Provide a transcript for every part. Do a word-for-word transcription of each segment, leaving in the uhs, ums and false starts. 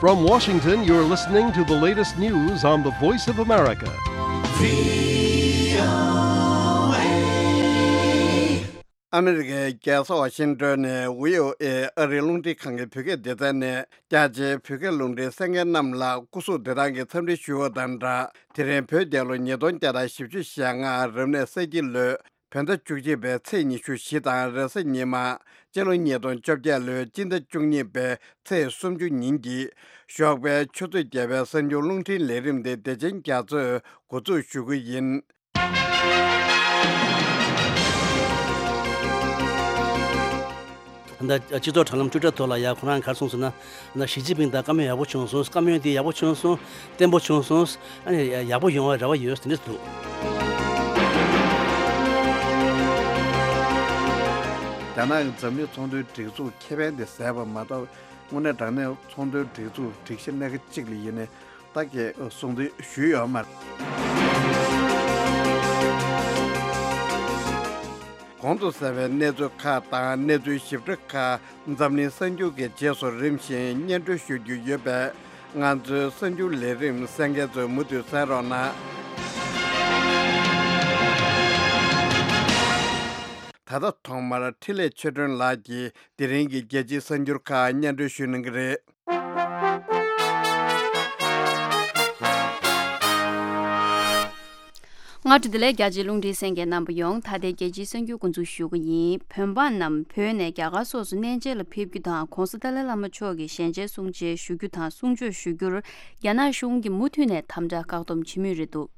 From Washington, you're listening to the latest news on the Voice of America. ཨ་མི་རི་ཀའི་རྒྱལ་ས་ཝ་ཤིང་ཏོན་ནས་བྷི་ཨོ་ཨེ་ཨ་རིའི་རླུང་འཕྲིན་ཁང་གི་བོད་སྐད་སྡེ་ཚན་ནས་རྒྱ་ཆེའི་བོད་སྐད་རླུང་འཕྲིན་གསན་མཁན་རྣམས་ལ་སྐུ་གཟུགས་བདེ་ཐང་གི་འཚམས་འདྲི་ཞུ་བ་དང་སྦྲགས། དེ་རིང་བོད་རྒྱལ་ལོ་ཉིས་སྟོང་བརྒྱ་དང་བཞི་བཅུ་ཞེ་ལྔ་རབ་གནས་ས་ཁྱི་ལོའི་བོད་ཟླ་བཅུ་གཅིག་པའི་ཚེས་ཉི་ཤུ་བཞི་དང་རེས་གཟའ་ཉི་མ། སྤྱི་ལོ་ཉིས་སྟོང་བཅོ་བརྒྱད་ལོའི་སྤྱི་ཟླ་བཅུ་གཉིས་པའི་ཚེས་སུམ་ཅུ་ཉིན་གྱི་ཞོགས་པའི་ཆུ་ཚོད་བརྒྱད་པའི་གསར་འགྱུར་རླུང་འཕྲིན་ལས་རིམ་དེ་བདེ་ཆེན་རྒྱ་མཚོས་འགོ་འཛུགས་ཞུ་གི་ཡིན། ད་སྤྱི་ཚོགས་དྲ་ལམ་ཊུའི་ཊར་ཐོག་ལ་ཡ་ཁོ་རང་ག་རེ་གསུངས་སོང་ན། ད་ཞི་ཅིན་ཕིང་དང་བཀའ་མོལ་ཡག་པོ་བྱུང་སོང་། བཀའ་མོལ་དེ་ཡག་པོ་བྱུང་སོང་། བརྟན་པོ་བྱུང་སོང་། ཨ་ནི་ཡག་པོ་ཡོང་བའི་རེ་བ་ཡོད་ཟེར་ནས་འདུག་རྒྱ་ནག་གི་འཛམ་གླིང་ཚོང་དོན་སྒྲིག་འཛུགས་ཁེ་ཕན་དེ་ཟད་པ་མ་གཏོགས། དངོས་གནས་དྲང་གནས་ཚོང་དོན་སྒྲིག་འཛུགས་སྒྲིག་གཞི་སྣ་ཁ་གཅིག་ལ་ཡིན་ནའི་ད་གས་གསུང་དོན་ཞུས་ཡོད་མ་རེད། གོང་དུ་གསལ་བའི་གནས་ཚུལ་ཁག་དང་གནས་ཚུལ་ཞིབ་ཕྲ་ཁག་འཛམ་གླིང་གསར་འགྱུར་གྱི་རྗེས་སུ་རིམ་བཞིན་སྙན་སྒྲོན་ཞུ་རྒྱུ་ཡོད་པས། ང་ཚོའི་གསར་འགྱུར་ལས་རིམ་གསན་མཁན་ཚོས་མུ་མཐུད་གསན་རོགས་གནང་། ད་ལྟ་ཐོག་མར་འཕྲིན་ལས་ཆོས་སྒྲོན་ལགས་ཀྱིས་དེ་རིང་གི་རྒྱལ་སྤྱིའི་གསར་འགྱུར་ཁག་སྙན་སྒྲོན་ཞུ་གནང་གི་རེད། སྔ་དྲོ་བདེ་ལེགས། རྒྱ་ཆེའི་རླུང་འཕྲིན་གསན་མཁན་རྣམ་པ་ཡོངས། ད་ལྟའི་རྒྱལ་སྤྱིའི་གསར་འགྱུར་འགོ་འཛུགས་ཞུ་གི་ཡིན། བོད་འབངས་རྣམས་བོད་ནས་རྒྱ་གར་སོགས་སུ་གནས་མཇལ་ལ་ཕེབས་རྒྱུ་དང་། ྋགོང་ས་ཏཱ་ལའི་བླ་མ་མཆོག་གི་ཞལ་མཇལ་གསུང་མཇལ་ཞུ་རྒྱུ་དང་གསུང་ཆོས་ཞུ་རྒྱུར་རྒྱ་ནག་གཞུང་གིས་མུ་མཐུད་ནས་དམ་དྲག་བཀག་སྡོམ་བྱེད་མུས་རེད་འདུག་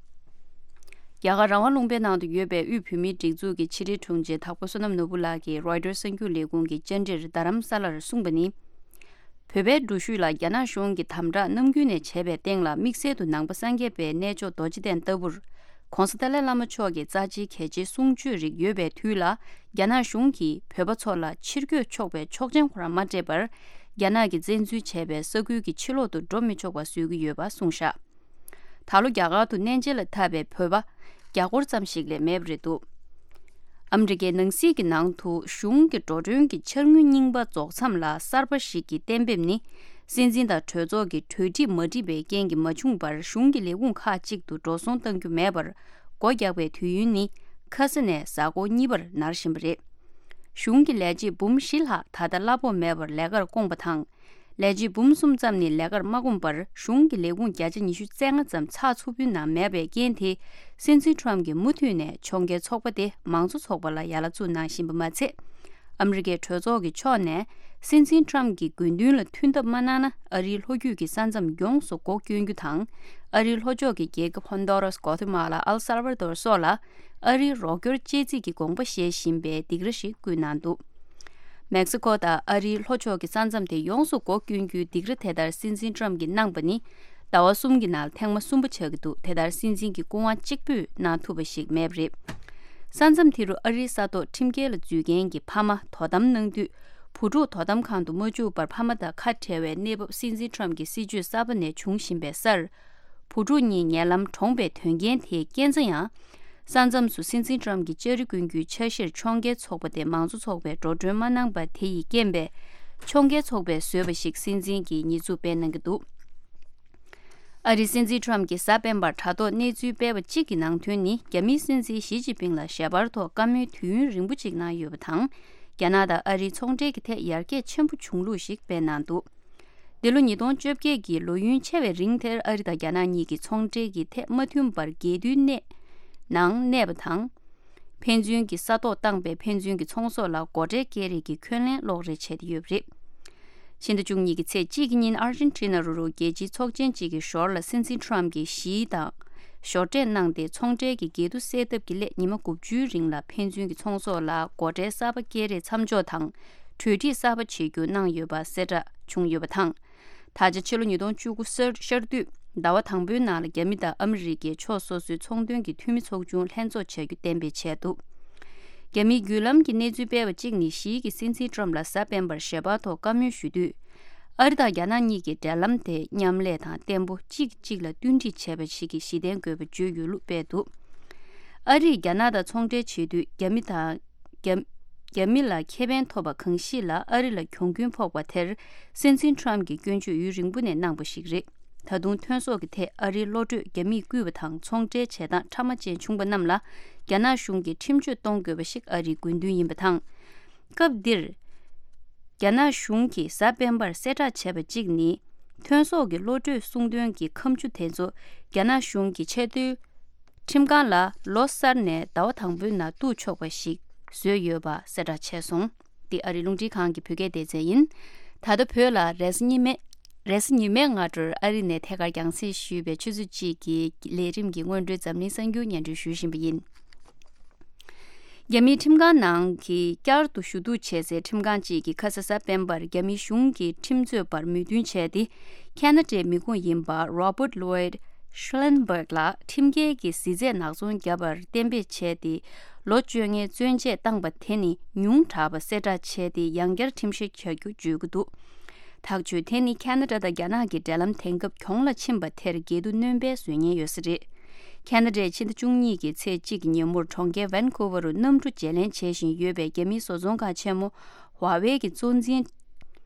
རྒྱ་གར་རང་དབང་ལུང་པའི་ནང་དུ་ཡོད་པའི་དབུས་བོད་མིའི་སྒྲིག་འཛུགས་ཀྱི་ཕྱི་དྲིལ་དྲུང་ཆེ་དྭགས་པོ་བསོད་ནམས་ནོར་བུ་ལགས་ཀྱིས་རོའི་ཊར་གསར་འགྱུར་ལས་ཁུངས་ཀྱི་བཅར་འདྲིར་རྡ་རམ་ས་ལར་གསུངས་པ་ནི། བོད་པའི་འགྲུལ་བཞུད་ལ་རྒྱ་ནག་གཞུང་གིས་དམ་དྲག་ནམ་རྒྱུན་ནས་བྱས་པའི་སྟེང་ལ། དམིགས་བསལ་དུ་ནང་པ་སངས་རྒྱས་པའི་གནས་མཆོག་རྡོ་རྗེ་གདན་ལྟ་བུར་ྋགོང་ས་ཏཱ་ལའི་བླ་མ་མཆོག་གི་རྩ་ཆེའི་གལ་ཆེའི་གསུང་ཆོས་རིགས་ཡོད་པའི་དུས་ལ། རྒྱ་ནག་གཞུང་གིས་བོད་པ་ཚོ་ལ་ཕྱིར་སྐྱོད་ཆོག་པའི་ཆོག་མཆན་ཁོ་རང་མ་སྤྲད་པར། རྒྱ་ནག་གིས་བཙན་འཛུལ་བྱས་པའི་ས་ཁུལ་གྱི་ཕྱི་ལོག་ཏུ་འགྲོ་མི་ཆོག་པ་བཟོ་གི་ཡོད་པ་གསུངས་བཞག་ད་ལོ་རྒྱ་གར་དུ་གནས་མཇལ་ལ་འཐབ་པའི་བོད་པ་བརྒྱ་སྐོར་ཙམ་ཞིག་ལས་མེད་པ་རེད་འདུག་ཨ་མི་རི་ཀའི་ནང་སྲིད་ཀྱི་ནང་དུ་གཞུང་གི་འགྲོ་གྲོན་གྱི་འཆར་དངུལ་རྙིང་པ་རྫོགས་མཚམས་ལ་གསར་པ་ཞིག་གི་གཏན་འབེབས་ནི། སྲིད་འཛིན་དང་གྲོས་ཚོགས་ཀྱི་གྲོས་འགྲིག་མ་འགྲིག་པའི་རྐྱེན་གྱིས་མ་བྱུང་བར། གཞུང་གི་ལས་ཁུངས་ཁག་ཅིག་ཏུ་འགྲོ་སོང་གཏང་རྒྱུ་མེད་པར་སྒོ་རྒྱག་པའི་དུས་ཡུན་ནི་ཁ་ས་ནས་གཟའ་འཁོར་གཉིས་པར་ནར་བཞིན་པ་རེད། གཞུང་གི་ལས་བྱེད་འབུམ་བཞི་ལྷག་ད་ལྟ་གླ་ཕོགས་མེད་པར་ལས་ཀར་བསྐོངས་པ་དང་། ལས་བྱེད་འབུམ་གསུམ་ཙམ་ནི་ལས་ཀར་མ་བསྐོངས་པར། གཞུང་གི་ལས་ཁུངས་བརྒྱ་ཆ་ཉི་ཤུ་རྩ་ལྔ་ཙམ་ཚགས་ཚུད་པོའི་ནང་མེད་པའི་རྐྱེན་དེས། སྲིད་འཛིན་ཊམ་གྱིས་མུ་མཐུད་ནས་ཕྱོགས་འགལ་ཚོགས་པ་དེ་མང་གཙོ་ཚོགས་པ་ལ་ཡ་ལ་བཙུགས་གནང་བཞིན་པ་མ་ཚད། ཨ་མི་རི་ཀའི་གྲོས་ཚོགས་ཀྱི་ཕྱོགས་ནས་སྲིད་འཛིན་ཊམ་གྱི་དགོས་འདུན་ལ་མཐུན་ཐབས་མ་གནང་ན། ཨ་རིའི་ལྷོ་རྒྱུད་ཀྱི་ས་མཚམས་ཡོངས་སུ་སྒོ་སྐྱོན་རྒྱུ་དང་། ཨ་རིའི་ལྷོ་ཕྱོགས་ཀྱི་རྒྱལ་ཁབ་ཧོན་ཌོ་རཱས། གོ་ཐི་མ་ལ། ཨལ་སལ་ཝ་དོར་སོགས་ལ་ཨ་རིའི་རོགས་སྐྱོར་བཅད་རྩིས་ཀྱི་དགོངས་པ་བཞེས་བཞིན་པའི་སྡིགས་ར་ཞིག་བསྐུལ་གནང་འདུག་མེག་སི་ཀོ་དང་ཨ་རིའི་ལྷོ་ཕྱོགས་ཀྱི་ས་མཚམས་དེ་ཡོངས་སུ་སྒོ་སྐྱོན་རྒྱུའི་སྡིགས་ར་དེ་ལྟར་སྲིད་འཛིན་ཊམ་གྱིས་གནང་པ་ནི་ཟླ་བ་གསུམ་གྱི་ནང་ཐེངས་མ་གསུམ་པ་ཆགས་ཀྱི་འདུག་དེ་ལྟར་སྲིད་འཛིན་གྱི་སྐུ་དབང་གཅིག་པུས་གནང་ཐུབ་པ་ཞིག་མེད་པ་རེད། ས་མཚམས་དེ་རུ་ཨ་རིའི་ས་ཐོག་ཁྲིམས་འགལ་ལ་འཛུལ་མཁན་གྱི་ཕ་མ་དོ་དམ་གནང་དུས། བུ་ཕྲུག་དོ་དམ་ཁང་དུ་མ་བཅུག་པར་ཕ་མ་དང་ཁ་བྲལ་བའི་གནས་བབ། སྲིད་འཛིན་ཊམ་གྱི་སྲིད་བྱུས་གསར་པ་ནས་བྱུང་བཞིན་པའི་སར། བུ་ཕྲུག་གཉིས་ཉེ་ལམ་གྲོངས་པའི་དོན་རྐྱེན་དེའི་རྐྱེན་རྩ་ཡང་། ས་མཚམས་སུ་སྲིད་འཛིན་ཊམ་གྱི་ལྕགས་རི་ཀུན་གྱི་ཆ་གཞིར་ཕྱོགས་འགལ་ཚོགས་པ་དེ་མང་གཙོ་ཚོགས་པས་འགྲོ་གྲོན་མ་གནང་པ་དེ་ཡི་རྐྱེན་པས། ཕྱོགས་འགལ་ཚོགས་པས་བཟོས་པ་ཞིག་སྲིད་འཛིན་གྱིས་ཉེས་འཛུགས་སྤེལ་གནང་གི་འདུག་ཨ་རིའི་སྲིད་འཛིན་ཊམ་གྱིས་གཟའ་སྤེན་པར་དྲ་ཐོག་གནས་ཚུལ་སྤེལ་བ་གཅིག་གི་ནང་དོན་ནི། རྒྱ་མིའི་སྲིད་འཛིན་ཞི་ཅིན་ཕིང་ལ་ཞལ་པར་ཐོག་བཀའ་མོལ་དུས་ཡུན་རིང་པོ་གཅིག་གནང་ཡོད་པ་དང་། རྒྱ་ནག་དང་ཨ་རིའི་ཚོང་འབྲེལ་གྱི་ཐད་ཡར་རྒྱས་ཆེན་པོ་བྱུང་ལུགས་ཤིག་སྤེལ་གནང་འདུག་འདི་ལོ་ཉིས་སྟོང་བཅོ་བརྒྱད་ཀྱི་ལོ་ཡུན་ཆེ་བའི་རིང་དེར་ཨ་རི་དང་རྒྱ་ནག་གཉིས་ཀྱི་ཚོང་འབྲེལ་གྱི་ཐད་མ་མཐུན་པར་འགལ་འདུའི་གནས་ནང་གནས་པ་དང་། ཕན་ཚུན་གྱི་ས་ཐོག་བཏང་པའི་ཕན་ཚུན་གྱི་ཚོང་ཟོག་ལ་སྒོ་ཁྲལ་སྐྱེལ་རེས་ཀྱི་འཁོན་ལན་སློག་རེས་བྱས་ཏེ་ཡོད་པ་རེད། ཕྱི་ཟླ་བཅུ་གཉིས་ཀྱི་ཚེས་གཅིག་གི་ཉིན་ཨར་ཇེན་ཊི་ན་རུ་རུ་རྒྱལ་སྤྱིའི་ཚོགས་ཆེན་གཅིག་གི་ཞོར་ལ་སྲིད་འཛིན་ཊམ་གྱིས་ཞི་དང་ཞོར་འབྲེལ་གནང་སྟེ། ཚོང་འབྲེལ་གྱི་འགལ་འདུ་སེལ་ཐབས་ཀྱི་སླད་ཉི་མ་དགུ་བཅུའི་རིང་ལ་ཕན་ཚུན་གྱི་ཚོང་ཟོག་ལ་སྒོ་ཁྲལ་གསར་པ་སྐྱེལ་རེས་མཚམས་འཇོག་དང་གྲོས་འགྲིག་གསར་པ་བྱེད་རྒྱུ་གནང་ཡོད་པ་གསལ་བསྒྲགས་བྱུང་ཡོད་པ་དང་། ད་ཆ་ཕྱི་ལོ་ཉིས་སྟོང་བཅུ་དགུ་གསར་ཤར་དུས་ཟླ་བ་དང་པོའི་ནང་ལ་རྒྱ་མི་དང་ཨ་མི་རི་ཀས་ཕྱོགས་སོ་སོའི་ཚོང་དོན་གྱི་འཐུས་མི་ཚོགས་ཆུང་ལྷན་ཚོགས་བྱ་རྒྱུ་གཏན་འབེབས་བྱས་འདུག་རྒྱ་མིའི་བརྒྱུད་ལམ་གྱི་གནས་ཚུལ་སྤེལ་བ་གཅིག་ནི། ཞི་གིས་སྲིད་འཛིན་ཊམ་ལ་གཟའ་སྤེན་པར་ཞལ་པར་ཐོག་བཀའ་མོལ་ཞུ་དུས། ཨ་རི་དང་རྒྱ་ནག་གཉིས་ཀྱི་འབྲེལ་ལམ་དེ་མཉམ་ལས་དང་བརྟན་པོ། གཅིག་གིས་གཅིག་ལ་བསྟུན་སྒྲིག་བྱས་པ་ཞིག་གི་གཞི་རྟེན་དགོས་པ་བརྗོད་ཡོད་ལུགས་སྤེལ་འདུག་ཨ་རིས་རྒྱ་ནག་དང་ཚོང་འབྲེལ་བྱེད་དུས་རྒྱ་མི་དང་། རྒྱ། རྒྱ་མི་ལ་ཁེ་ཕན་ཐོབ་པ་གང་ཞིག་ལ་ཨ་རི་ལ་གྱོང་གུན་ཕོག་པ་དེར་སྲིད་འཛིན་ཊམ་གྱིས་སྐྱོན་བརྗོད་ཡུན་རིང་པོ་ནས་གནང་པ་ཞིག་རེད། ད་དུང་ཐོན་ཟོག་གི་ཐད་ཨ་རིའི་བློ་གྲོས་རྒྱ་མིས་བརྐུས་པ་དང་ཚོང་འབྲེལ་བྱེད་སྟངས་ཕྲ་མ་ཅན་བྱུང་པ་རྣམས་ལ་རྒྱ་ནག་གཞུང་གིས་ཁྲིམས་གཅོད་གཏོང་དགོས་པ་ཞིག་ཨ་རིའི་དགོས་འདུན་ཡིན་པ་དང་། སྐབས་འདིར། རྒྱ་ནག་གཞུང་གིས་གཟའ་སྤེན་པར་གསལ་བསྒྲགས་བྱས་པ་གཅིག་ནི། ཐོན་ཟོག་གི་བློ་གྲོས་གསུང་དོན་གྱི་ཁ་མཆུ་དེ་ཚོ་རྒྱ་ནག་གཞུང་གི་ཆེས་མཐོའི་ཁྲིམས་ཁང་ལ་ལོ་གསར་ནས་ཟླ་བ་དང་པོའི་ནང་གཏུག་ཆོག་པ་ཞིག་བཟོས་ཡོད་པ་གསལ་བསྒྲགས་བྱས་སོང་། འདི་ཨ་རིའི་རླུང་འཕྲིན་ཁང་གི་བོད་སྐད་སྡེ་ཚན་ཡིན། ད་ལྟ་བོད་ལ་རེས་གཟའ་ཉི་མའི་རེས་གཟའ་ཉི་མའི་སྔ་དྲོར་ཨ་རི་ནས་ཐད་ཀར་རྒྱང་སྲིང་ཞུས་པའི་ཆུ་ཚོད་གཅིག་གི་ལས་རིམ་གྱི་སྔོན་འགྲོའི་འཛམ་གླིང་གསར་འགྱུར་སྙན་སྒྲོན་ཞུ་བཞིན་པ་ཡིན། རྒྱ་མིའི་ཁྲིམས་ཁང་ནང་གི་བསྐྱར་དུ་ཞུ་གཏུག་བྱེད་སའི་ཁྲིམས་ཁང་གཅིག་གིས་ཁ་ས་གཟའ་སྤེན་པར་རྒྱ་མིའི་གཞུང་གི་ཁྲིམས་རྩོད་པར་མོས་མཐུན་བྱས་ཏེ། ཁ་ན་ཌའི་མི་ཁུངས་ཡིན་པ་Robert Lloyd Schellenberg ལགས་ཁྲིམས་འགལ་གྱི་གཟི་རྫས་ནག་ཚོང་བརྒྱབ་པར་གཏན་འབེབས་བྱས་ཏེ། ལོ་བཅོ་ལྔའི་བཙོན་འཇལ་བཏང་པ་དེ་ནི་ཉུང་དྲགས་པ་གསལ་བསྒྲགས་བྱས་ཏེ། ཡང་བསྐྱར་ཁྲིམས་བཤེར་བྱ་རྒྱུ་བརྗོད་ཀྱི་འདུག་ཐག་གཅོད་དེ་ནི་ཁ་ན་ཌ་དང་རྒྱ་ནག་གི་འབྲེལ་ལམ་དེང་སྐབས་གྱོང་ལ་ཕྱིན་པ་དེར་འགལ་འདུ་སྣོན་སྤེལ་བཟོ་ཉེན་ཡོད་ས་རེད། ཁ་ན་ཌའི་ཕྱི་ཟླ་བཅུ་གཉིས་ཀྱི་ཚེས་གཅིག་གི་ཉིན་མོར་གྲོང་ཁྱེར་ཝན་ཁུ་ཝར་རུ་གནམ་གྲུ་བརྗེ་ལེན་བྱེད་བཞིན་ཡོད་པའི་རྒྱ་མིའི་བཟོ་ཚོང་ཁང་ཆེན་མོ་ཧྭ་ཝེ་གི་གཙོ་འཛིན་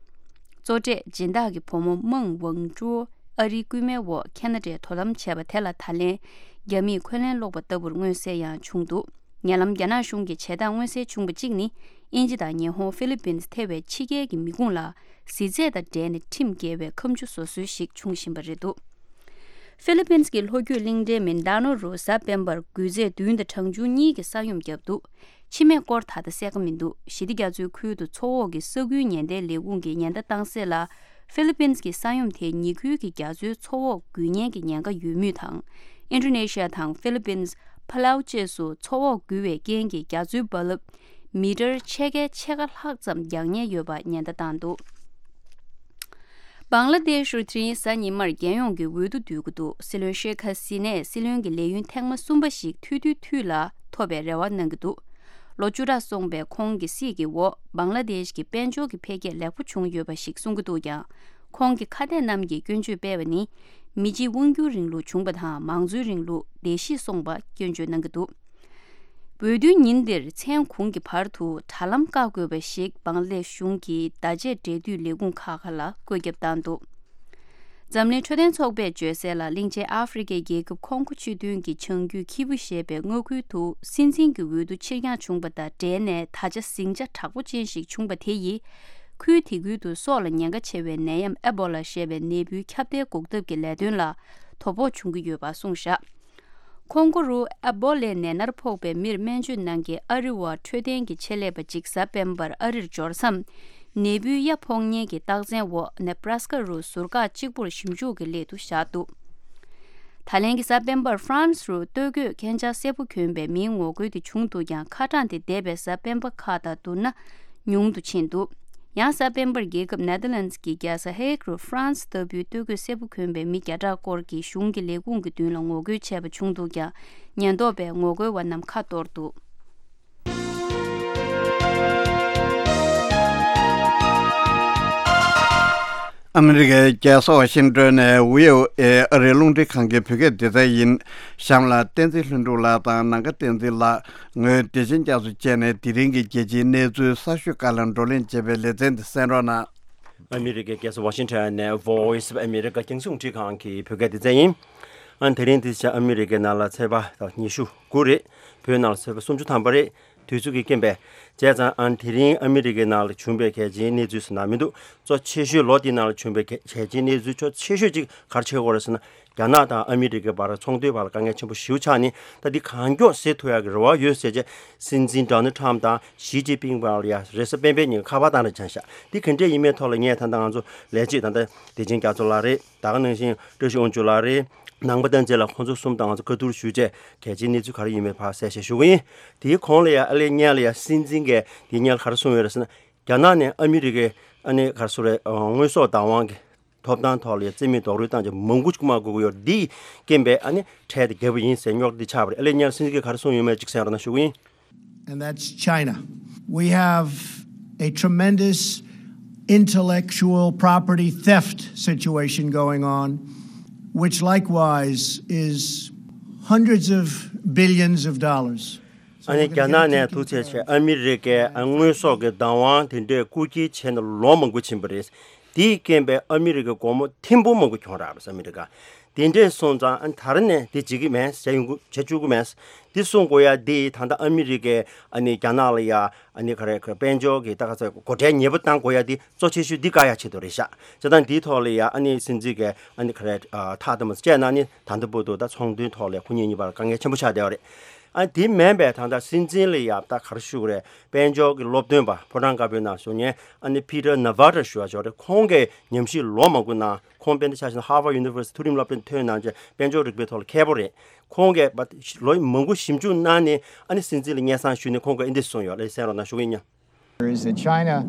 གཙོ་གྲས་སྦྱིན་བདག་གི་བུ་མོ་མང་ཝང་ཀྲུའུ་ཨ་རིའི་སྐུད་མེད་འོག་ཁ་ན་ཌའི་དོ་དམ་བྱས་པ་དེ་ལ་ད་ལན་རྒྱ་མིས་འཁོན་ལན་སློག་པ་ལྟ་བུར་མངོན་གསལ་ཡང་བྱུང་འདུག་ཉེ་ལམ་རྒྱ་ནག་གཞུང་གིས་བྱེད་སྟངས་མངོན་གསལ་བྱུང་བ་གཅིག་ནི། དབྱིན་ཇི་དང་ཉི་ཧོང་ཧྥི་ལི་པིན་ཐེ་བའི་ཕྱི་རྒྱལ་གྱི་མི་ཁུངས་ལ་གཟི་རྫས་དང་འབྲེལ་ནས་ཁྲིམས་འགལ་བའི་ཁ་མཆུ་བཟོ་སྲོལ་ཞིག་འབྱུང་བཞིན་པ་རེད་འདུག་ཧྥི་ལི་པིན་གྱི་ལྷོ་རྒྱུད་གླིང་ཕྲན་མིན་ཌ་ནོ་རུ་གཟའ་སྤེན་པར་འགུལ་རྫས་བདུན་དང་གྲངས་ཆུང་གཉིས་ཀྱི་ས་ཡོམ་བརྒྱབ་འདུག་ཕྱི་མའི་སྐོར་ད་ལྟ་གསལ་ཁ་མི་འདུག་ཞི་བདེ་རྒྱ་མཚོའི་ཁུལ་དུ་མཚོ་འོག་གི་ས་ཁུལ་ཉེན་བརྡའི་ལས་ཁུངས་ཀྱིས་ཉེན་བརྡ་བཏང་གསལ་ལ། ཧྥི་ལི་པིན་གྱི་ས་ཡོམ་དེས་ཉེ་ཁུལ་གྱི་རྒྱ་མཚོའི་མཚོ་འོག་འགུལ་ཉེན་གྱི་ཉེན་ཁ་ཡོད་མུས་དང་། ཨིན་ཌོ་ནེ་ཤི་ཡ་དང་ཧྥི་ལི་པིན། ཕ་ལའུ་བཅས་སུ་མཚོ་འོག་འགུལ་བའི་རྐྱེན་གྱིས་རྒྱ་མཚོའི་རྦ་རླབས་མི་ཊར་ཕྱེད་ཀའི་ཕྱེད་ཀ་ལྷག་ཙམ་འགྱངས་ཉེན་ཡོད་པ་ཉེན་བརྡ་བཏང་འདུག་བང་ལ་དེཤ་རུ་དེ་རིང་གཟའ་ཉི་མར་རྒྱལ་ཡོངས་ཀྱི་འོས་བསྡུ་སྡོད་ཀྱི་འདུག་སྲིད་བློན་ཤེ་ཁ་སི་ནས་སྲིད་བློན་གྱི་ལས་ཡུན་ཐེངས་མ་གསུམ་པ་ཞིག་ཐུག་དུས་དུས་ལ་ཐོབ་པའི་རེ་བ་གནང་གི་འདུག་ལོ་བཅུ་ཕྲག་སོང་པའི་ཁོང་གི་སྲིད་ཀྱི་འོག་བང་ལ་དེཤ་གི་དཔལ་འབྱོར་གྱི་འཕེལ་རྒྱས་ལེགས་པོ་བྱུང་ཡོད་པ་ཞིག་གསུང་གི་འདུག་ཀྱང་། ཁོང་གི་ཁ་གཏད་རྣམས་ཀྱིས་སྐྱོན་བརྗོད་སྤེལ་བ་ནི། མི་གཅིག་དབང་སྒྱུར་རིང་ལུགས་བྱུང་པ་དང་མང་གཙོའི་རིང་ལུགས་བརྡལ་བཤིག་སོང་པ་སྐྱོན་བརྗོད་གནང་གི་འདུག་འོས་བསྡུའི་ཉིན་འདིར་མཚན་གུང་གི་བར་དུ་དྲ་ལམ་བཀག་དགོས་པ་ཞིག་བང་ལེ་གཞུང་གི་བརྡ་ཆད་འབྲེལ་མཐུད་ལས་ཁུངས་ཁག་ཁག་ལ་བཀོད་ཁྱབ་བཏང་འདུག་འཛམ་གླིང་འཕྲོད་བསྟེན་ཚོགས་པས་བརྗོད་གསལ་ལ། གླིང་ཆེན་ཨ་ཧྥེ་རི་ཁའི་རྒྱལ་ཁབ་ཁོང་གོ་སྤྱི་མདུན་གྱི་བྱང་རྒྱུད་ཁི་བུ་ཞེས་པའི་མངའ་ཁུལ་དུ་སྲིད་འཛིན་གྱི་འོས་བསྡུ་ཕྱིར་འགྱངས་བྱུང་པ་དང་འབྲེལ་ནས། ད་ཆ་ཟིང་ཆ་དྲག་པོ་ཅན་ཞིག་བྱུང་པ་དེ་ཡིས། ཁུལ་དེ་ཁུལ་དུ་སྲོག་ལ་ཉེན་ཁ་ཆེ་བའི་ནད་ཡམས་ཨེ་བོ་ལ་ཞེས་པའི་ནད་འབུའི་ཁྱབ་གདལ་འགོག་ཐབས་ཀྱི་ལས་དོན་ལ་དོ་ཕོག་བྱུང་གི་ཡོད་པ་གསུངས་བཞག་ཁོང་གོ་རུ་ཨེ་བོ་ལའི་ནད་མནར་ཕོག་པའི་མིར་སྨན་བཅོས་གནང་མཁན་ཨ་རི་བ་འཕྲོད་བསྟེན་གྱི་ཆེད་ལས་པ་གཅིག་གཟའ་སྤེན་པར་ཨ་རིར་འབྱོར་མཚམས། ནད་འབུའི་ཡ་ཕོག་ཉེན་གྱི་རྟགས་མཚན་འོག་ནེ་བྷ་ར་སི་ཀ་རུ་ཟུར་བཀག་གཅིག་པུར་ཞིབ་འཇུག་གི་སླད་དུ་བཞག་འདུག་ད་ལན་གྱི་གཟའ་སྤེན་པར་ཧྥ་རན་སི་རུ་སྟོད་གོས་གན་ཆག་སེར་པོ་གྱོན་པའི་མིའི་ངོ་རྒོལ་དེ་བྱུང་འདུག་ཀྱང་། ཁ་གྲངས་དེ་འདས་པའི་གཟའ་སྤེན་པ་ཁག་དང་བསྡུར་ན་ཉུང་དུ་ཕྱིན་འདུག་ཡང་གཟའ་སྤེན་པར་རྒྱལ་ཁབ་ནེ་དར་ལན་སི་གི་རྒྱལ་ས་ཧེག་རུ་ཧྥ་རན་སི་ལྟ་བུའི་སྟོད་གོས་སེར་པོ་གྱོན་པའི་མི་བརྒྱ་ཕྲག་སྐོར་གྱིས་གཞུང་གི་ལས་ཁུངས་ཀྱི་མདུན་ལ་ངོ་རྒོལ་བྱས་པ་བྱུང་འདུག་ཀྱང་། ཉེན་རྟོག་པས་ངོ་རྒོལ་བ་རྣམས་ཁ་གཏོར་འདུག་ཨ་མི་རི་ཀའི་རྒྱལ་ས་ཝ་ཤིང་ཏོན་ནས་བྷི་ཨོ་ཨེ་ཨ་རིའི་རླུང་འཕྲིན་ཁང་གི་བོད་སྐད་སྡེ་ཚན་ཡིན། གཤམ་ལ་བསྟན་འཛིན་ལྷུན་གྲུབ་ལགས་དང་ནམ་མཁའ་བསྟན་འཛིན་ལགས། ངོས་བདེ་ཆེན་རྒྱ་མཚོ་བཅས་ནས་དེ་རིང་གི་རྒྱལ་སྤྱིའི་གནས་ཚུལ་གསར་ཤོས་བཀའ་ལ་བགྲོ་གླེང་བྱེད་པའི་ལེ་ཚན་འདི་གསན་རོགས་གནང་། ཨ་མི་རི་ཀའི་རྒྱལ་ས་ཝ་ཤིང་ཊོན་ནས་Voice of America་རྒྱང་སྲིང་རླུང་འཕྲིན་ཁང་གི་བོད་སྐད་སྡེ་ཚན་ཡིན། ཨ་དེ་རིང་འདི་ཆ་ཨ་མི་རི་ཀའི་ནང་ལ་ཚེས་པ་ཉི་ཤུ་དགུ་རེད། བོད་ནང་ལ་ཚེས་པ་སུམ་ཅུ་ཐམ་པ་རེད། དུས་ཚོད་ཀྱི་རྐྱེན་པས། བྱས་ཙང་ཨ་དེ་རིང་ཨ་མི་རི་ཀའི་ནང་ལ་བྱུང་པའི་གལ་ཆེའི་གནས་ཚུལ་ཟེར་ན་མི་འདུག་གཙོ་ཆེ་ཤོས་ལོ་འདིའི་ནང་ལ་བྱུང་པའི་གལ་གལ་ཆེའི་གནས་ཚུལ་གཙོ་ཆེ་ཤོས་ཅིག་ག་རེ་ཆགས་ཀྱི་ཡོད་རེད་ཟེར་ན། རྒྱ་ནག་དང་ཨ་མི་རི་ཀའི་བར་ཚོང་དོན་བར་ལ་དཀའ་ངལ་ཆེན་པོ་ཞེ་པོ་ཆགས་ནས། ད་འདི་གང་མགྱོགས་སེལ་ཐུབ་ཡག་གི་རེ་བ་ཡོད་ཟེར་བྱས། སྲིད་འཛིན་ཌོ་ནལ་ཊམ་དང་ཞི་ཅིན་ཕིང་བར་ལ་ཡ་རེས་གཟའ་སྤེན་པའི་ཉིན་ཁ་པར་བཏང་རེ་བྱས་ཤག་འདི་ག་འདྲས་ཡིན་མིན་ཐོག་ལ་ངས་ད་ལྟ་ང་ཚོ་ལས་བྱེད་ད་ལྟ་བདེ་ཆེན་རྒྱ་མཚོ་ལགས་རེད། ད་ག་ནང་བཞིན་བཀྲ་ཤིས་དབང་ཕྱུག་ལགས་རེད། ནང་པ་བསྟན་འཛིན་ལགས། ཁོང་ཚོ་གསུམ་དང་ང་ཚོ་བཀའ་བསྡུར་ཞུས་བྱས་གལ་ཆེའི་གནས་ཚུལ་ག་རེ་ཡིན་མིན་ཕར་གསལ་བཤད་ཞུ་གི་ཡིན། དེའི་གོང་ལ་ཡ་ཨ་ལས་སྔོན་ལ་ཡ་སྲིད་འཛིན་གྱིས་དེའི་སྔོན་ལ་ག་རེ་གསུངས་ཡོད་རེད་ཟེར་ན། རྒྱ་ནག་ནས་ཨ་མི་རི་ཀའི་ཨ་ནི་ག་རེ་ཟེར་རེད། དངོས་ཟོག་བདག་དབང་གི་ཐོབ་ཐང་ཐོག་ལ་ཡ་རྩིས་མེད་རྡོག་རོལ་བཏང་བྱས་མང་པོ་ཅིག་མ་དགོས་ཀྱི་ཡོད་རེད། འདིའི་རྐྱེན་པས་ཨ་ནི་འཕྲལ་དུ་བརྒྱབ་པ་ཡིན་ཟེར་རྙོག་དྲ་འདི་ཆགས་པ་རེད། ཨ་ལས་སྔོན་ལ་སྲིད་འཛིན་གྱིས་ག་རེ་གསུངས་ཡོད་མེད་ཅིག་གསན་རོགས་གནང་ཞུ་གི་ཡིན། And that's China. We have a tremendous intellectual property theft situation going on, which likewise is hundreds of billions of dollars. ཨ་ནི་རྒྱ་ནག་ནས་ཐུག་ཚད་ཆེ་ཨ་མི་རི་ཀའི་ཨ་དངོས་ཟོག་གི་བདག་དབང་དེ་འདྲས་རྐུ་འཁྱེར་བྱས་ནས་ལོ་མང་པོ་ཕྱིན་པ་རེད། དེའི་རྐྱེན་པས་ཨ་མི་རི་ཀའི་སྒོར་མོ་ཐེར་འབུམ་མང་པོ་གྱོང་རག་པ་རེད། ཨ་མི་རི་ཀ་དེ་འདྲས་སོང་ཙང་ཨ་ནི་ད་རེས་ནས་དེ་བྱེད་ཀྱི་མེད། བྱས་ཡོང་གི་བྱས་བཅུག་གི་མེད། དེ་གསུང་དགོས་ཡ་དེ་ད་ལྟ་ཨ་མི་རི་ཀས་ཨ་ནི་རྒྱ་ནག་ལ་ཡ་ཨ་ནི་ག་རེ་ག་དཔལ་འབྱོར་གྱི་ད་ག་ཚོད་སྒོ་ཁྲལ་ཉེས་པ་བཏང་དགོས་ཡ་དེ་གཙོ་ཆེ་ཤོས་འདི་བཀག་ཡ་ཆེད་དུ་རེད་ཤག་བྱས་ཙང་འདིའི་ཐོག་ལ་ཡ་ཨ་ནི་སྲིད་འཛིན་གྱིས་ཨ་ནི་ག་རེ་ཨ་ཐག་དམ་བཅད་ན་ནི་ད་ལྟ་བར་དུ་ད་ཚོང་དོན་ཐོག་ལ་ཁོ་གཉིས་གཉིས་བར་དཀའ་ངལ་ཆེན་པོ་ཆགས་བསྡད་པ་རེད། ཨ་དེ་མིན་པའི་ད་ལྟ་སྲིད་འཛིན་ལ་ཡ་ད་ག་རེ་ཞུ་དགོས་རེད། དཔལ་འབྱོར་གྱི་སློབ་སྟོན་པ་ཕོ་བྲང་དཀར་པོའི་ནང་བཞུགས་མཁན་ཨ་ནི་Peter Navarro་ཞུ་བ་ཞིག་རེད། ཁོང་གིས་ཉམས་ཞིབ་ལོ་མང་པོ་གནང་། ཁོང་དཔེར་ན་ཆ་བཞག་ན་Harvard University་མཐོ་རིམ་སློབ་གྲྭ་ཐོན་གནང་བྱས་དཔལ་འབྱོར་རིག་པའི་ཐོག་ལ་མཁས་པོ་རེད། ཁོང་གིས་ལོ་མང་པོ་ཞིབ་འཇུག་གནང་ནས་ཨ་ནི་སྲིད་འཛིན་ལ་སྙན་སེང་ཞུས་ནས་ཁོང་གིས་འདི་གསུངས་ཡོད་ལ་གསན་རོགས་གནང་ཞུ་གི་ཡིན། Is that China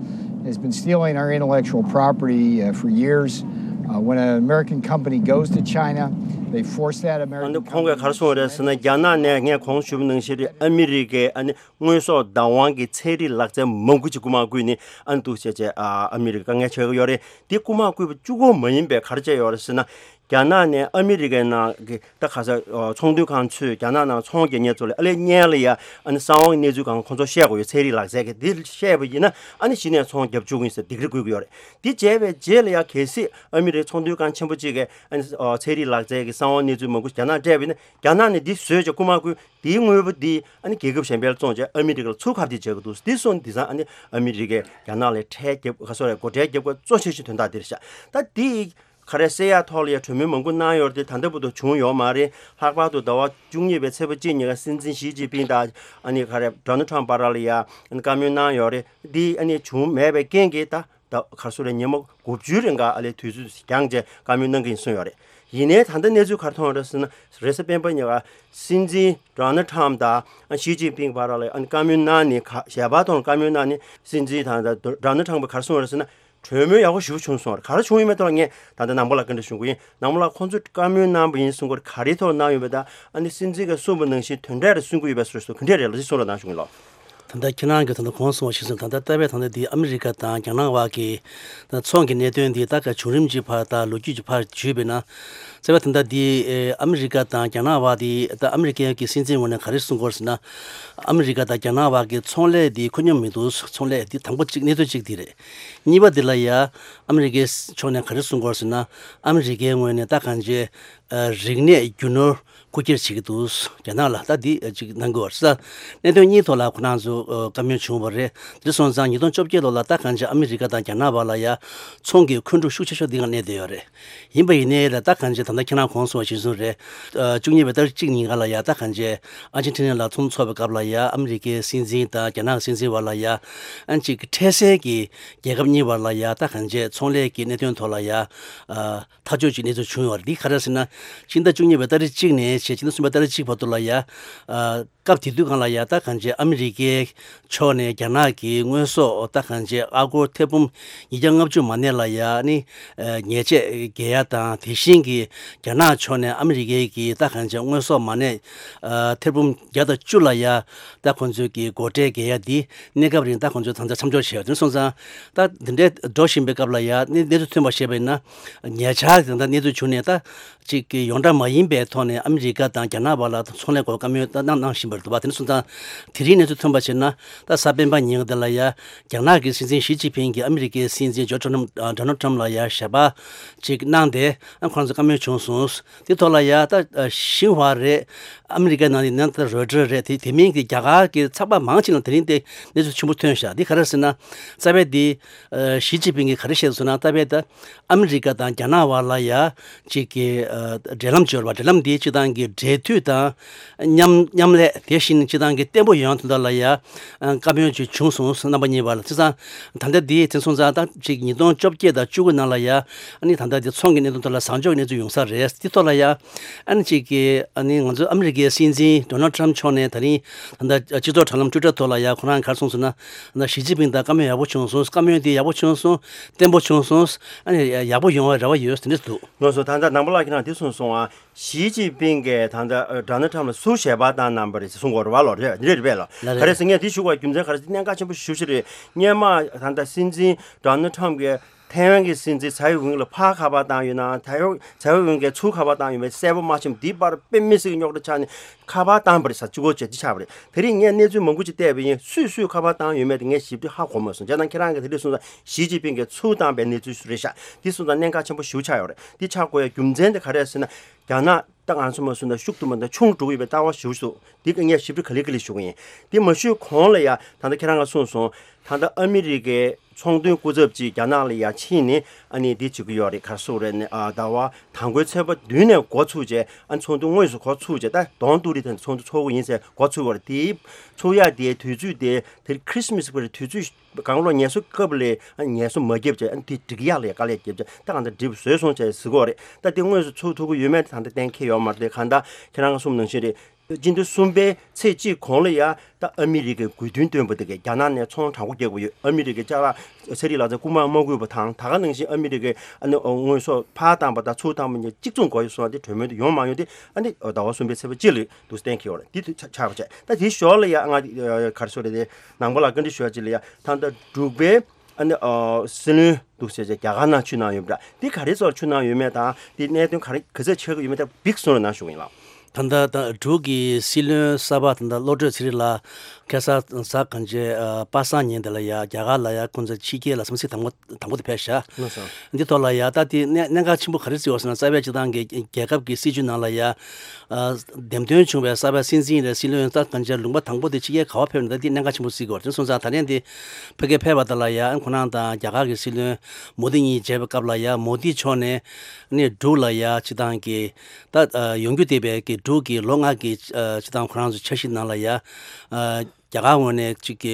has been stealing our intellectual property uh, for years. Uh, when an American company goes to China, they force that American company to spend. ཁོང་གིས་ག་རེ་གསུངས་རེད་ཟེར་ན། རྒྱ་ནག་ནས་ངས་གོང་ཞུས་པ་ནང་བཞིན་རེད། ཨ་མི་རི་ཀའི་ཨ་ནི་དངོས་ཟོག་བདག་དབང་གི་ཚན་རིག་ལག་རྩལ་མང་པོ་ཅིག་རྐུ་མ་རྐུས་ནས་ཨ་ནི་འདུག་བྱས་བྱས་ཨ་ཨ་མི་རི་ཀ་དཀའ་ངལ་འཕྲད་ཀྱི་ཡོད་རེད། དེ་རྐུ་མ་རྐུས་པ་གཅིག་པོ་མ་ཡིན་པའི་ག་རེ་བྱས་ཡོད་རེད་ཟེར་ན། རྒྱ་ནག་ནས་ཨ་མི་རི་ཀའི་ནང་གི་ད་ག་ས་ཚོང་དོན་ཁང་ཚོས་རྒྱ་ནག་ནང་ཚོང་རྒྱག་མཁན་ཚོ་ལ་ཨ་ལས་སྔོན་ལ་ཡ་ཨ་ནི་གསང་བའི་གནས་ཚུལ་གང་ཁོང་ཚོར་བཤད་དགོས་ཡོད། ཚན་རིག་ལག་རྩལ་གྱི་དེ་བཤད་པ་ཡིན་ན་ཨ་ནི་གཞི་ནས་ཚོང་རྒྱབ་བཅུག་གི་ཡིན་ཟེར་སྡིགས་ར་བསྐུལ་གྱི་ཡོད་རེད། དེ་བྱས་པའི་རྗེས་ལ་ཡ་གལ་སྲིད་ཨ་མི་རི་ཀའི་ཚོང་དོན་ཁང་ཆེན་པོ་གཅིག་གིས་ཨ་ནི་ཚན་རིག་ལག་རྩལ་གྱི་གསང་བའི་གནས་ཚུལ་མང་པོ་རྒྱ་ནག་སྤྲད་པ་ཡིན་ན། རྒྱ་ནག་ནས་འདི་བཟོས་བྱས་རྐུ་མ་རྐུ་དེའི་དངོས་པོ་འདི་ཨ་ནི་རྒྱལ་ཁབ་གཞན་པར་བཙོང་བྱས་ཨ་མི་རི་ཀར་ཚུར་ཁ་གཏད་བྱེད་དགོས་འདུག་འདི་སོང་འདི་ཚང་ཨ་ནི་ཨ་མི་རི་ཀས་རྒྱ་ནག་ལ་ཁྲལ་རྒྱབ་ག་སོ་རེད། སྒོ་ཁྲལ་རྒྱབ་དགོས་གཙོ་ཆེ་ཤོས་དོན་དག་འདི་རེད་ཤག་ད་འདི་ག་རེ་ཟེར་ཡ་ཐོག་ལ་ཡ་གྲོས་མོལ་མང་པོ་གནང་ཡོད་རེད་དེ་ད་ལྟ་བར་དུ་བྱུང་ཡོད་མ་རེད། ལྷག་པར་དུ་ཟླ་བ་བཅུ་གཉིས་པའི་ཚེས་པ་གཅིག་ཉིན་ཀ་སྲིད་འཛིན་ཞི་ཅིན་ཕིང་དང་ཨ་ནི་ག་རེ་Donald Trump་བར་ལ་ཡ་ཨ་ནི་བཀའ་མོལ་གནང་ཡོད་རེད། འདི་ཨ་ནི་བྱུང་མེད་པའི་རྐྱེན་གྱིས་ད་ད་ག་རེ་ཟེར་རེད། ཉི་མ་དགུ་བཅུའི་རིང་ག་ཨ་ལས་དུས་ཚོད་འགྱངས་བྱས་བཀའ་མོལ་གནང་གི་ཡིན་གསུངས་ཡོད་རེད། ཡིན་ནའི་ད་ལྟ་གནས་ཚུལ་ག་རེ་མཐོང་ཡོད་རེད་ཟེར་ན། རེས་གཟའ་སྤེན་པ་ཉིན་ཀ་སྲིད་འཛིན་Donald Trump་དང་ཞི་ཅིན་ཕིང་བར་ལ་ཨ་ནི་བཀའ་མོལ་གནང་ནས་ག་ཞལ་པར་ཐོག་ལ་བཀའ་མོལ་གནང་ནས་སྲིད་འཛིན་དང་Donald Trump་གིས་ག་རེ་གསུངས་རེད་ཟེར་ན། གྲོས་མོལ་ཡག་པོ་ཞེ་པོ་བྱུང་སོང་རེད། ག་རེ་བྱུང་ཡོད་མེད་ཐོག་ལ་ངས་ད་ལྟ་ནང་པ་ལ་བཀའ་འདྲི་ཞུ་གི་ཡིན། ནང་པ་ལ་ཁོང་ཚོས་བཀའ་མོལ་གནང་པ་ཡིན་གསུང་གི་ཡོད་རེད། ག་རེའི་ཐོག་གནང་ཡོད་མེད་དང་ཨ་ནི་སྲིད་འཛིན་གྱིས་གསུངས་པ་ནང་བཞིན་དོན་འབྲས་རེ་གསུང་གི་ཡོད་པའི་བཟོ་འདྲ་ག་འདྲས་རེད་ལབ་ཅིག་གསུང་རོགས་གནང་ཞུ་གི་ཡིན་ལགས། ད་ལྟ་ཁྱེད་རང་གིས་ད་ལྟ་གོང་གསུངས་པ་ཞིག་སོང་། ད་ལྟ་ལྟ་བས་ད་ལྟ་འདི་ཨ་མི་རི་ཀ་དང་རྒྱ་ནག་བར་གྱི་ད་ཚོང་གི་གནད་དོན་འདི་ད་ག་བྱུང་རིམ་གྱི་བར་དང་ལོ་རྒྱུས་ཀྱི་བར་བརྗོད་པས་ན། ལྟ་བས་ད་ལྟ་འདི་ཨ་མི་རི་ཀ་དང་རྒྱ་ནག་བར་འདི་ད་ཨ་མི་རི་ཀའི་གི་སྲིད་འཛིན་ངོས་ནས་ག་རེ་གསུང་གི་ཡོད་ཟེར་ན། ཨ་མི་རི་ཀ་དང་རྒྱ་ནག་བར་གྱི་ཚོང་ལས་འདི་ཁོ་སྙོམས་མི་འདུག་ཚོང་ལས་འདི་དང་པོ་གཅིག་གནས་ཚུལ་གཅིག་འདི་རེད། གཉིས་པ་འདི་ལ་ཡ་ཨ་མི་རི་ཀའི་ཕྱོགས་ནས་ག་རེ་གསུང་གི་ཡོད་ཟེར་ན། ཨ་མི་རི་ཀའི་ངོས་ནས་ད་གང་བྱས་རིག་གནས་རྒྱུ་ནོར་རྐུ་འཁྱེར་བྱེད་ཀྱི་འདུག་རྒྱ་ནག་ལ་ད་འདི་ཅིག་གནང་གི་ཡོད་རེད། གནད་དོན་གཉིས་ཐོག་ལ་ཁོ་རང་ཚོ་བཀའ་མོལ་བྱུང་བ་རེད། དེ་སོང་ཙང་ཉིས་སྟོང་བཅོ་བརྒྱད་ལོ་ལ་ད་གང་ཅི་ཨ་མི་རི་ཀ་དང་རྒྱ་ནག་བར་ལ་ཡ་ཚོང་གི་འཁོན་འཁྲུག་ཤུགས་ཆེ་ཤོས་འདི་ག་གནས་བསྡད་ཡོད་རེད། ཡིན་པ་ཡིན་ནའི་ལ་ད་གང་ཅི་ད་ལྟ་ཁྱེད་རང་གོང་གསུངས་པ་ཞིག་བཟུང་རེད། བཅུ་གཉིས་པའི་ཏ་རིག་གཅིག་ཉིན་ག་ལ་ཡ་ད་གང་ཅི་ཨར་ཇན་ཊི་ན་ལ་ཚོགས་འདུ་ཚོགས་པའི་སྐབས་ལ་ཡ་ཨ་མི་རི་ཀའི་སྲིད་འཛིན་དང་རྒྱ་ནག་གི་སྲིད་འཛིན་བར་ལ་ཡ་ཨ་ཅིག་འཕྲལ་སེལ་གྱི་རྒྱལ་ཁབ་གཉིས་བར་ལ་ཡ་ད་གང་ཅི་ཚོང་ལས་ཀྱི་གནད་དོན་ཐོག་ལ་ཡ། ཐག་གཅོད་ཀྱི་གནས་ཚུལ་བྱུང་ཡོད་རེད། འདི་ག་རེ་ཟེར་ན། ཕྱི་ཟླ་བཅུ་གཉིས་པའི་ཏ་རིག་གཅིག་ནས་བྱས་ཕྱི་ཟླ་གསུམ་པའི་ཏ་རིག་གཅིག་བར་དུ་ལ་ཡ། ཨ། སྐབས་དེ་དུས་སྒང་ལ་ཡ་ད་གང་ཅི་ཨ་མི་རི་ཀའི་ཕྱོགས་ནས་རྒྱ་ནག་གི་དངོས་ཟོག་ད་གང་ཅི་ཨ་སྒོར་ཐེར་འབུམ་ཉིས་བརྒྱ་ལྔ་བཅུ་མ་གནས་ལ་ཡ་ནི། ཨ། ཉེས་ཆད་འགེལ་ཡ་དང་དེ་བཞིན་གྱི་རྒྱ་ནག་ཕྱོགས་ནས་ཨ་མི་རི་ཀའི་གི་ད་གང་ཅི་དངོས་ཟོག་མ་གནས། ཨ། ཐེར་འབུམ་བརྒྱ་དང་བཅུ་ལ་ཡ། ད་ཁོང་ཚོས་ཀྱི་སྒོ་ཁྲལ་འགེལ་ཡ་འདི་གནས་སྐབས་རིང་ད་ཁོང་ཚོས་ད་ལྟ་མཚམས་འཇོག་བྱས་ཡོད། དེ་སོང་ཙང་ད་འདི་འདྲའི་འགྲོ་བཞིན་པའི་སྐབས་ལ་ཡ་གནས་གནས་ཚུལ་ཐོན་པ་བཤད་པ་ཡིན་ན། ཉེ་ཆར་ད་ལྟ་གནས་ཚུལ་བྱུང་ནས་ད་ཅིག་གི་ཡོངས་གྲགས་མ་ཡིན་པའི་ཐོག་ནས་ཨ་མི་རི་ཀ་དང་རྒྱ་ནག་བར་ལ་ཚོང་ལས་སྐོར་བཀའ་མོལ་ད་གནང་གནང་བཞིན་པ་རེད་འདུག་པ། དེ་སོང་ཙང་དེ་རིང་གནས་ཚུལ་ཐོན་པ་བྱས་ན་ད་གཟའ་སྤེན་པ་ཉིན་འདི་ལ་ཡ་རྒྱ་ནག་གི་སྲིད་འཛིན་ཞི་ཅིན་ཕིང་གིས་ཨ་མི་རི་ཀའི་སྲིད་འཛིན་ཇོ་ཁྲོམ་ཌོ་ནལ་ཁྲམ་ལ་ཡ་ཞལ་པར་ཅིག་གནང་སྟེ་ཨ་ཁོང་ཚོ་བཀའ་མོལ་བྱུང་སོང་། དེ་ཐོག་ལ་ཡ་ད་ཤིན་ཧྭ་རེད། ཨ་མི་རི་ཀའི་ནང་ནས་ནང་ད་རོའི་ཊར་རེད། དེ་དེ་མིན་གྱི་རྒྱ་གར་གྱི་ཚགས་པར་མང་ཆེ་ནང་དེ་རིང་དེ་གནས་ཚུལ་ཆེན་པོ་ཐོན་ཤག་འདི་ག་རེ་ཟེར་ན། རྩ་བའི་འདི་ཞི་ཅིན་ཕིང་གིས་ག་རེ་བཤད་སོང་ན། རྩ་བའི་ད་ཨ་མི་རི་ཀ་དང་རྒྱ་ནག་བར་ལ་ཡ་ཅིག་གི་འབྲེལ་ལམ་སྦྱོར་བ། འབྲེལ་ལམ་འདི་སྤྱི་བཏང་གི་འབྲེལ་མཐུད་དང་མཉམ་མཉམ་ལས་དེ་བཞིན་སྤྱི་བཏང་གི་བརྟན་པོ་ཡོང་དོན་དག་ལ་ཡ་བཀའ་མོལ་ཅིག་བྱུང་སོང་། རྣམ་པ་གཉིས་བར་ལ་བྱས་ཙང་ད་ལྟ་འདི་དེ་སོང་ཙང་ད་ཅིག་ཉིས་སྟོང་བཅོ་བརྒྱད་དང་བཅུ་དགུ་ནང་ལ་ཡ་ཨ་ནི་ད་ལྟ་འདི་ཚོང་གི་གནད་དོན་ཐོག་ལ་བཟང་ཕྱོགས་ཀྱི་གནས་ཚུལ་ཡོང་ས་རེད། དེ་ཐོག་ལ་ཡ། ཨ་ནི་གཅིག་གིས་ཨ་ནི་ང་ཚོ་ཨ་མི་རི་ཀའི་སྲིད་འཛིན་ཌོ་ནལ་ཁྲམ་མཆོག་ནས་ད་རིང་ད་ལྟ་སྤྱི་ཚོགས་དྲ་ལམ་ཊུའི་ཊར་ཐོག་ལ་ཡ་ཁོ་རང་ག་རེ་གསུངས་སོང་ན། ད་ཞི་ཅིན་ཕིང་དང་བཀའ་མོལ་ཡག་པོ་བྱུང་སོང་། བཀའ་མོལ་དེ་ཡག་པོ་བྱུང་སོང་། བརྟན་པོ་བྱུང་སོང་། ཨ་ནི་ཡག་པོ་ཡོང་བའི་རེ་བ་ཡོད་ཟེར་ནས་འདུག་ལགས་སོ། ད་ལྟ་ནང་པ་ལགས་ཁྱེད་རང་དེ་གསུངས་སོང་ཨ། ཞི་ཅིན་ཕིང་གིས་ད་ལྟ་ཌོ་ནལ་ཁྲམ་ལ་སུ་ཞལ་པར་བཏང་གནང་བ་རེད་ཟེར་གསུང་གི་ཡོད་རེད་པ་ལགས། རེད་རེད་པས་ལགས། ལགས་རེད། ག་རེ་ཟེར་ངས་དེ་ཞུ་དགོས་རྒྱུ་མཚན་ག་རེ་ཟེར་གནད་འགག་ཆེན་པོ་ཞེ་པོ་ཞིག་རེད། སྔོན་མ་ད་ལྟ་སྲིད་འཛིན་ཌོ་ནལ་ཁྲམ་གྱིས། ཐའེ་ཝན་གྱི་སྲིད་འཛིན་ཚའེ་ཝེན་ལ་ཕར་ཁ་པར་བཏང་ཡོད་ན། ཐའེ་ཝེན་ཚའེ་ཝེན་གྱིས་ཚུར་ཁ་པར་བཏང་ཡོད་མེད་གསལ་པོ་མ་ཤེས། འདི་པར་དཔེ་མི་སྲིད་ཀྱི་རྙོག་དྲ་ཆགས་ནས་ཁ་པར་བཏང་པ་རེད་ཟེར། གཅིག་པོ་བྱས་འདི་ཆགས་པ་རེད། དེ་རིང་ངས་གནས་ཚུལ་མང་པོ་ཅིག་བལྟས་པ་ཡིན། སུས་སུས་ཁ་པར་བཏང་ཡོད་མེད་དེ་ངས་ཞིབ་ཕྲ་ཧ་གོ་མ་སོང་། བྱས་ཙང་ཁྱེད་རང་གིས་དེ་རིང་གསུངས་ཙང་ཞི་ཅིན་ཕིང་གིས་ཚུར་བཏང་པའི་གནས་ཚུལ་རེད་ཤག་འདི་གསུངས་ཙང་གནད་འགག་ཆེན་པོ་ཞེ་པོ་ཆགས་ཡོད་རེད། འདི་ཆགས་དགོས་ཡ་རྒྱུ་མཚན་དེ་ག་རེ་རེད་ཟེར་ན། རྒྱ་ནག་ད་ང་ཚོ་མ་གསུངས་ན་ཤུགས་དུ་མ་ད་ཆུང་འགྲོ་གི་ཡོད་པའི་ལྟ་བ་ཞེ་པོ་ཞིག་འདུག་འདི་ག་ངས་ཞིབ་ཕྲ་ག་ལེ་ག་ལེ་ཞུ་གི་ཡིན། འདི་མ་ཞུས་གོང་ལ་ཡ་ད་ལྟ་ཁྱེད་རང་གིས་གསུངས་སོང་། ད་ལྟ་ཨ་མི་རི་ཀའི་ཚོང་དོན་སྐུ་ཚབ་ཅིག་རྒྱ་ནག་ལ་ཡ་ཕྱིན་ནས་ཨ་ནི་འདི་བྱེད་ཀྱི་ཡོད་རེད། ག་རེ་ཟེར་དགོས་རེད་ནས། ཨ་ཟླ་བ་དང་པོའི་ཚེས་པ་བདུན་ནས་འགོ་ཚུགས་བྱས། ཨ་ནི་ཚོགས་འདུ་དངོས་སུ་འགོ་ཚུགས་བྱས། ད་གདོང་ཏུ་རི་ཐང་ཚོགས་འདུ་ཚོགས་ཀྱི་ཡིན་ཟེར་འགོ་ཚུགས་པ་རེད། དེའི་ཚུགས་ཡ་དེའི་དུས་ཚོད་དེ་དེ་ཁྲི་སི་མ་སི་གི་དུས་ཚོད་གང་ལོ་ངལ་གསོ་སྐབས་ལས་ཨ་ངལ་གསོ་མ་བརྒྱབ་བྱས། ཨ་ནི་དེ་འགྲིག་ཡག་ལ་ཡ་དཀའ་ལས་བརྒྱབ་བྱས། ད་གང་ལྟར་འགྲིག་པ་བཟོས་སོང་བྱས་ཟེར་གྱི་ཡོད་རེད། ད་དེ་དངོས་སུ་ཚུགས་ཐུབ་ཀྱི་ཡོད་མེད་དེ་ད་ལྟ་གཏན་འཁེལ་ཡོད་མ་རེད། དེ་གང་ལྟར་ཁྱེད་རང་གིས་གསུངས་ནང་བཞིན་རེད། སྤྱི་ཟླ་གསུམ་པའི་ཚེས་གཅིག་གོང་ལ་ཡ་ད་ཨ་མི་རི་ཀའི་དགོས་འདུན་བཏོན་པ་དེ་གས་རྒྱ་ནག་ནས་ཚོང་དྲག་པོ་རྒྱག་གི་ཡོད། ཨ་མི་རི་ཀའི་ཅ་ལག་ཚ་རིགས་ལག་རྩལ་རྐུ་མ་མ་དགོས་པ་དང་། ད་ག་ནང་བཞིན་ཨ་མི་རི་ཀའི་ཨ་ནི་དངོས་ཟོག་ཕར་བཏང་པ་དང་ཚུར་བཏང་པ་གཉིས་གཅིག་མཚུངས་དགོས་ཡོད་སོང་། དེ་གྲོས་མོལ་དེ་ཡོང་མ་ཡོང་དེ་ཨ་ནི་ཟླ་བ་གསུམ་པའི་ཚེས་པ་གཅིག་ལ་འདུག་སེ་གཏན་འཁེལ་བ་རེད། དེ་དུས་ཆགས་པ་བྱས། ད་དེ་ཞོར་ལ་ཡ་ང་ག་རེ་ཟེར་དགོས་རེད། དེ་ནང་པ་ལ་བཀའ་འདྲི་ཞུ་ཡ་ཅིག་ལ་ཡ། ད་ལྟ་འབྲུག་པའི་ཨ་ནི་ཨ་སྲིད་བློན་འདུག་ཟེར་བྱས་རྒྱ་གར་ནང་ཕྱིར་གནང་ཡོད་པ་འདྲ། འདི་ག་རེ་ཚོར་ཕྱིར་གནང་ཡོད་མེད་དང་། འདི་གནད་དོན་ག་རེ་ག་ཚོད་ཆགས་ཀྱི་ཡོད་མེད་དང་འདི་གསུང་རོགས་གནང་ཞུ་གི་ཡིན་ལགས། ད་ལྟ་ད་འབྲུག་གི་སྲིད་བློན་གསར་པ་ད་ལྟ་བློ་གྲོས་ཚེ་རིང་ལགས་ཁ་སང་གཟའ་གང་ཅི་ཨ་པ་སངས་ཉིན་དེ་ལ་ཡ་རྒྱ་གར་ལ་ཡ་ཁོང་ཚོ་ཕྱི་རྒྱལ་ལ་དམིགས་བསལ་དང་པོ་དང་པོ་དེ་ཕེབས་ཤག་ལགས་སོ། འདི་ཐོག་ལ་ཡ་ད་དེ་གནད་གནད་འགག་ཆེན་པོ་ག་རེ་བརྩིས་ཡོད་ཟེར་ན། རྩ་བའི་སྤྱི་བཏང་གི་རྒྱལ་ཁབ་ཀྱི་སྲིད་བྱུས་ནང་ལ་ཡ་ཨ་འདེམས་ཐོན་བྱུང་བའི་གསར་པ་སྲིད་འཛིན་རེད། སྲིད་བློན་ད་གང་ཅི་ལུང་པ་དང་པོ་དེ་ཕྱི་རྒྱལ་ག་པར་ཕེབས་ན་ད་འདི་གནད་འགག་ཆེན་པོ་བརྩི་དགོས་རེད། དེ་སོང་ཙང་ད་ལན་དེ་ཕ་གིར་ཕེབས་པ་དེ་ལ་ཡ་ཁོ་རང་དང་རྒྱ་གར་གྱི་སྲིད་བློན་མོ་དི་གཉིས་མཇལ་བའི་སྐབས་ལ་ཡ་མོ་དི་མཆོག་ནས་ནི་འབྲུག་ལ་ཡ་སྤྱི་བཏང་གི་ད་ཡོང་རྒྱུ་བསྡད་པའི་གི་འབྲུག་གི་ལོ་ལྔ་གི་སྤྱི་བཏང་ཁོ་རང་ཚོ་འཆར་གཞི་ནང་ལ་ཡ་རྒྱ་གར་ངོས་ནས་གཅིག་གི་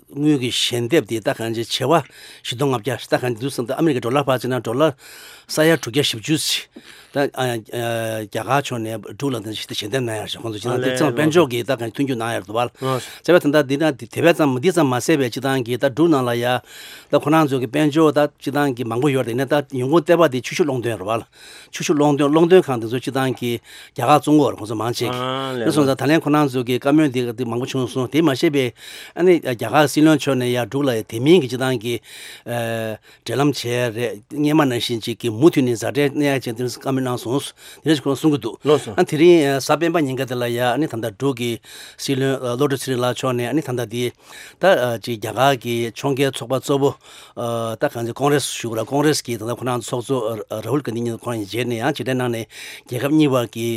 དངུལ་གྱི་ཞལ་འདེབས་དེ་ད་གང་ཅི་བྱེ་བ་བཞི་སྟོང་ལྔ་བརྒྱ་ད་གང་ཅི་འདུག་བསམ་སྟེ། ཨ་མི་རི་ཀའི་ཌོ་ལར་ཕར་བརྩིས་ན་ཌོ་ལར་ས་ཡ་དྲུག་བརྒྱ་བཞི་བཅུ་ཅིག་ད་ཨ་ཨ་རྒྱ་གར་ཕྱོགས་ནས་འབྲུག་ལ་དེ་ཞིག་ཏུ་ཞལ་འདེབས་གནང་ཡ་རེད། ཁོང་ཚོ་ཅི་ད་ཨ་དེ་ལས་ཚང་དཔལ་འབྱོར་གྱི་ད་གང་མཐུན་འགྱུར་གནང་ཡ་རེད་འདུག་བ། ཨ་བྱས་པ་དེ་འདྲ་འདི་ན་དེ་དེ་བས་ཙམ་འདི་ཙམ་མ་ཟད་པའི་སྤྱི་བཏང་གི་ད་འབྲུག་ནང་ལ་ཡ་ད་ཁོ་རང་ཚོ་གི་དཔལ་འབྱོར་ད་སྤྱི་བཏང་གི་མང་པོ་ཡོད་རེད། ཡིན་ན་ད་ཡོང་སྒོ་ལྟེ་བ་དེ་ཆུ་ཤུགས་གློག་འདོན་རེད་བ། ཆུ་ཤུགས་གློག་འདོན་གློག་འདོན་ཁང་དེ་ཚོ་སྤྱི་བཏང་གི་རྒྱ་གར་བཙོང་གི་ཡོད་རེད། ཁོང་ཚོ་མང་ཆེ་གི། ཨ་ལས་དེ་སོང་ཙང་ད་ལན་ཁོ་རང་ཚོ་གི་བཀའ་མོལ་འདི་འདི་མང་པོ་བྱུང་སོང་། དེ་མ་ཟད་པའི་ཨ་ནི་རྒྱ་གར་སྲིད་བློན་མཆོག་ནས་ཡ་འབྲུག་ལ་ཡ་དེ་མིན་གྱི་སྤྱི་བཏང་གི་ཨ་འབྲེལ་ལམ་བྱས་རེད། སྔོན་མ་ནང་བཞིན་ཅིག་གི་མུ་མཐུད་ནས་མཛའ་འབྲེལ་གནས་ཡ་བྱས་དེ་བཀའ་མོལ་གནང་སོང་། དེ་འདྲ་ཞིག་ཁོང་གསུང་གི་འདུག་ལགས་སོ། ཨ་དེ་རིང་གཟའ་སྤེན་པ་ཉིན་ཀ་དེ་ལ་ཡ་ཨ་ནི་ད་ལྟ་འབྲུག་གི་སྲིད་བློན་བློ་གྲོས་ཚེ་རིང་ལགས་མཆོག་ནས་ཨ་ནི་ད་ལྟ་དེ་ད་ཅིག་རྒྱ་གར་གྱི་ཕྱོགས་འགལ་ཚོགས་པ་གཙོ་བོ་ད་གང་ཅི་ཀོང་རེས་ཞུ་དགོས་ར། ཀོང་རེས་ཀྱི་ད་ལྟ་ཁོ་རང་ཚོགས་གཙོ་ར་ཧུལ་གྷན་དྷི་གཉིས་ཁོ་རང་གཉིས་མཇལ་ནས་ཡང་ཕྱི་འབྲེལ་གནང་ནས་རྒྱལ་ཁབ་གཉིས་བར་གྱི་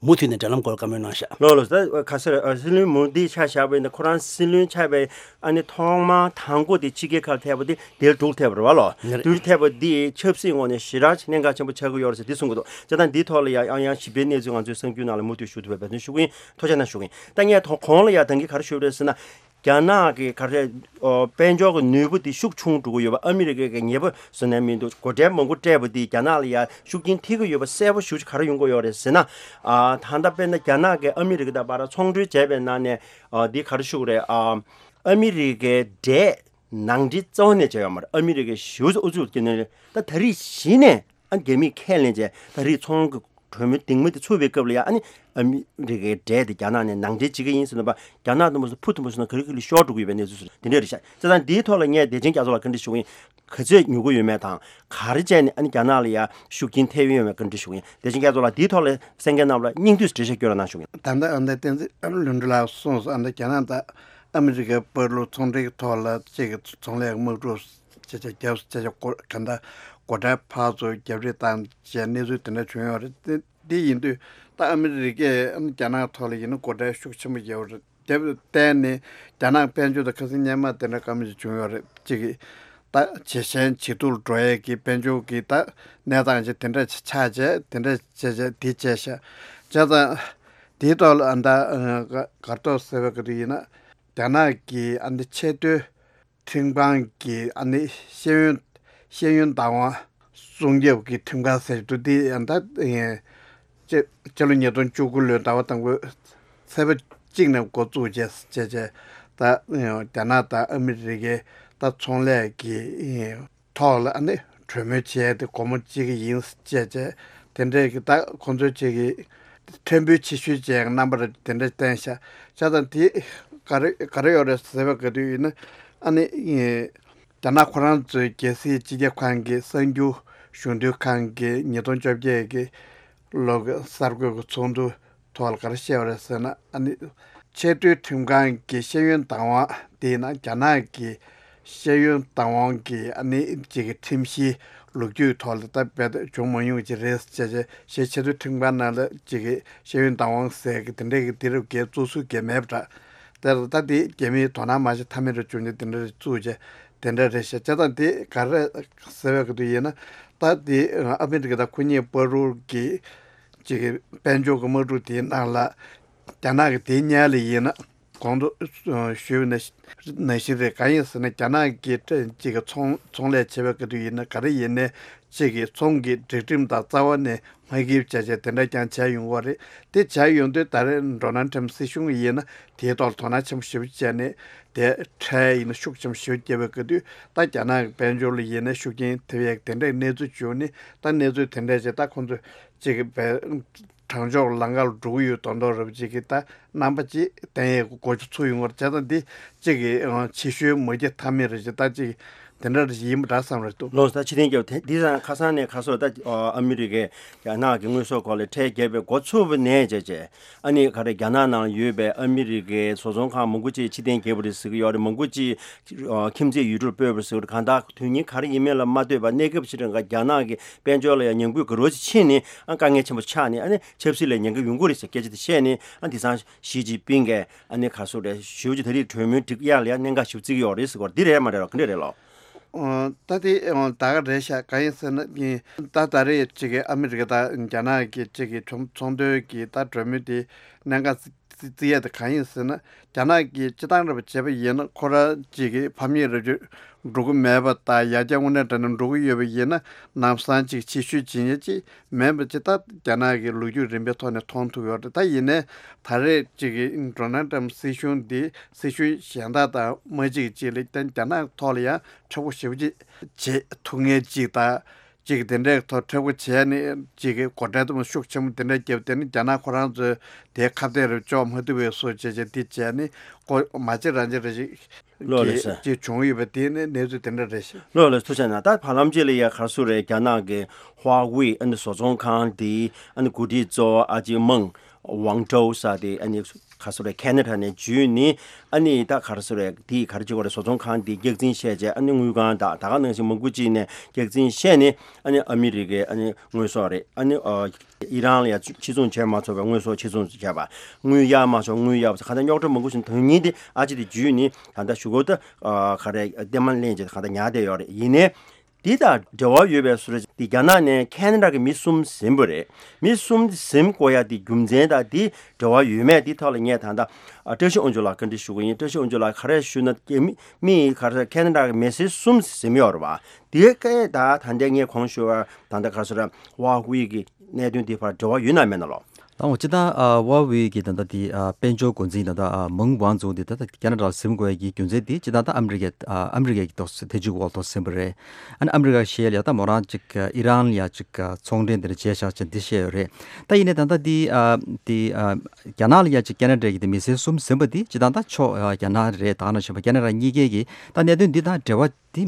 མུ་མཐུད་ནས་འབྲེལ་ལམ་སྐོར་བཀའ་མོལ་གནང་ཤག་ལགས་ལགས། ད་ག་ཟེར་སྲིད་བློན་མོ་དི་ཆ་བཞག་པ་ཡིན་ན་ཁོ་རང་སྲིད་བློན་ཆགས་པའི་ཨ་ནི་ཐོག་མ་དང་པོ་དེ་ཕྱི་རྒྱལ་ཁག་ལ་ཕེབས་པ་དེ་དེར་འབྲུག་ཕེབས་པ་རེད་བ་ལོ། ཡིན་རེད། དེར་ཕེབས་པ་འདི་ཆབ་སྲིད་ངོས་ནས་ཞེ་དྲག་གནད་འགག་ཆེན་པོ་ཆགས་ཀྱི་ཡོད་རེད་ཟེར་འདི་གསུང་གི་འདུག་བྱས་ཙང་འདིའི་ཐོག་ལ་ཡང་ཡང་ཡང་ཞིབ་ཕྲའི་གནས་ཚུལ་ང་ཚོའི་གསར་འགྱུར་ནང་ལ་མུ་མཐུད་ཞུ་ཐུབ་པའི་འབད་བརྩོན་ཞུ་གི་ཡིན། ཐུགས་རྗེ་གནང་ཞུ་གི་ཡིན། ད་ངས་ཐོག་གོང་ལ་ཡང་ད་གིན་ག་རེ་ཞུས་པ་རེད་ཟེར་ན། རྒྱ་ནག་གི་ག་རེ་ཨོ་དཔལ་འབྱོར་གྱི་ནུས་པ་དེ་ཤུགས་ཆུང་འགྲོ་གི་ཡོད་པ། ཨ་མི་རི་ཀའི་གི་ཉེས་པ་བཟོ་ནས་མི་འདུག་སྒོ་ཁྲལ་མང་པོ་སྤྲད་པ་དེ་རྒྱ་ནག་ལ་ཡང་ཤུགས་རྐྱེན་ཐེབས་ཀྱི་ཡོད་པ་གསལ་པོ་ཞེ་པོ་ཅིག་ག་རེ་ཡོང་གི་ཡོད་རེད་ཟེར་ན། ཨ་ད་ལྟ་དཔེར་ན་རྒྱ་ནག་གིས་ཨ་མི་རི་ཀ་དང་བར་ཚོང་འབྲེལ་བྱས་པའི་ནང་ནས་ཨ་འདི་ག་རེ་ཞུ་དགོས་རེད། ཨ་ཨ་མི་རི་ཀའི་འབྲས་ནང་འདྲེན་རྩ་བ་ནས་བྱས་ཡོད་མ་རེད། ཨ་མི་རི་ཀའི་ཞེ་པོ་ཅིག་ཨུ་ཚུགས་ཀྱི་ནས་ད་ད་རེས་གཞི་ནས་ཨ་རྒྱ་མིས་ཁས་ལེན་བྱས་ད་རེས་ཚོང་གི་གྲོས་མོལ་གདིང་མ་དེ་ཚུགས་པའི་སྐབས་ལ་ཡང་ཨ་ནི་ཨ་མི་རི་ཀའི་འབྲས་དེ་རྒྱ་ནག་ནས་ནང་འདྲེན་བྱེད་ཀྱི་ཡིན་ཟེར་ནས་པ། རྒྱ་ནག་དུ་མ་སོང་ཕུ་དུ་མ་སོང་ན་ག་རེ་ག་རེ་ཤོར་འགྲོ་གི་ཡོད་པའི་གནས་ཚུལ་སོགས་དེ་འདྲ་རེད་ཤག་བྱས་ཙང་འདིའི་ཐོག་ལ་ངས་བདེ་ཆེན་རྒྱ་མཚོ་ལ་བཀའ་འདྲི་ཞུ་གི་ཡིན། ག་ཚོད་ཉོ་གི་ཡོད་མེད་དང་ག་རེ་བྱས་ནས་ཨ་ནི་རྒྱ་ནག་ལ་ཡང་ཤུགས་རྐྱེན་ཐེབས་ཡོད་མེད་བཀའ་འདྲི་ཞུ་གི་ཡིན། བདེ་ཆེན་རྒྱ་མཚོ་ལགས་འདིའི་ཐོག་ལ་གསན་མཁན་རྣམས་ལ་སྙིང་བསྡུས་འགྲེལ་བཤད་སྐྱོན་རོགས་གནང་ཞུ་གི་ཡིན། ད་ལྟ་ཨ་ནི་བསྟན་འཛིན་ལྷུན་གྲུབ་ལགས་གསུངས་སོང་། ཨ་ནི་རྒྱ་ནག་དང་ཨ་མི་རི་ཀའི་བར་ལུ་ཚོང་འབྲེལ་གྱི་ཐོག་ལ་གཅིག་གི་ཚོང་ལས་དམག་འཁྲུག་བྱས་བྱས་རྒྱབ་བྱས་བྱས་སྐོར་ག་འདྲ་སྒོ་ཁྲལ་ཕར་ཚུར་རྒྱབ་རེས་བཏང་བྱས་གནས་ཚུལ་དེ་འདྲ་བྱུང་ཡོད་རེད། དེ་འདི་ཡིན་དུས་ད་ཨ་མི་རི་ཀས་ཨ་ནི་རྒྱ་ནག་ཐོག་ལ་ཡིན་ན་སྒོ་ཁྲལ་ཤུགས་ཆེན་པོ་རྒྱབ་རེད། དེ་བརྟེན་ནས་རྒྱ་ནག་དཔལ་འབྱོར་དང་ཁ་སང་སྔོན་མ་དེ་འདྲ་དཀའ་མོ་ཞིག་བྱུང་ཡོད་རེད། གཅིག་གིས་ད་ཇེ་ཞན་ཇེ་སྡུག་ལ་འགྲོ་ཡས་ཀྱི་དཔལ་འབྱོར་གྱི་ད་གནས་སྟངས་ཅིག་དེ་འདྲ་ཆགས་བྱས་དེ་འདྲ་བྱས་བྱས་དེ་བྱས་ཤག་བྱས་ཙང་དེའི་ཐོག་ལ་ཨ་ད་ག་གར་ཐོག་ཟེར་བ་ག་དུས་ཡིན་ན་རྒྱ་ནག་གི་ཨ་ནི་ཆེས་མཐོའི་ཁྲིམས་ཁང་གི་ཨ་ནི་ཤེས་ཡོན་ཤེས་ཡོན་བདག་དབང་སྲུང་སྐྱོབ་ཀྱི་ཁྲིམས་ཁང་ཟེར་འདུག་འདི་ཡང་ད་ཕྱི་ཕྱི་ལོ་ཉིས་སྟོང་བཅུ་དགུ་ལོའི་ཟླ་བ་དང་པོའི་ཚེས་པ་གཅིག་ནས་འགོ་བཙུགས་བྱས་བྱས་བྱས་ད་རྒྱ་ནག་དང་ཨ་མི་རི་ཀའི་ད་ཚོང་ལས་ཀྱི་ཐོག་ལ་ཨ་ནི་གྲོས་མོལ་བྱས་ཏེ་སྒོ་མོ་འབྱེད་ཀྱི་ཡིན་བྱས་བྱས་དེ་འདྲས་ཀྱི་ད་ཁོང་ཚོའི་ཅིག་གི་ཕྲན་བུ་ཆེ་ཤོས་བྱས་རྣམ་པར་དེ་འདྲས་བསྟན་ཤག་བྱས་ཙང་དེ་ག་རེ་ག་རེ་ཡོད་རེད་ཟེར་བ་ག་དུས་ཡིན་ན་ཨ་ནི། རྒྱ་ནག་ཁོ་རང་ཚོའི་རྒྱལ་སྲིད་སྤྱི་ཁྱབ་ཁང་གི་གསར་འགྱུར་གཞུང་དོན་ཁང་གི་ཉིས་སྟོང་བཅོ་བརྒྱད་ཀྱི་ལོ་གི་གསར་འགོད་ཀྱི་ཚོགས་འདུ་ཐོག་ལ་ག་རེ་བཤད་པ་རེད་ཟེར་ན། ཨ་ནི་ཆེས་མཐོའི་ཁྲིམས་ཁང་གི་ཤེས་ཡོན་བདག་དབང་དེ་ཡིན་ན་རྒྱ་ནག་གི་ཤེས་ཡོན་བདག་དབང་གི་ཨ་ནི་གཅིག་གི་ཁྲིམས་གཞིའི་ལོ་རྒྱུས་ཐོག་ལ་ད་རྦད་དེ་བྱུང་མ་མྱོང་ཅིག་རེད་ཟེར་བྱས། ཆེས་མཐོའི་ཁྲིམས་ཁང་ནང་ལ་གཅིག་གི་ཤེས་ཡོན་བདག་དབང་ཟེར་གི་དེ་འདྲའི་གི་དེ་རུ་གའི་བཙུགས་སྲོལ་གི་མེད་པ་འདྲ། དེར་ད་དེ་རྒྱ་མིའི་དོ་སྣང་མ་བྱེད་ཐབས་མེད་རུ་བྱུང་ནས་དེ་འདྲ་རེ་བཙུགས་བྱས་དེ་འདྲ་རེ་བཤད་བྱས་ཙང་དེ་ག་རེ་ཟེར་བའི་གི་དུས་ཡིན་ན། ད་དེ་ཨ་མི་རི་ཀ་དང་ཁོ་གཉིས་བར་དུ་གི་གཅིག་གི་དཔལ་འབྱོར་གི་དམག་འཁྲུག་དེའི་ནང་ལ་རྒྱ་ནག་གི་དེའི་སྔོན་ལ་ཡིན་ན་གོང་དུ་ཞུས་པ་ནང་བཞིན་རེད། གང་ཡིན་ཟེར་ན་རྒྱ་ནག་གི་གཅིག་གི་ཚོང་ཚོང་ལས་བྱེད་པའི་གི་དུས་ཡིན་ན་ག་རེ་ཡིན་ནའི་གཅིག་གི་ཚོང་གི་སྒྲིག་ཁྲིམས་དང་རྩ་བ་ནས་མ་འགལ་བྱས་བྱས་དེ་འདྲ་ཀྱང་བྱས་ཡོང་བ་རེད། དེ་བྱས་ཡོང་དུས་ད་རེས་ཌོ་ནལ་ཊམ་སྲིད་གཞུང་ཡིན་ན་དེའི་ཐོག་ལ་དོ་སྣང་ཆེན་པོ་ཞེ་པོ་བྱས་ནས་དེ་ཁྲལ་ཡིན་ན་ཤུགས་ཆེན་པོ་ཞེ་པོ་བརྒྱབ་པའི་སྐབས་དུས་ད་རྒྱ་ནག་གི་དཔལ་འབྱོར་ལ་ཡིན་ན་ཤུགས་རྐྱེན་ཐེབས་ཡས་དེ་འདྲའི་གནས་ཚུལ་བྱུང་ནས། ད་གནས་ཚུལ་དེ་འདྲ་བྱས་ད་ཁོང་ཚོ་གཅིག་གི་བའི་དྲང་ཕྱོགས་ལམ་ཁ་ལ་འགྲོ་གི་ཡོད་མདོག་མདོག་རེད་པ། གཅིག་གི་ད་རྣམ་པ་གཅིག་བསྟན་ཡས་གོ་ཆ་ཚུགས་ཡོང་བར་བྱས་ཙང་འདི་གཅིག་གི་ཕྱི་བཤོལ་མ་བགྱིས་ཐབས་མེད་རེད། ཅེས་ད་གཅིག་དེ་འདྲ་ཡིན་པ་འདྲ་བསམ་རེད་འདུག་ལོ་ད་ཕྱི་ཐེངས་རྒྱབ་དེ་འདི་ཙང་ཁ་སང་ནས་ཁ་སོ་ད་ཨ་མི་རི་ཀས་རྒྱ་ནག་གི་དངོས་ཟོག་སྐོར་ལ་ཁྲལ་བརྒྱབ་པའི་འགོ་ཚུགས་པ་ནས་བྱས་བྱས། ཨ་ནི་ག་རེ་རྒྱ་ནག་ནང་ཡོད་པའི་ཨ་མི་རི་ཀའི་བཟོ་ཚོང་ཁང་མང་པོ་ཅིག་ཕྱིར་འཐེན་བརྒྱབ་པ་རེད་ཟེར་གྱི་ཡོད་རེད། མང་པོ་ཅིག་ཁྱིམ་མཚེས་ཡུལ་གྲུར་སྤོས་པ་རེད་ཟེར་གྱི་ཡོད་རེད། གང་ལྟར་དོན་སྙིང་ག་རེ་ཡིན་མིན་ལ་མ་ལྟོས་པར་གནས་སྐབས་ཕྱི་དྲོ་འགའ་རྒྱ་ནག་གི་དཔལ་འབྱོར་ལ་ཡང་ཉམས་རྒུད་ག་རེ་ཅིག་ཕྱིན་ནས་ཨ་དཀའ་ངལ་ཆེན་པོ་ཆགས་ནས་ཨ་ནི་ཆབ་སྲིད་ལ་ཉེན་ཁ་ཡོང་གི་རེད་ཟེར་སྐད་ཆ་དེ་བཤད་ནས། ཨ་དེང་སང་ཞི་ཅིན་ཕིང་གིས་ཨ་ནི་ག་རེ་ཟེར་རེད། ཞེ་པོ་ཅིག་ད་རེས་གྲོས་མོལ་སྒྲིག་ཡག་ལ་ཡང་གནད་འགག་ཞེ་པོ་བརྩི་གི་ཡོད་རེད་ཟེར་གྱི་ཡོད་རེད། འདི་རེད་མ་རེད་ལོ། ག་འདྲ་རེད་ལོ། ཨོ། ད་དེ་ཨོ་ད་ག་རེད་ཤག་གང་ཡིན་ཟེར་ན་ནི། ད་ད་རེས་ཅིག་གི་ཨ་མི་རི་ཀ་དང་རྒྱ་ནག་གི་ཅིག་གི་ཚོང་ཚོང་དོན་གྱི་ད་གྲོས་མོལ་དེ་གནད་འགག་བརྩི་བརྩི་ཡས་དེ་གང་ཡིན་ཟེར་ན། རྒྱ་ནག་གིས་སྤྱི་བཏང་རེད་པ་བྱས་པ་ཡིན་ན་ཁོ་རང་ཅིག་གི་ཕམ་ཉེས་རེ་བཅོལ་འགྲོ་གི་མེད་པ་དང་། ཡར་རྒྱས་དངོས་གནས་དྲང་གནས་འགྲོ་གི་ཡོད་པ་ཡིན་ན་ལམ་སང་ཅིག་ཕྱིར་བཤོལ་བྱེད་ཉེན་ཅིག་མེད་པ་ཅིག་ད་རྒྱ་ནག་གི་ལོ་རྒྱུས་རིམ་པའི་ཐོག་ནས་མཐོང་ཐུབ་ཡོད་རེད། ད་ཡིན་ནའི་ད་རེས་ཅིག་གི་ཌོ་ནལ་ཊམ་སྲིད་གཞུང་འདི་སྲིད་གཞུང་གཞན་དག་དང་མ་གཅིག་ཅིག་ལ་བརྟེན་རྒྱ་ནག་ཐོག་ལ་ཡང་མཁྲེགས་པོ་ཞེ་པོ་ཅིག་བྱེད་ཐུབ་མཁན་ཅིག་དང་། ཅིག་དེ་འདྲའི་ཐོག་མཁྲེགས་པོ་བྱས་ནས་ཅིག་གི་སྒོ་ཁྲལ་དུ་མ་ཤུགས་ཆེན་པོ་དེ་འདྲ་བརྒྱབ། དེ་ནི་རྒྱ་ནག་ཁོ་རང་ཚོས་དེའི་ཁ་གཏད་རེ་གཅོག་མ་ཐུབ་པའི་བཟོ་བྱས་བྱས་དེ་བྱས་ནས་ཀོ་མ་གཅིག་རང་གཅིག་རེ་ཞིག་ལོ་རེད་ཟེར། ཅིག་བྱུང་ཡོད་པ་དེ་ནི་གནས་ཚུལ་དེ་འདྲ་རེད་ཤག་ལོ་ལ་ཐུགས་རྗེ་གནང་། ད་བར་ལམ་གཅིག་ལ་ཡ་ག་རེ་ཟེར་རེད། རྒྱ་ནག་གི་ཧྭ་ཝེ་ཨ་ནི་བཟོ་ཚོང་ཁང་དེ་ཨ་ནི་འགོ་ཁྲིད་གཙོ་བོ་ཨ་ཅེ་མང་ཝང་ཀྲོའུ་ཟེར་དེ་ཨ་ནི་ག་རེ་ཟེར་རེད། ཁེ་ན་ཌ་ནས་འཇུས་ནས་ཨ་ནི་ད་ག་རེ་ཟེར་རེད། དེ་ག་རེ་བྱེད་དགོས་རེད། བཟོ་ཚོང་ཁང་དེ་རྒྱག་འཛིན་བྱས་བྱས་ཨ་ནི་དངུལ་ཁང་དང་ད་ག་ནང་བཞིན་མང་པོ་ཅིག་ནས་རྒྱག་འཛིན་བྱས་ནས་ཨ་ནི་ཨ་མི་རི་ཀའི་ཨ་ནི་དངོས་ཟོག་རེད། ཨ་ནི་ཨ་ཨི་རན་ལ་ཡ་ཕྱིར་ཚོང་བྱས་མ་ཆོག་པའི་དངོས་ཟོག་ཕྱིར་ཚོང་བྱས་པ། དངུལ་གཡར་མ་ཆོག་དངུལ་གཡར་བ་གང་ལྟར་རྙོག་དྲ་མང་པོ་ཞིག་དོན་སྙིང་དེ་ཨ་ཅེ་དེ་འཇུས་ནས་ད་ལྟ་ཞུ་སྒོ་ད་ག་རེ་ལྟད་མོ་ལེན་བྱས་གང་ལྟར་ཉར་བསྡད་ཡོད་རེད། ཡིན་ནའི། འདི་དང་འབྲེལ་བ་ཡོད་པའི་བཟོ་འདྲ་ཅིག་འདི་རྒྱ་ནག་ནས་ཁེ་ན་ཌ་གི་མི་གསུམ་ཟིན་པ་རེད། མི་གསུམ་ཟིན་དགོས་ཡ་འདི་རྒྱུ་མཚན་དང་འདི་འབྲེལ་བ་ཡོད་མེད་འདི་ཐོག་ལ་ངས་ད་ལྟ་ཨ་བཀྲ་ཤིས་དབང་ཕྱུག་ལགས་བཀའ་འདྲི་ཞུ་གི་ཡིན། བཀྲ་ཤིས་དབང་ཕྱུག་ལགས་ག་རེ་ཞུ་ན། རྒྱ་མི་མི་ག་རེ་ཁེ་ན་ཌ་གི་མི་སེར་གསུམ་ཟིན་ཡོད་རེད་བ། འདི་སྐད་ད་ད་ལྟ་ངས་གོང་ཞུ་བ་ད་ལྟ་ག་རེ་ཟེར་ཧྭ་ཝེ་གི་གནད་དོན་འདི་བར་འབྲེལ་བ་ཡོད་ན་མེད་ན་ལོ། ད་འོ་སྤྱིར་བཏང་ཨ་ཧྭ་ཝེ་གི་ད་ལྟ་དེ་ཨ་དཔལ་འབྱོར་འགོ་འཛིན་ད་ལྟ་ཨ་མང་ཝང་ཙུའུ་དེ་ད་ལྟ་ཁེ་ན་ཌ་ལ་ཟིན་དགོས་ཡ་གི་རྒྱུ་མཚན་དེ་སྤྱིར་བཏང་ད་ཨ་མི་རི་ཀའི་ཨ་ཨ་མི་རི་ཀའི་ཐོག་ཐེ་ཇུས་འོག་ཐོག་ཟིན་པ་རེད། ཨ་ནི་ཨ་མི་རི་ཀ་ཞེས་ལ་ཡ་ད་མོ་རང་ཅིག་ཨ་ཨི་རན་ལ་ཡ་ཅིག་ཨ་ཚོང་འབྲེལ་དེ་འདྲ་བྱས་བཞག་ཅིག་འདི་བཤད་ཡོད་རེད། ད་ཡིན་ནའི་ད་ལྟ་དེ་ཨ་དེ་ཨ་རྒྱ་ནག་ལ་ཡ་ཅིག་ཁེ་ན་ཌ་གི་དེ་མི་སེར་གསུམ་ཟིན་པ་དེ་སྤྱིར་བཏང་ད་ཕྱོགས་ཨ་རྒྱ་ནག་རེད། ད་ག་ནང་བཞིན་པ་ཁེ་ན་ཌ་གཉིས་ཀའི་གི་ད་གནད་དོན་འདི་དང་འབྲེལ་བ་དེ་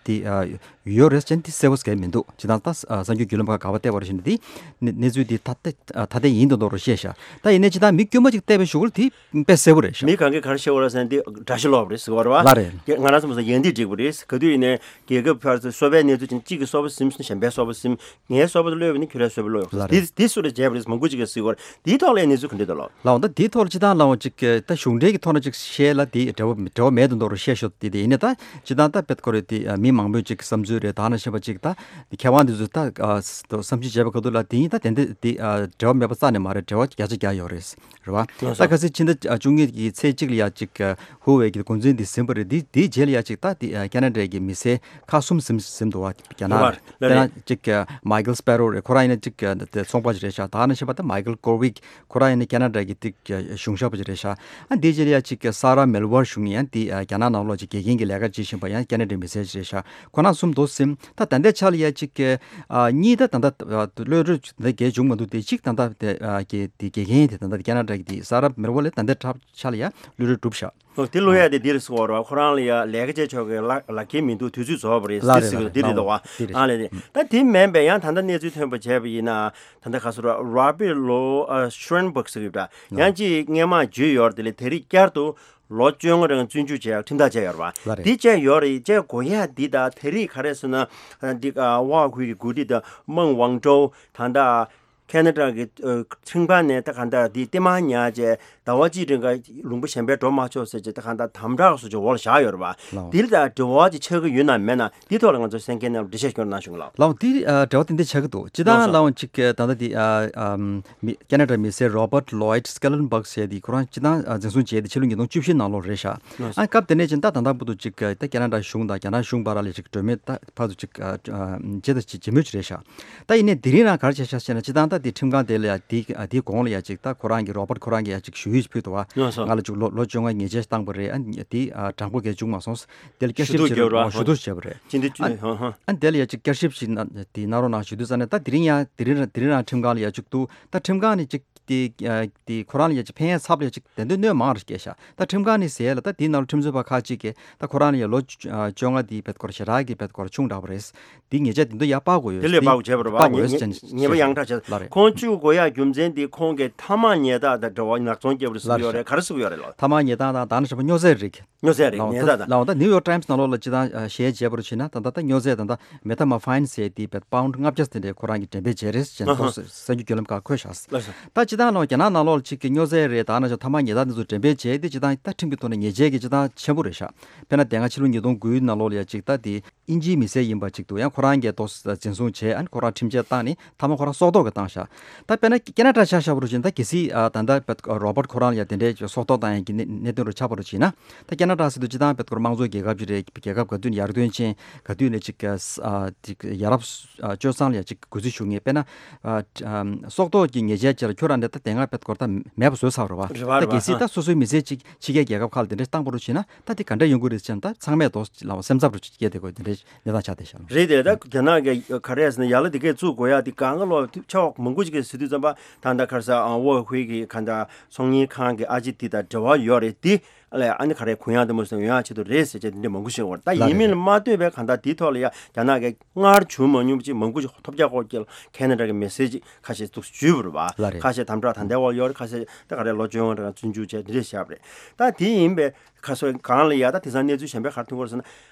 དེ་ཨ་ཡོད་རེད་ཅན་དེ་གསལ་པོ་གང་མི་འདུག་ཅི་ད་ལྟ་ཨ་གསར་འགྱུར་བརྒྱུད་ལམ་ཁག་ག་པར་བལྟས་པར་བཞིན་དེ་གནས་གནས་ཚུལ་དེ་ཐ་ཐ་ཐ་དད་ཡིན་དུ་འདོགས་རོགས་བཤད་ཤག་ད་ཡིན་ནའི་ཅི་ད་མི་དཀྱུས་མ་ཅིག་བལྟས་པའི་གཞུག་གུ་དེ་དཔེ་གསལ་པོ་རེད་ཤག་མི་གང་གས་ག་རེ་བཤད་པ་རེད་ཟེར་ན་དེ་དགྲ་ཤ་ལོག་རེད་ཟེར་བ་རེད་བ། ལ་རེད། ང་རང་ཚོ་མ་ཟད་ཡང་དེ་འགྲིག་པ་རེད། ག་དུས་ཡིན་ནའི་རྒྱལ་ཁབ་ཕར་ཚུར་སོ་པའི་གནས་ཚུལ་ཅན་གཅིག་གི་སོ་པ་ཟིན་སོང་གཞན་པའི་སོ་པ་ཟིན། ངའི་སོ་པ་ལོས་པ་ནི་ཁྱོད་རའི་སོ་པ་ལོས་ཡོང་ལ་རེད། དེ་དེ་སུ་རེ་བྱས་པ་རེད་ཟེར་མང་པོ་ཅིག་གིས་ཟེར་བ་རེད། དེའི་ཐོག་ལ་གནས་ཚུལ་ག་འདྲ་འདུག་ལོ། ལའོ་ད་དེའི་ཐོག་ལ་ཅི་ད་ལའོ་ཅིག་ད་གཞུང་འབྲེལ་གྱི་ཐོག་ན་ཅིག་བཤད་ལ་དེ་འབྲེལ་བ་འབྲེལ་བ་མེད་དུ་འདོགས་རོགས་བཤད་ཤོག་དེ་དེ་ཡིན་ནའི་ད་ཅི་ད་ད་དཔེ་ཁོ་རེ་དེ་མི་མང་པོས་ཅིག་བསམ་ཚུལ་རེད། ད་ནང་བཞིན་པ་ཅིག་ད་མཁས་དབང་དེ་ཚོས་ད་བསམ་ཚུལ་བྱས་པ་ག་དུས་ལ་དེ་ཡིན་ད་དེ་འདྲ་དེ་འབྲེལ་བ་མེད་པ་རྩ་ནས་མ་རེད། འབྲེལ་བ་བརྒྱ་ཆ་བརྒྱ་ཡོད་རེད། རེད་བ། ལགས་སོ། ད་ཁ་སང་ཕྱི་ཟླ་བཅུ་གཉིས་ཀྱི་ཚེས་གཅིག་ལ་ཡ་ཅིག་ཧུ་ཝེ་གི་འགོ་འཛིན་དེ་ཟིན་པ་རེད། དེ་དེའི་རྗེས་ལ་ཡ་ཅིག་ད་དེ་ཁེ་ན་ཌ་གི་མི་སེར་ཁག་གསུམ་ཟིན་ཟིན་འདུག་བ། རྒྱ་ནག་རེད་བ། ལ་དཔེར་ན་ཅིག་མའི་ཀལ་སྤེ་རོ་རེད། ཁོ་རང་ཡིན་ན་ཅིག་དེ་ཚོང་པ་ཞིག་རེད་ཤག་ད་ནང་བཞིན་པ་ད་མའི་ཀལ་ཀོར་ཝིག་ཁོ་རང་ཡིན་ན་ཁེ་ན་ཌ་གི་ཅིག་གཞུང་ཞབས་པ་ཞིག་རེད་ཤག་ཨ་དེའི་རྗེས་ལ་ཡ་ཅིག་སཱ་ར་མེལ་ཝར་ཞུ་མཁན་ཡང་དེ་རྒྱ་ནག་ནང་ལོགས་ཅིག་དགེ་རྒན་གྱི་ལས་ཀ་བྱེད་བཞིན་པ་ཡང་ཁེ་ན་ཌའི་མི་སེར་ཞིག་རེད་ཤག་ཁོ་རང་གསུམ་འདུག་ཟིན། ད་ད་ལྟའི་ཆ་ལ་ཡ་ཅིག་གཉིས་ད་ད་ལྟ་གློད་གྲོལ་ད་གས་བྱུང་མ་འདུག་དེ་གཅིག་ད་ལྟ་དེ་དགེ་དེ་དགེ་རྒན་དེ་ད་ལྟ་ཁེ་ན་ཌ་གི་དེ་སཱ་ར་མེལ་ཝར་ལ་ད་ལྟའི་ཆ་ལ་ཡ་གློད་གྲོལ་གྲུབ་ཤག་ཨོ། དེ་ལོ་ཡ་དེ་འདིར་སོང་བ་རེད་བ། ཁོ་རང་ལ་ཡ་ལས་ཀ་བྱེད་ཆོག་གི་ལག་ལག་ཁྱེར་མི་འདུག་དུས་ཚོད་རྫོགས་པ་རེད། ལགས་རེད། འདིར་ལགས་རེད། འདིར་རེད་དོ་བ། ལགས་འོ། འདིར་རེད། ཨ་ལས་རེད། ད་དེ་མིན་པའི་ཡང་ད་ལྟ་གནས་ཚུལ་ཐོན་པ་བྱས་པ་ཡིན་ན། ད་ལྟ་ག་སོ་ར་Robert Louis Schweinberg ཟེར་གི་ཡོད་པ། ཡང་ཅིག་སྔས་མ་བརྗོད་ཡོད་རེད། དེ་ལས་དེ་རིང་བསྐྱར་དུ་ལོ་བཅོ་ལྔ་རིང་བཙོན་འཇུག་བྱས་ཁྲིམས་ཐག་བཅད་ཡོད་རེད་བ། ལགས་རེད། འདི་བཅད་ཡོད་རེད། བཅད་དགོས་ཡ་འདི་ད་དེ་རིང་ག་རེ་ཟེར་ན། འདི་ཝ་ཧུའེ་གི་འགོ་ཁྲིད་དང་མང་ཝང་ཀྲོའུ་ད་ལྟ་ཁེ་ན་ཌ་གི་ཁྲིམས་ཁང་ནས་ད་ག་འདྲ་འདི་ལྟད་མོ་ཉར་བྱས་ཟླ་བ་གཅིག་རིང་ག་ལུང་པ་གཞན་པའི་འགྲོ་མ་ཆོག་ཟེར་བྱས་ད་ག་འདྲ་དམ་དྲག་སོགས་ཀྱི་འོག་ལ་བཞག་ཡོད་རེད་བ། ལགས། འདི་ལ་ད་འབྲེལ་བ་ཅིག་ཆགས་ཀྱི་ཡོད་ན་མེད་ན་འདི་ཐོག་ལ་ང་ཚོ་གསན་མཁན་རྣམས་འགྲེལ་བཤད་སྐྱོན་གནང་ཞུ་གི་ལགས། ལགས་འོ། འདི་འབྲེལ་བ་ཏན་ཏན་ཆགས་ཀྱི་འདུག་སྤྱིར་བཏང་ལགས་སོ། ལའང་ཅིག་ད་ལྟ་འདི་ཨ་ཨམ་མི་ཁེ་ན་ཌ་མི་སེར་Robert Lloyd Schellenberg ཟེར་དེ་ཁོ་རང་སྤྱིར་བཏང་ཨ་འཛིན་བཟུང་བྱས་ཏེ་ཕྱི་ལོ་ཉིས་སྟོང་བཅུ་བཞི་ནང་ལོགས་རེད་ཤག་ལགས་སོ། ཨ་སྐབས་དེ་ནས་ཅིག་ད་ད་ལྟ་བར་དུ་ཅིག་ད་ཁེ་ན་ཌ་གཞུང་དང་རྒྱ་ནག་གཞུང་བར་ལ་ཅིག་གྲོས་མོལ་ད་ཕར་ཚུར་ཅིག་ཨ་ཨ་བྱེད་དང་བྱེད་མུས་ཅིག་རེད་ཤག་ད་ཡིན་ནའི་དེ་རིང་རང་ག་རེ་བྱས་ཤག་ཟེར་ན། སྤྱིར་བཏང་ད་དེ་ཁྲིམས་ཁང་དེ་ལ་ཡ་དེ་ཨ་དེའི་གོང་ལ་ཡ་ཅིག་ད་ཁོ་རང་གི་Robert ཁོ་རང་གི་ཡ་ཅིག་ཞུ་ཡིག་ཅིག་ཕུལ་འདུག་བ། ལགས་སོ། ང་ལ་ཅིག་ལོ་ལོ་བཅོ་ལྔ་ཉེས་ཆད་བཏང་པ་རེད། ཨ་དེ་ཨ་དྲང་པོ་གས་བྱུང་མ་སོང་། དེ་ལ་བསྐྱར་ཞིབ་ཞུ་གཏུག་ཅིག་བརྒྱབ་རོགས། ཞུ་གཏུག་བྱས་པ་རེད། སྤྱི་འཐུས་ཨ་ཧ་ཧ། ཨ་དེ་ལ་ཡ་ཅིག་བསྐྱར་ཞིབ་ཞིག་གནང་དེ་གནང་རོགས་གནང་ཞུ་དུས་ཙང་ནས། ད་དེ་རིང་ཡང་དེ་རིང་རང་དེ་རིང་རང་ཁྲིམས་ཁང་ལ་ཡ་ཅིག་འདུག་ད་ཁྲིམས་ཁང་ནས་ཅིག་དེ་ཨ་དེ་ཁོ་རང་ལ་ཡ་ཅིག་ཕན་ཡ་ཚབ་ལ་ཡ་ཅིག་དེ་འདོད་གནོད་མང་རུ་སྐྱེལ་ཤག་ད་ཁྲིམས་ཁང་ནས་ཟེར་ཡ་ལ་ད་དེའི་ནང་ལ་ཁྲིམས་རྩོད་པ་ཁག་ཅིག་གིས་ད་ཁོ་རང་ལ་ཡ་ལོ་བཅོ་ལྔ་དེ་བེད་སྐོར་ཞེ་དྲག་གི་བེད་སྐོར་ཆུང་དྲགས་པ་རེད། དེ་ཉེས་ཆད་དེ་ཚོ་ཡར་སྤར་དགོས་ཡོད། དེ་ལས་སྤར་དགོས་བྱས་པ་རེད་པ། དཔའ་བོ་ཉེས་ཉེས་ཉེས་པ་ཡང་དྲག་བྱས། ལགས་རེད། ཁོང་བཅུག་དགོས་ཡ་རྒྱུ་མཚན་དེ་ཁོང་གིས་ཐ་མག་ཉལ་སྟངས་དང་འབྲེལ་བ་ནག་ཚོང་བརྒྱབ་རེད་ཟེར་གྱི་ཡོད་རེད། ག་རེ་ཟེར་གྱི་ཡོད་རེད་ལགས། ཐ་མག་ཉལ་སྟངས་དང་ད་ནི་ཞེ་པོ་སྨྱོ་རྫས་རིགས། སྨྱོ་རྫས་རིགས་ལགས་ཉལ་སྟངས་དང་། ལགས་འོ། ད་ནིའུ་ཡོག་ཊའིམ་སི་ནང་ལོགས་ལ་སྤྱིར་བཏང་ཨ་གཞས་བརྗེད་པར་བྱས་ན། ད་ལྟ་ད་སྨྱོ་རྫས་ད་ལྟ་མེ་ཐ་མོར་ཕ་ཡིན་ཟེར་དེ་བེད་པའོན་ཌི་ལྔ་བརྒྱ་ཟེར་དེ་ཁོ་རང་གིས་འགྲེམས་སྤེལ་བྱས་རེད་ཟེར་ནས་ཨ་ཧ། ཁོང་གསར་འགྱུར་བརྒྱུད་ལམ་ཁག་འཁོད་ཤག་ལགས་སོ། ད་སྤྱིར་བཏང་ལ་རྒྱ་ནག་ནང་ལོགས་ལ་ཅིག་གི་སྨྱོ་རྫས་རེད། ད་ནི་ཞེ་པོ་ཐ་མག་ཉལ་སྟངས་དེ་ཚོ་འགྲེམས་སྤེལ་བྱས་དེ་སྤྱིར་བཏང་ད་ཁྲིམས་ཀྱི་ཐོག་ནས་ཉེས་ཆད་ཀྱི་སྤྱིར་བཏང་ཆེན་པོ་རེད་ཤག་དཔེར་ན་དེ་སྔ་ཕྱི་ལོ་ཉིས་སྟོང་དགུའི་ནང་ལོགས་ལ་ཡ་ཅིག་ད་དེ་དབྱིན་ཇིའི་མི་སེར་ཡིན་པ་ཅིག་འདུག་ཡང་ཁོ་རང་གིས་ཏོག་ཙམ་འཛིན་བཟུང་བྱས། ཨ་ནི་ཁོ་རང་ཁྲིམས་ཆད་བཏང་ནས་ཐ་མག་ཁོ་རང་སྲོག་ཐོག་གི་བཏང་ཤག་ད་དཔེར་ན་ཁེ་ན་ཌ་ཆ་བཞག་པ་རུ་ཕྱིན། ད་གལ་སྲིད་ཨ་ད་ལྟ་བེད་རོ་བར་ཊི་ཁོ་རང་ལ་ཡ་དེ་འདྲའི་སྲོག་ཐོག་བཏང་ཡ་གི་གནད་གནད་དོན་རུ་ཆགས་པ་རུ་ཕྱིན་ན། ད་ཁེ་ན་ཌ་ཟེར་དུས་སྤྱིར་བཏང་བེད་རོ་བར་ཊི་དམངས་གཙོ་རྒྱལ་ཁབ་ཅིག་རེད། རྒྱལ་ཁབ་ག་དུས་ནས་ཡར་ཐོན་ཕྱིན། ག་དུས་ནས་ཅིག་ཨ་ཅིག་ཡ་རབས་ཨ་སྤྱོད་བཟང་ལ་ཡ་ཅིག་གུས་བརྩི་ཞུ་མཁན། དཔེར་ན་ཨ་ཨ་སྲོག་ཐོག་གི་ཉེས་ཆད་ཅིག་ལ་ཁྱོད་རང་འདི་ད་དེ་སྔ་བེད་རོ་བར་ཊི་མེད་པ་བཟོས་ཚར་རེད་བ། རེད་བ། ད་རེད་བ། གལ་སྲིད་ད་སོ་སོའི་མི་སེར་ཅིག་ཕྱི་རྒྱལ་རྒྱལ་ཁབ་ཁག་ལ་དེ་འདྲ་བཏང་པ་རུ་ཕྱིན་ན། ད་དེ་ག་འདྲ་ཡོང་གི་རེད་ཟེར་ན། ད་ཚང་མས་དོ་ལ་སེམས་འཚབ་རུ་སྐྱེས་བསྡད་དགོས་དེ་འདྲའི་གནས་སྟངས་ཆགས་བསྡད་ཤག་ལ། རེད་དེ། ད་རྒྱ་ནག་གི་ག་རེ་ཟེར་ན། ཡ་ལ་དེ་གས་བཙུགས་དགོས་ཡ་དེ་གང་ག་ལོ་ཆ་བ་མང་པོ་ཅིག་གིས་ཟེར་དུས་ཙམ་པ། ད་ལྟ་ག་རེ་ཟེར་ཨ་ཝོ་ཧུའེ་གི་ག་འདྲ་ཚོང་གཉེར་ཁང་གི་ཨ་ཅེ་དེ་དང་འབྲེལ་བ་ཡོད་རེད་དེ། ཨ་ལས་ཨ་ནི་ག་རེ་གུ་ཡངས་དེ་མོ་ཟེར་ཡོང་ཡ་ཆེད་དུ་རེད་ཟེར་བྱས་དེ་འདྲ་མང་པོ་ཞིག་ཡོད་རེད། ད་ལགས་ཡིན་རེད་མིན་ལ་རེད། མ་ལྟོས་པའི་ག་འདྲ་དེའི་ཐོག་ལ་ཡ་རྒྱ་ནག་གི་སྔར་བྱུང་མ་མྱོང་པ་ཅིག་མང་པོ་ཞིག་ཐོབ་རྒྱག་སྐོར་གྱི་ཁེ་ན་ཌ་གི་མི་སེར་ཅིག་ཁ་ཤས་འདུག་བརྗོད་པ་རེད་བ། ལགས་རེད། ཁ་ཤས་དམ་དྲག་ད་ལྟའི་བར་ཡོད་རེད། ཁ་ཤས་ད་ག་རེ་ལོ་བཅོ་ལྔ་རིང་བཙོན་འཇུག་བྱས་དེ་འདྲས་བཞག་པ་རེད། ད་དེ་ཡིན་པས་ཁ་སོ་གང་ལ་ཡ་ད་དེང་སང་གནས་ཚུལ་གཞན་པ་ག་རེ་ཐོན་གྱི་ཡོད་རེད་ཟེར་ན།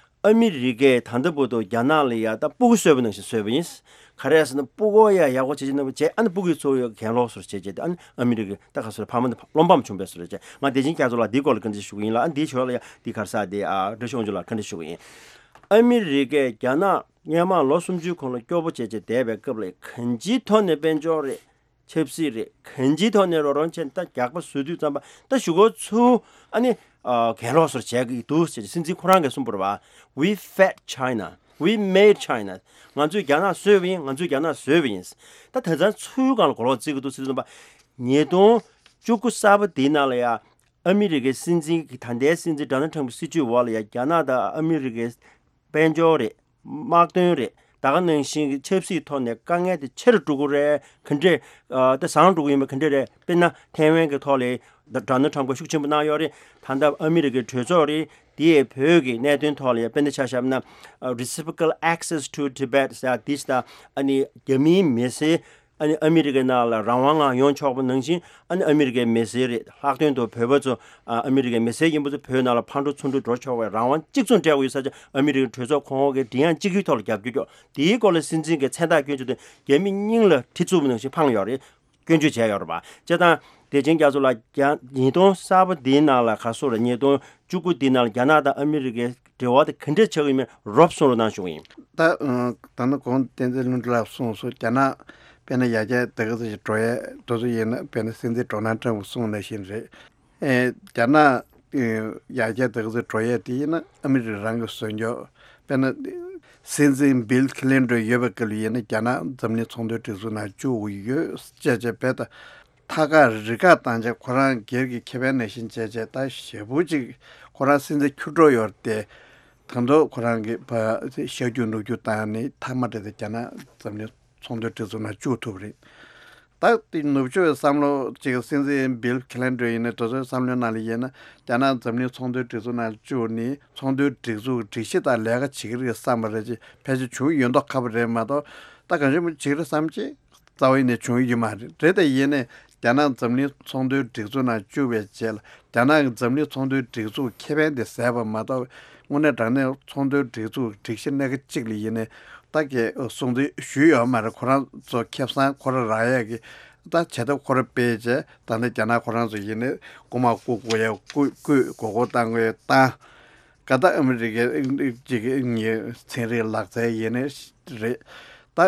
ཨ་མི་རི་ཀས་ད་ལྟ་བར་དུ་རྒྱ་ནག་ལ་ཡ་ད་སྤུ་གུ་གསོས་པ་ནང་བཞིན་གསོས་པ་ཡིན། ག་རེ་ཟེར་ན་སྤུ་གུ་ཡ་ཡག་པོ་བྱེད་ཀྱི་ན་བྱས། ཨ་ནི་སྤུ་གུའི་འཚོ་བའི་གྱེན་ལོག་བཟོ་བྱས་བྱས་ཏེ། ཨ་ནི་ཨ་མི་རི་ཀའི་ད་ག་སོ་རེ་ཕ་མ་འདི་བློ་ཕམ་བྱུང་བས་བཟོ་རེ་བྱས། ང་བདེ་ཆེན་རྒྱ་མཚོ་ལགས་འདིའི་སྐོར་ལ་བཀའ་འདྲི་ཞུ་གི་ཡིན་ལ། ཨ་འདིའི་ཞོར་ལ་ཡ་འདི་ག་རེ་ཟེར་དེ་ཨ་བཀྲ་ཤིས་དབང་ཕྱུག་ལགས་བཀའ་འདྲི་ཞུ་གི་ཡིན། ཨ་མི་རི་ཀས་རྒྱ་ནག་སྔོན་མ་ལོ་སུམ་ཅུའི་གོང་ལ་སྐྱོ་པོ་བྱས་བྱས་བསྡད་པའི་སྐབས་ལ་གང་ཅིའི་ཐོག་ནས་དཔལ་འབྱོར་རེད། ཆབ་སྲིད་རེད། གང་ཅིའི་ཐོག་ནས་རོགས་རམ་བྱས་ནས་ད་རྒྱག་པ་བཟོ་དུས་ཙམ་པ་ད་གཞུག་གུ་ཚུར་ཨ་ནི་ཨ་གྱེན་ལོག་བཟོ་བྱས་ཀྱི་འདུག་ཟེར་སྲིད་འཛིན་ཁོ་རང་གིས་གསུངས་པ་རེད་བ། We fed China. We made China. ང་ཚོས་རྒྱ་ནག་བཟོས་པ་ཡིན། ང་ཚོས་རྒྱ་ནག་བཟོས་པ་ཡིན། ད་དེང་སང་ཚུར་སྒང་ལ་གོ་ལོག་བརྩི་གི་འདུག་ཟེར་དུས་ཙམ་པ། ཉིས་སྟོང་བཅུ་དགུ་གསར་པ་འདིའི་ནང་ལ་ཡ་ཨ་མི་རི་ཀའི་སྲིད་འཛིན་གྱི་ད་ལྟའི་སྲིད་འཛིན་ཌོ་ནལ་ཊམ་གྱི་སྲིད་བྱུས་འོག་ལ་ཡ་རྒྱ་ནག་དང་ཨ་མི་རི་ཀའི་དཔལ་འབྱོར་རེད། དམག་དོན་རེད། ད་ག་ནང་བཞིན་གྱི་ཆབ་སྲིད་ཐོག་ནས་དཀའ་ངལ་དེ་ཆེ་རུ་འགྲོ་གི་རེད། ག་འདྲས་ཨ་ད་བཟང་འགྲོ་གི་ཡིན་པ་ག་འདྲས་རེད། དཔེར་ན་ཐའེ་ཝན་གྱི་ཐོག་ལ་ཌོ་ནལ་ཊམ་གྱིས་ཤུགས་ཆེན་པོ་གནང་ཡོད་རེད། ད་ལྟ་ཨ་མི་རི་ཀའི་གྲོས་ཚོགས་རེད། དེ་ཡི་བོད་ཀྱི་གནད་དོན་ཐོག་ལ་ཡང་དཔེར་ན་ཆ་བཞག་ན་ཨ་reciprocal access to Tibet ཟེར་ཡ་དེ་ད་ཨ་ནི་རྒྱ་མིའི་མི་སེར་ཨ་ནི་ཨ་མི་རི་ཀའི་ནང་ལ་རང་དབང་ངང་ཡོང་ཆོག་པ་ནང་བཞིན། ཨ་ནི་ཨ་མི་རི་ཀའི་མི་སེར་རེད། ལྷག་དོན་དུ་བོད་པ་ཚོ་ཨ་ཨ་མི་རི་ཀའི་མི་སེར་ཡིན་པ་ཚོ་བོད་ནང་ལ་ཕར་འགྲོ་ཚུར་འགྲོ་འགྲོ་ཆོག་པའི་རང་དབང་གཅིག་མཚུངས་སྤྲད་དགོས་ཡོད་ས་ཆ་ཨ་མི་རི་ཀའི་གྲོས་ཚོགས་གོང་འོག་གི་མགྲིན་དབྱངས་གཅིག་གྱུར་ཐོག་ལ་རྒྱབ་སྐྱོར་ཀྱོག་དེའི་སྐོར་ལ་སྲིད་འཛིན་གྱིས་མཚན་རྟགས་སྐྱོན་བརྗོད་དེ་རྒྱ་མི་སྙིང་ལ་གྲི་བཙུགས་པ་ནང་བཞིན་འཕངས་ཡོད་རེད། སྐྱོན་བརྗོད་བྱས་ཡོད་རེད་པ། བྱས་ཙང་བདེ་ཆེན་རྒྱ་མཚོ་ལགས་རྒྱ་ཉིས་སྟོང་གསར་པ་འདིའི་ནང་ལ་ག་སོ་ར་ཉིས་སྟོང་བཅུ་དགུ་འདིའི་ནང་ལ་རྒྱ་ནག་དང་ཨ་མི་རི་ཀའི་འབྲེལ་བ་དེ་ག་འདྲས་ཆགས་ཀྱི་ཡོད་མེད་རོབ་གསུང་རོགས་གནང་ཞུ་གི་ཡིན། ད་ད་ནི་གོང་བསྟན་འཛིན་ལྷུན་གྲུབ་ལགས་གསུངས་སོང་། རྒྱ་ནག་དཔེར་ན་ཡར་རྒྱས་དེ་ག་ཚོད་ཅིག་འགྲོ་ཡས་དེ་ཚོ་ཡིན་ན། དཔེར་ན་སྲིད་འཛིན་ཌོ་ནལ་ཊམ་གྱིས་གསུངས་ནང་བཞིན་རེད། ཨེ་རྒྱ་ནག་ཨེ་ཡར་རྒྱས་དེ་ག་ཚོད་འགྲོ་ཡས་དེ་ཡིན་ན་ཨ་མི་རི་ཀ་རང་གིས་བཟོས་ཀྱོག་དཔེར་ན་སྲིད་འཛིན་བིལ་ཁི་ལིན་ཊོན་ཡོད་པའི་སྐབས་ལ་ཡིན་ན་རྒྱ་ནག་འཛམ་གླིང་ཚོང་དོན་སྒྲིག་འཛུགས་ནང་བཅུག་ཡོད་ཅེས་བྱས་པས། ད་ཐད་ཀར་རི་ཁ་བཏང་བྱས་ཁོ་རང་སྒེར་གྱི་ཁེ་ཕན་ནང་བཞིན་བྱས་བྱས། ད་ཞེ་པོ་ཅིག་ཁོ་རང་སྲིད་འཛིན་འཁྱུར་འགྲོ་ཡོད་རེད་དེ། ད་དུང་ཁོ་རང་གིས་ཕར་གཤག་རྒྱུག་ནུབ་རྒྱུག་བཏང་ནས་མཐའ་མ་དེ་དེ་རྒྱ་ནག་འཛམ་གླིང་ཚོང་དོན་སྒྲིག་འཛུགས་ནང་བཅུག་ཐུབ་རེད། ད་དེ་ནུབ་ཕྱོགས་ཀྱི་བསམ་བློ་གཅིག་སྲིད་འཛིན་བིལ་ཁི་ལིན་ཊོན་ཡིན་ནའི་དེ་ཚོའི་བསམ་བློའི་ནང་ལ་ཡིན་ན། རྒྱ་ནག་འཛམ་གླིང་ཚོང་དོན་སྒྲིག་འཛུགས་ནང་བཅུག་ནས་ཚོང་དོན་སྒྲིག་འཛུགས་སྒྲིག་གཞི་དང་ལས་ཀ་བྱེད་ཀྱི་རེད་བསམ་པ་རེད་ཅེས་ཕལ་ཆེར་བྱུང་ཡོད་མདོག་ཁ་པོ་རེད་མ་གཏོགས། ད་གང་བྱུང་བྱེད་ཀྱི་རེད་བསམ་ཅེས་རྩ་བ་ཡིན་ནའི་བྱུང་ཡོད་མ་རེད། རེད་དེ་ཡིན་ནའི་རྒྱ་ནག་འཛམ་གླིང་ཚོང་དོན་སྒྲིག་འཛུགས་ནང་བཅུག་པའི་རྗེས་ལ། རྒྱ་ནག་གི་འཛམ་གླིང་ཚོང་དོན་སྒྲིག་འཛུགས་ཁེ་ཕན་དེ་ཟད་པ་མ་གཏོགས། དངོས་གནས་དྲང་གནས་ཚོང་དོན་སྒྲིག་འཛུགས་སྒྲིག་གཞི་སྣ་ཁ་གཅིག་ལ་ཡིན་ནའི་ད་གའི་སྲུང་བརྩི་ཞུས་ཡོད་མ་རེད། ཁོ་རང་ཚོ་ཁེ་བཟང་ཁོ་རང་རག་ཡས་ཀྱི་ད་བྱེད་ཐབས་ཁོ་རང་སྤེལ་བྱས། ད་ནི་རྒྱ་ནག་ཁོ་རང་ཚོ་ཡིན་ནའི་རྐུ་མ་རྐུ་དགོས་ཡས་རྐུ་རྐུས་མགོ་སྐོར་བཏང་དགོས་ཡས་བཏང་། ག་ད་ཨ་མི་རི་ཀའི་ཅིག་ངའི་ཚན་རིག་ལག་རྩལ་ཡིན་ནའི་རེད། ད་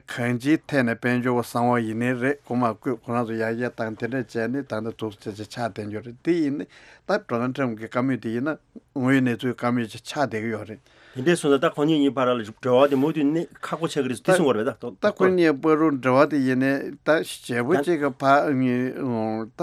གང་ཅིའི་ཐད་ནས་དཔལ་འབྱོར་གསང་བ་ཡིན་ནའི་རེད། རྐུ་མ་རྐུས་ཁོ་རང་ཚོ་ཡར་རྒྱས་བཏང་དེ་འདྲ་བྱས་ནས་ད་ནི་འདུག་ཅེས་ཆགས་བསྡད་རྒྱུ་རེད། དེ་ཡིན་ནའི་ད་ཌོ་ནལ་ཊམ་གྱི་བཀའ་མོལ་དེ་ཡིན་ན་དངོས་ཡོད་གནས་ཚུལ་བཀའ་མོལ་ཅིག་ཆགས་བསྡད་ཀྱི་ཡོད་རེད། དེ་འདྲས་སོང་ཙང་ད་ཁོ་གཉིས་གཉིས་བར་ལ་འབྲེལ་བ་དེ་མུ་མཐུད་ནས་ཁག་པོ་ཆགས་ཀྱི་རེད་ཟེར་དེ་གསུང་བ་རེད་ད། ད་ཁོ་གཉིས་བར་དུ་འབྲེལ་བ་དེ་ཡིན་ནའི་ད་ཞེ་པོ་ཅིག་གི་ཕ་ངའི་ད་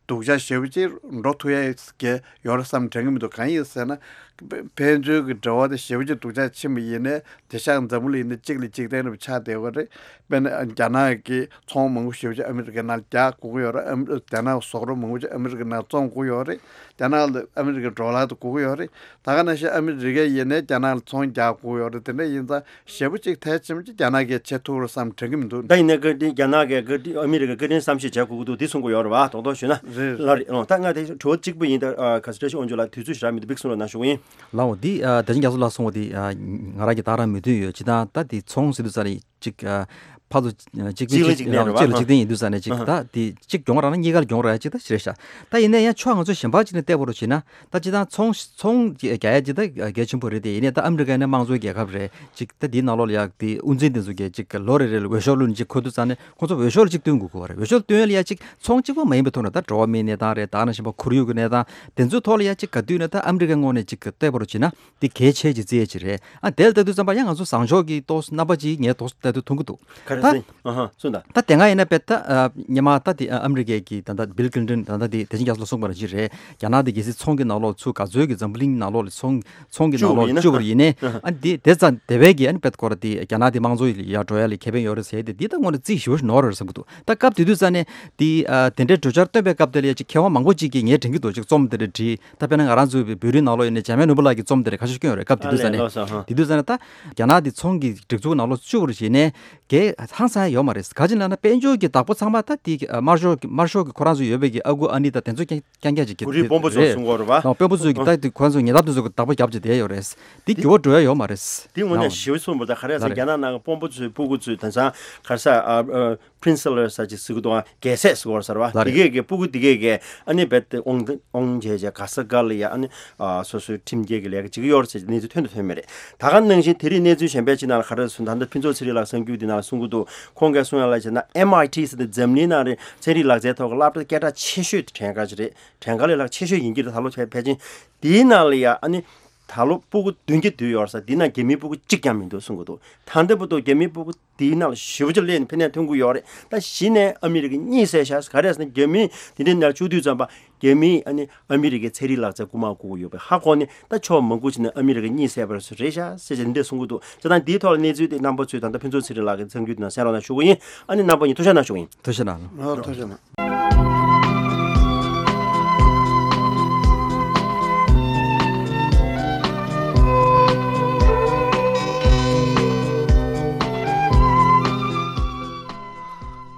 སྡུག་ཅག་ཞེ་པོ་ཅིག་འགྲོ་ཐུབ་ཡ་གི་ཡོད་རེད་བསམ་དྲན་གྱི་མི་འདུག་གང་ཡིན་ཟེར་ན། ཕན་ཚུན་གྱི་འབྲེལ་བ་དེ་ཞེ་པོ་ཅིག་སྡུག་ཅག་ཕྱིན་པ་ཡིན་ནའི་དེང་སང་འཛམ་བུ་གླིང་འདི་གཅིག་ལས་གཅིག་བརྟན་རབས་ཆགས་བསྡད་ཡོད་རེད། དཔེར་ན་རྒྱ་ནག་གི་ཚོང་མང་པོ་ཞེ་པོ་ཅིག་ཨ་མི་རི་ཀའི་ནང་རྒྱག་དགོས་ཀྱི་ཡོད་རེད། ཨ་མི་རྒྱ་ནག་གི་ཟོག་རོ་མང་པོ་ཅིག་ཨ་མི་རི་ཀའི་ནང་བཙོང་དགོས་ཡོད་རེད། རྒྱ་ནག་ལ་ཨ་མི་རི་ཀའི་ཌོ་ལར་དེ་དགོས་ཀྱི་ཡོད་རེད། ད་ག་ནང་བཞིན་ཨ་མི་རི་ཀ་ཡིན་ནའི་རྒྱ་ནག་ལ་ཚོང་རྒྱག་དགོས་ཡོད་རེད། དེ་འདྲ་ཡིན་ཙང་ཞེ་པོ་ཅིག་ཐལ་ཆེན་པོ་ཅིག་རྒྱ་ནག་གིས་བྱེད་ཐུབ་རེད་བསམ་དྲན་གྱི་མི་འདུག་ད་ཡིན་ནའི་བཀའ་དྲིན་རྒྱ་ནག་གིས་བཀའ་དྲིན་ཨ་མི་རི་ཀ་བཀའ་དྲིན་བསམ་ཤེས་བྱེད་དགོས་ཀྱི་འདུག་འདི་གསུང་གི་ཡོད་རེད་བ། རྡོག་རྡོག་ཞུས་ན། རེད། ལགས་རེད། ཨོ་ད་ང་དེ་དྲི་བ་གཅིག་པུ་ཡིན། ད་ཨ་ག་ས་བཀྲ་ཤིས་དབང་ཕྱུག་ལགས་དུས་ཚོད་ཞེ་དྲག་མི་འདུག་ཕིག་གསུང་རོགས་གནང་ཞུ་གི་ཡིན། ལགས་འོ་འདི་ཨ་བདེ་ཆེན་རྒྱ་མཚོ་ལགས་གསུང་བ་འདི་ཨ་ང་རང་གི་ད་རང་མོས་མཐུན་ཡོད། ཅི་ད་ད་འདི་ཚོང་ཟེར་དུས་ཙ་ནས་ཅིག་ཨ་ཕར་ཚུར་གཅིག་གཅིག་ལ་གཅིག་གཅིག་ལ་གཅིག་ལ་གཅིག་ལྡན་ཡིན་དུས་ཙ་ནས་ཅིག་ད་དེ་གཅིག་གྱོང་རག་ན་གཉིས་ཀར་གྱོང་རག་ཡ་གཅིག་ད་ཞེ་དྲག་ཤག་ད་ཡིན་ན་ཡང་ཕྱོགས་ང་ཚོ་གཞན་པ་ཅིག་ནས་བལྟས་པ་རུ་བྱས་ན་ད་ཅི་ད་ཚོང་ཚོང་རྒྱག་ཡ་ཅིག་ད་གལ་ཆེན་པོ་རེད། དེ་ཡིན་ནའི་ད་ཨ་མི་རི་ཀ་ཡིན་ན་དམངས་གཙོའི་རྒྱལ་ཁབ་རེད། ཅིག་ད་དེའི་ནང་ལོགས་ལ་ཡ་དེ་དབུ་འཛིན་དེ་ཚོ་གས་ཅིག་ལོ་རེ་རེ་ལ་འོས་ཤོག་བླུགས་ནས་ཅིག་འཁོད་དུས་ཙ་ནས་ཁོང་ཚོ་འོས་ཤོག་ལ་ཅིག་བཏོན་དགོས་ཀྱི་ཡོད་རེད། འོས་ཤོག་བཏོན་ཡ་ལ་ཡ་ཅིག་ཚོང་གཅིག་པོ་མ་ཡིན་པའི་ཐོག་ནས་ད་འགྲོ་བ་མིའི་གནས་སྟངས་རེད། ད་ནང་བཞིན་པ་ཁོར་ཡུག་གི་གནས་སྟངས་དེ་ཚོའི་ཐོག་ལ་ཡ་ཅིག་ག་དུས་ནས་ད་ཨ་མི་རི་ཀའི་ངོས་ནས་ཅིག་བལྟས་པ་རུ་བྱས་ན། འདི་གལ་ཆེ་ཅིག་བརྩི་ཡས་ཅིག་རེད། ཨ་དེ་ལ་ལྟ་དུས་ཙམ་པ་ཡང་ང་ཚོ་བཟང་ཕྱོགས་ཀྱི་ཏོག་ཙམ་རྣམ་པ་ཅིག་ངས་ཏོག་ཙམ་ལྟ་དུས་མཐོང་གི་འདུག་ག་རེ་ད་ཟེར། ཨ་ཧ་གསུངས་དང་། ད་དེ་སྔ་ཡིན་ན་དཔེ་ད་ཨ་སྔོན་མ་ད་དེ་ཨ་ཨ་མི་རི་ཀའི་གི་ད་ལྟ་བིལ་ཀི་ལིན་ཊོན་ད་ལྟ་དེ་བདེ་ཆེན་རྒྱ་མཚོ་ལགས་གསུངས་པ་ནང་བཞིན་རེད། རྒྱ་ནག་དེ་གལ་སྲིད་ཚོང་གི་ནང་ལོགས་ཚུར་ག་ཚོད་ཀྱི་འཛམ་བུ་གླིང་ནང་ལོགས་ལ་ཚོང་ཚོང་གི་ནང་ལོགས་བཅུག་པ་ཡིན་ན། བཅུག་པ་ཡིན་ནའི་ཨ་ཨ་དེ་དེ་ཙམ་དེ་བས་ཀྱི་ཨ་ནི་དཔེ་སྐོར་དེ་རྒྱ་ནག་དེ་དམངས་གཙོ་ཡི་ལ་ཡར་འགྲོ་ཡ་ལ་ཁེ་ཕན་ཡོད་རེད་ཟེར་དེ་འདི་ད་དངོས་གནས་རྩིས་ཞིབ་ཞིག་ནོར་རེད་བསམ་གི་འདུག་ད་སྐབས་དེ་དུས་ཙ་ནས་དེ་ཨ་དེ་འདྲའི་གྲོས་འཆར་བཏོན་པའི་སྐབས་དེ་ལ་ཡ་ཅིག་མཁས་དབང་མང་པོ་ཅིག་གིས་ངས་དྲན་གྱི་འདུག་ཅིག་རྩོམ་དེ་འདྲ་བྲིས། ད་དཔེར་ན་ང་རང་ཚོའི་བོད་རིགས་ནང་ལོགས་ཡིན་ན་འཇམ་དབྱངས་ནོར་བུ་ལགས་ཀྱིས་རྩོམ་དེ་འདྲ་ཁ་ཤས་བསྐྱོན་ཡོད་རེད། སྐབས་དེ་དུས་ཙ་ནས། ཨ་ལས་ལགས་སོ། ཧ། དེ་དུས་ཙ་ནས་ད་རྒྱ་ནག་དེ་ཚོང་གི་སྒྲིག་འཛུགས་ནང་ལོགས་བཅུག་པ་རེད་བྱས་ནས་གལ་ཧང་སང་ཡ་ཡོད་མ་རེད། ག་ཅི་ལབ་ན་དཔལ་འབྱོར་གྱི་བདག་པོ་ཚང་མ་ད་དེ་དམར་ཤོག་གི་དམར་ཤོག་གི་ཁོ་རང་ཚོ་ཡོད་པའི་གི་ཨ་ཁུ་ཨ་ནེ་དང་དེ་ཚོ་རྐྱང་རྐྱང་རྐྱང་ཅིག་གི་གོ་རིམ་དཔོན་པོ་ཚོ་རེད། གསུང་གི་ཡོད་རེད་བ། དཔོན་པོ་ཚོས་གི་ད་དེ་ཁོ་རང་ཚོ་ཉེ་འདབས་དེ་ཚོ་གི་བདག་པོ་རྒྱབ་བྱས་བསྡད་ཡོད་རེད། དེ་འགྱུར་བ་འགྲོ་ཡ་ཡོད་མ་རེད། དེ་དངོས་གནས་ཞེ་པོ་གསུངས་པ་ད་ག་རེ་ཟེར། ལགས་རེད། རྒྱ་ནག་ནང་གི་དཔོན་པོ་ཚོའི་སྤུ་གུ་ཚོས་དེང་སང་ག་རེ་ཟེར་ཨ་ཨ་པི་རིན་སི་ལབ་ས་ཅིག་ཟེར་གི་འདུག་ཨ། རྒྱལ་སྲས་ཟེར་གི་ཡོད་རེད་ཟེར་བ། ལགས་རེད། དེ་གས་ཀྱི་སྤུ་གུ་དེ་གས་ཀྱི་ཨ་ནི་རྦད་དེ་དབང་དབང་བྱས་བྱས་ག་ས་ག་ལ་ཡ་ཨ་ནི་ཨ་སོ་སོའི་ཁྲིམས་འགལ་གྱི་ལས་ཀ་བྱེད་ཀྱི་ཡོད་རེད་ཟེར་གནས་ཚུལ་ཐོན་དང་ཐོན་མེད་རེད། ད་ག་ནང་བཞིན་དེ་རིང་གནས་ཚུལ་གཞན་པའི་ཅིག་ནང་ལ་ག་རེ་ཟེར་ད་ལྟ་ཕུན་ཚོགས་ཚེ་རིང་ལགས་གསར་འགྱུར་འདི་ནང་ལ་གསུང་གི་འདུག་ཁོང་གིས་གསུང་ཡ་ལ་བྱས་ན་ཨེམ་ཨའི་ཊི་ཟེར་ཏེ་འཛམ་གླིང་ནང་རེད་ཚན་རིག་ལག་རྩལ་ཐོག་གི་སློབ་གྲྭ་སྐད་གྲགས་ཆེ་ཤོས་དེ་བྲན་ཁ་ཅིག་རེད། བྲན་ཁ་ལས་ལྷག་ཆེ་ཤོས་ཡིན་གྱི་རེད། ད་ལོ་ཕལ་ཕལ་ཆེར་དེའི་ནང་ལ་ཡ་ཨ་ནི་ད་ལོ་སྤུ་གུ་བདུན་བརྒྱ་བསྡུས་ཡོད་རེད་ཟེར། དེའི་ནང་རྒྱ་མིའི་སྤུ་གུ་གཅིག་ཀྱང་མི་འདུག་གསུང་གི་འདུག་ད་ལྟ་བར་དུ་རྒྱ་མིའི་སྤུ་གུ་དེའི་ནང་ལ་ཞེ་པོ་ཅིག་སླེབས་ནས་ཕན་ནས་ཐོན་གྱི་ཡོད་རེད། ད་གཞི་ནས་ཨ་མི་རི་ཀ་གཉིད་སད་ཤག་ག་རེ་ཟེར་ན་རྒྱ་མི་དེ་འདྲའི་ནང་བཅུག་དུས་ཙམ་པ་རྒྱ་མིས་ཨ་ནི་ཨ་མི་རི་ཀའི་ཚན་རིག་ལག་རྩལ་རྐུ་མ་རྐུ་གི་ཡོད་པའི་ཧ་གོ་ནས་ད་ཕྱོགས་མང་པོ་ཅིག་ནས་ཨ་མི་རི་ཀ་གཉིད་སད་པ་རེད་ཤག་ཟེར་བྱས་འདི་འདྲ་གསུང་གི་འདུག་བྱས་ཙང་འདིའི་ཐོག་ལ་གནས་ཚུལ་དེ་རྣམ་པ་ཚོས་ད་ལྟ་ཕུན་ཚོགས་ཚེ་རིང་ལགས་ཀྱི་གསར་འགྱུར་དེ་ནང་གསན་རོགས་གནང་ཞུ་གི་ཡིན། ཨ་ནི་རྣམ་པ་གཉིས་ཐུགས་ཞབས་གནང་ཞུ་གི་ཡིན། ཐུགས་རྗེ་གནང་། ཨ། ཐུགས་རྗེ་གནང་།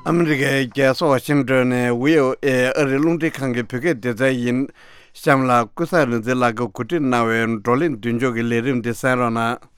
ཨ་མི་རི་ཀའི་རྒྱལ་ས་ཝ་ཤིང་ཏོན་ནས་ཝི་ཨོ་ཨེ་ཨ་རིའི་རླུང་འཕྲིན་ཁང་གི་བོད་སྐད་སྡེ་ཚན་ཡིན། གཤམ་ལ་ཀུན་བཟང་རིག་འཛིན་ལགས་ཀྱིས་གོ་སྒྲིག་གནང་བའི་བགྲོ་གླེང་མདུན་ལྕོག་གི་ལས་རིམ་འདི་གསན་རོགས་གནང་།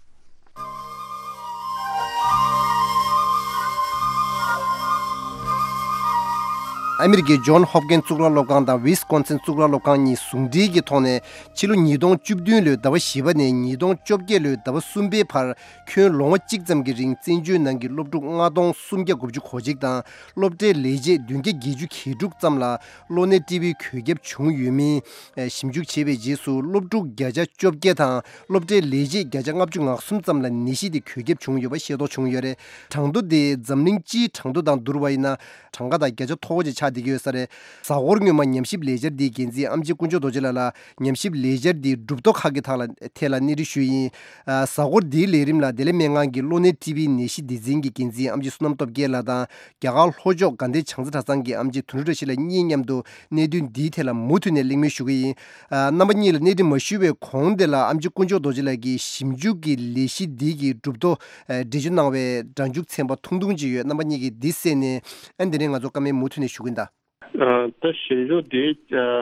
ཨ་མི་རི་ཀའི་ཇོན་ཧོབ་ཀིན་གཙུག་ལག་སློབ་ཁང་དང་ཝིས་ཀོན་སིན་གཙུག་ལག་སློབ་ཁང་གཉིས་ཟུང་འབྲེལ་གྱི་ཐོག་ནས་ཕྱི་ལོ་ཉིས་སྟོང་བཅུ་བདུན་ལོའི་ཟླ་བ་བཞི་པ་ནས་ཉིས་སྟོང་བཅོ་བརྒྱད་ལོའི་ཟླ་བ་གསུམ་པའི་བར་ཁྱོན་ལོ་ངོ་གཅིག་ཙམ་གྱི་རིང་བཙན་བྱོལ་ནང་གི་སློབ་ཕྲུག་ལྔ་སྟོང་སུམ་བརྒྱ་དགུ་བཅུ་གོ་གཅིག་དང་སློབ་གྲྭའི་ལས་བྱེད་བདུན་བརྒྱ་བརྒྱད་ཅུ་གྱ་དྲུག་ཙམ་ལ་གློ་ནད་ཊི་བིའི་འགོས་ཁྱབ་བྱུང་ཡོད་མིན་ཞིབ་འཇུག་བྱས་པའི་རྗེས་སུ་སློབ་ཕྲུག་བརྒྱ་ཆ་བཅོ་བརྒྱད་དང་སློབ་གྲྭའི་ལས་བྱེད་བརྒྱ་ཆ་ལྔ་བཅུ་ང་གསུམ་ཙམ་ལ་ནད་གཞི་དེ་འགོས་ཁྱབ་བྱུང་ཡོད་པ་ཤེས་རྟོགས་བྱུང་ཡོད་རེད། གྲངས་ཐོ་དེ་འཛམ་གླིང་སྤྱིའི་གྲངས་ཐོ་དང་བསྡུར་བ་ཡིན་ན་གྲངས་ཀ་དང་བརྒྱ་ཆ་མཐོ་བོ་ཅིག་ཆགས། བསྡད་ཀྱི་ཡོད་ས་རེད། གཟའ་འཁོར་སྔོན་མ་ཉམས་ཞིབ་ལས་འཆར་འདིའི་འགན་འཛིན་ཨམ་ཆི་དཀོན་མཆོག་རྡོ་རྗེ་ལགས་ལ་ཉམས་ཞིབ་ལས་འཆར་འདིའི་གྲུབ་ཐོབ་ཁག་གི་ཐག་ལ་ཐད་ལ་གནས་འདྲི་ཞུས་ཡིན། ཨ། གཟའ་འཁོར་འདིའི་ལས་རིམ་ལ་བདེ་ལེགས་སྨན་ཁང་གི་གློ་ནད་ཊི་བི་ནད་གཞི་སྡེ་ཚན་གྱི་འགན་འཛིན་ཨམ་ཆི་བསོད་ནམས་སྟོབས་རྒྱལ་ལགས་དང་། རྒྱ་གར་ལྷོ་ཕྱོགས་དགའ་ལྡན་བྱང་རྩེ་གྲྭ་ཚང་གི་ཨམ་ཆི་དོན་གྲུབ་བཀྲ་ཤིས་ལགས་གཉིས་མཉམ་དུ་གནད་དོན་འདིའི་ཐད་ལ་མུ་མཐུད་ནས་གླེང་མོལ་ཞུ་གི་ཡིན། ཨ། རྣམ་པ་གཉིས་ལ་གནད་དོན་མ་ཞུས་པའི་གོང་དེ་ལ་ཨམ་ཆི་དཀོན་མཆོག་རྡོ་རྗེ་ལགས་ཀྱིས་ཞིབ་འཇུག་གི་ལས་གཞི་འདི་གི་གྲུབ་ཐོབ། ཨ། འགྲེལ་བརྗོད་གནང་བའི་སྒྲ་འཇུག་ཚན་པ་ཐུང་ཐུང་ཅིག་ཡོད། རྣམ་པ་གཉིས་ཀྱིས་འདི་གསན་ནས། ཨ། འདི་ནས་ང་ཚོ་བཀའ་མོལ་མུ་མཐུད་ནས་ཞུ་གི་ཡིན་ད། ཨ། ད་ཞིབ་འཇུག་འདི། ཨ།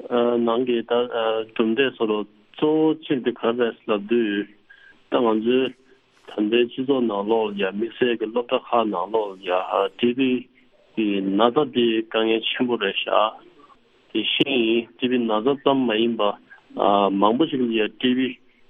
ཨ། ནང་གི་ད། ཨ། གྲུབ་འབྲས་སོགས་ལ་གཙོ་བོ་གཅིག་དེ་ག་རེ་རེད་ལབ་དུས། ད་ང་ཚོའི་ད་ལྟའི་སྤྱི་ཚོགས་ནང་ལོགས་ལ་ཡ། དམིགས་བསལ་གྱི་སློབ་གྲྭ་ཁག་ནང་ལོགས་ལ་ཡ། ཊི་བི་གི་ན་ཚ་དེ་དཀའ་ངལ་ཆེན་པོ་རེད་ཤག་དེ་བཞིན་ཊི་བི་ན་ཚ་ཙམ་མ་ཡིན་པ། ཨ། མང་པོ་ཞིག་ལ་ཡ་ཊི་བི་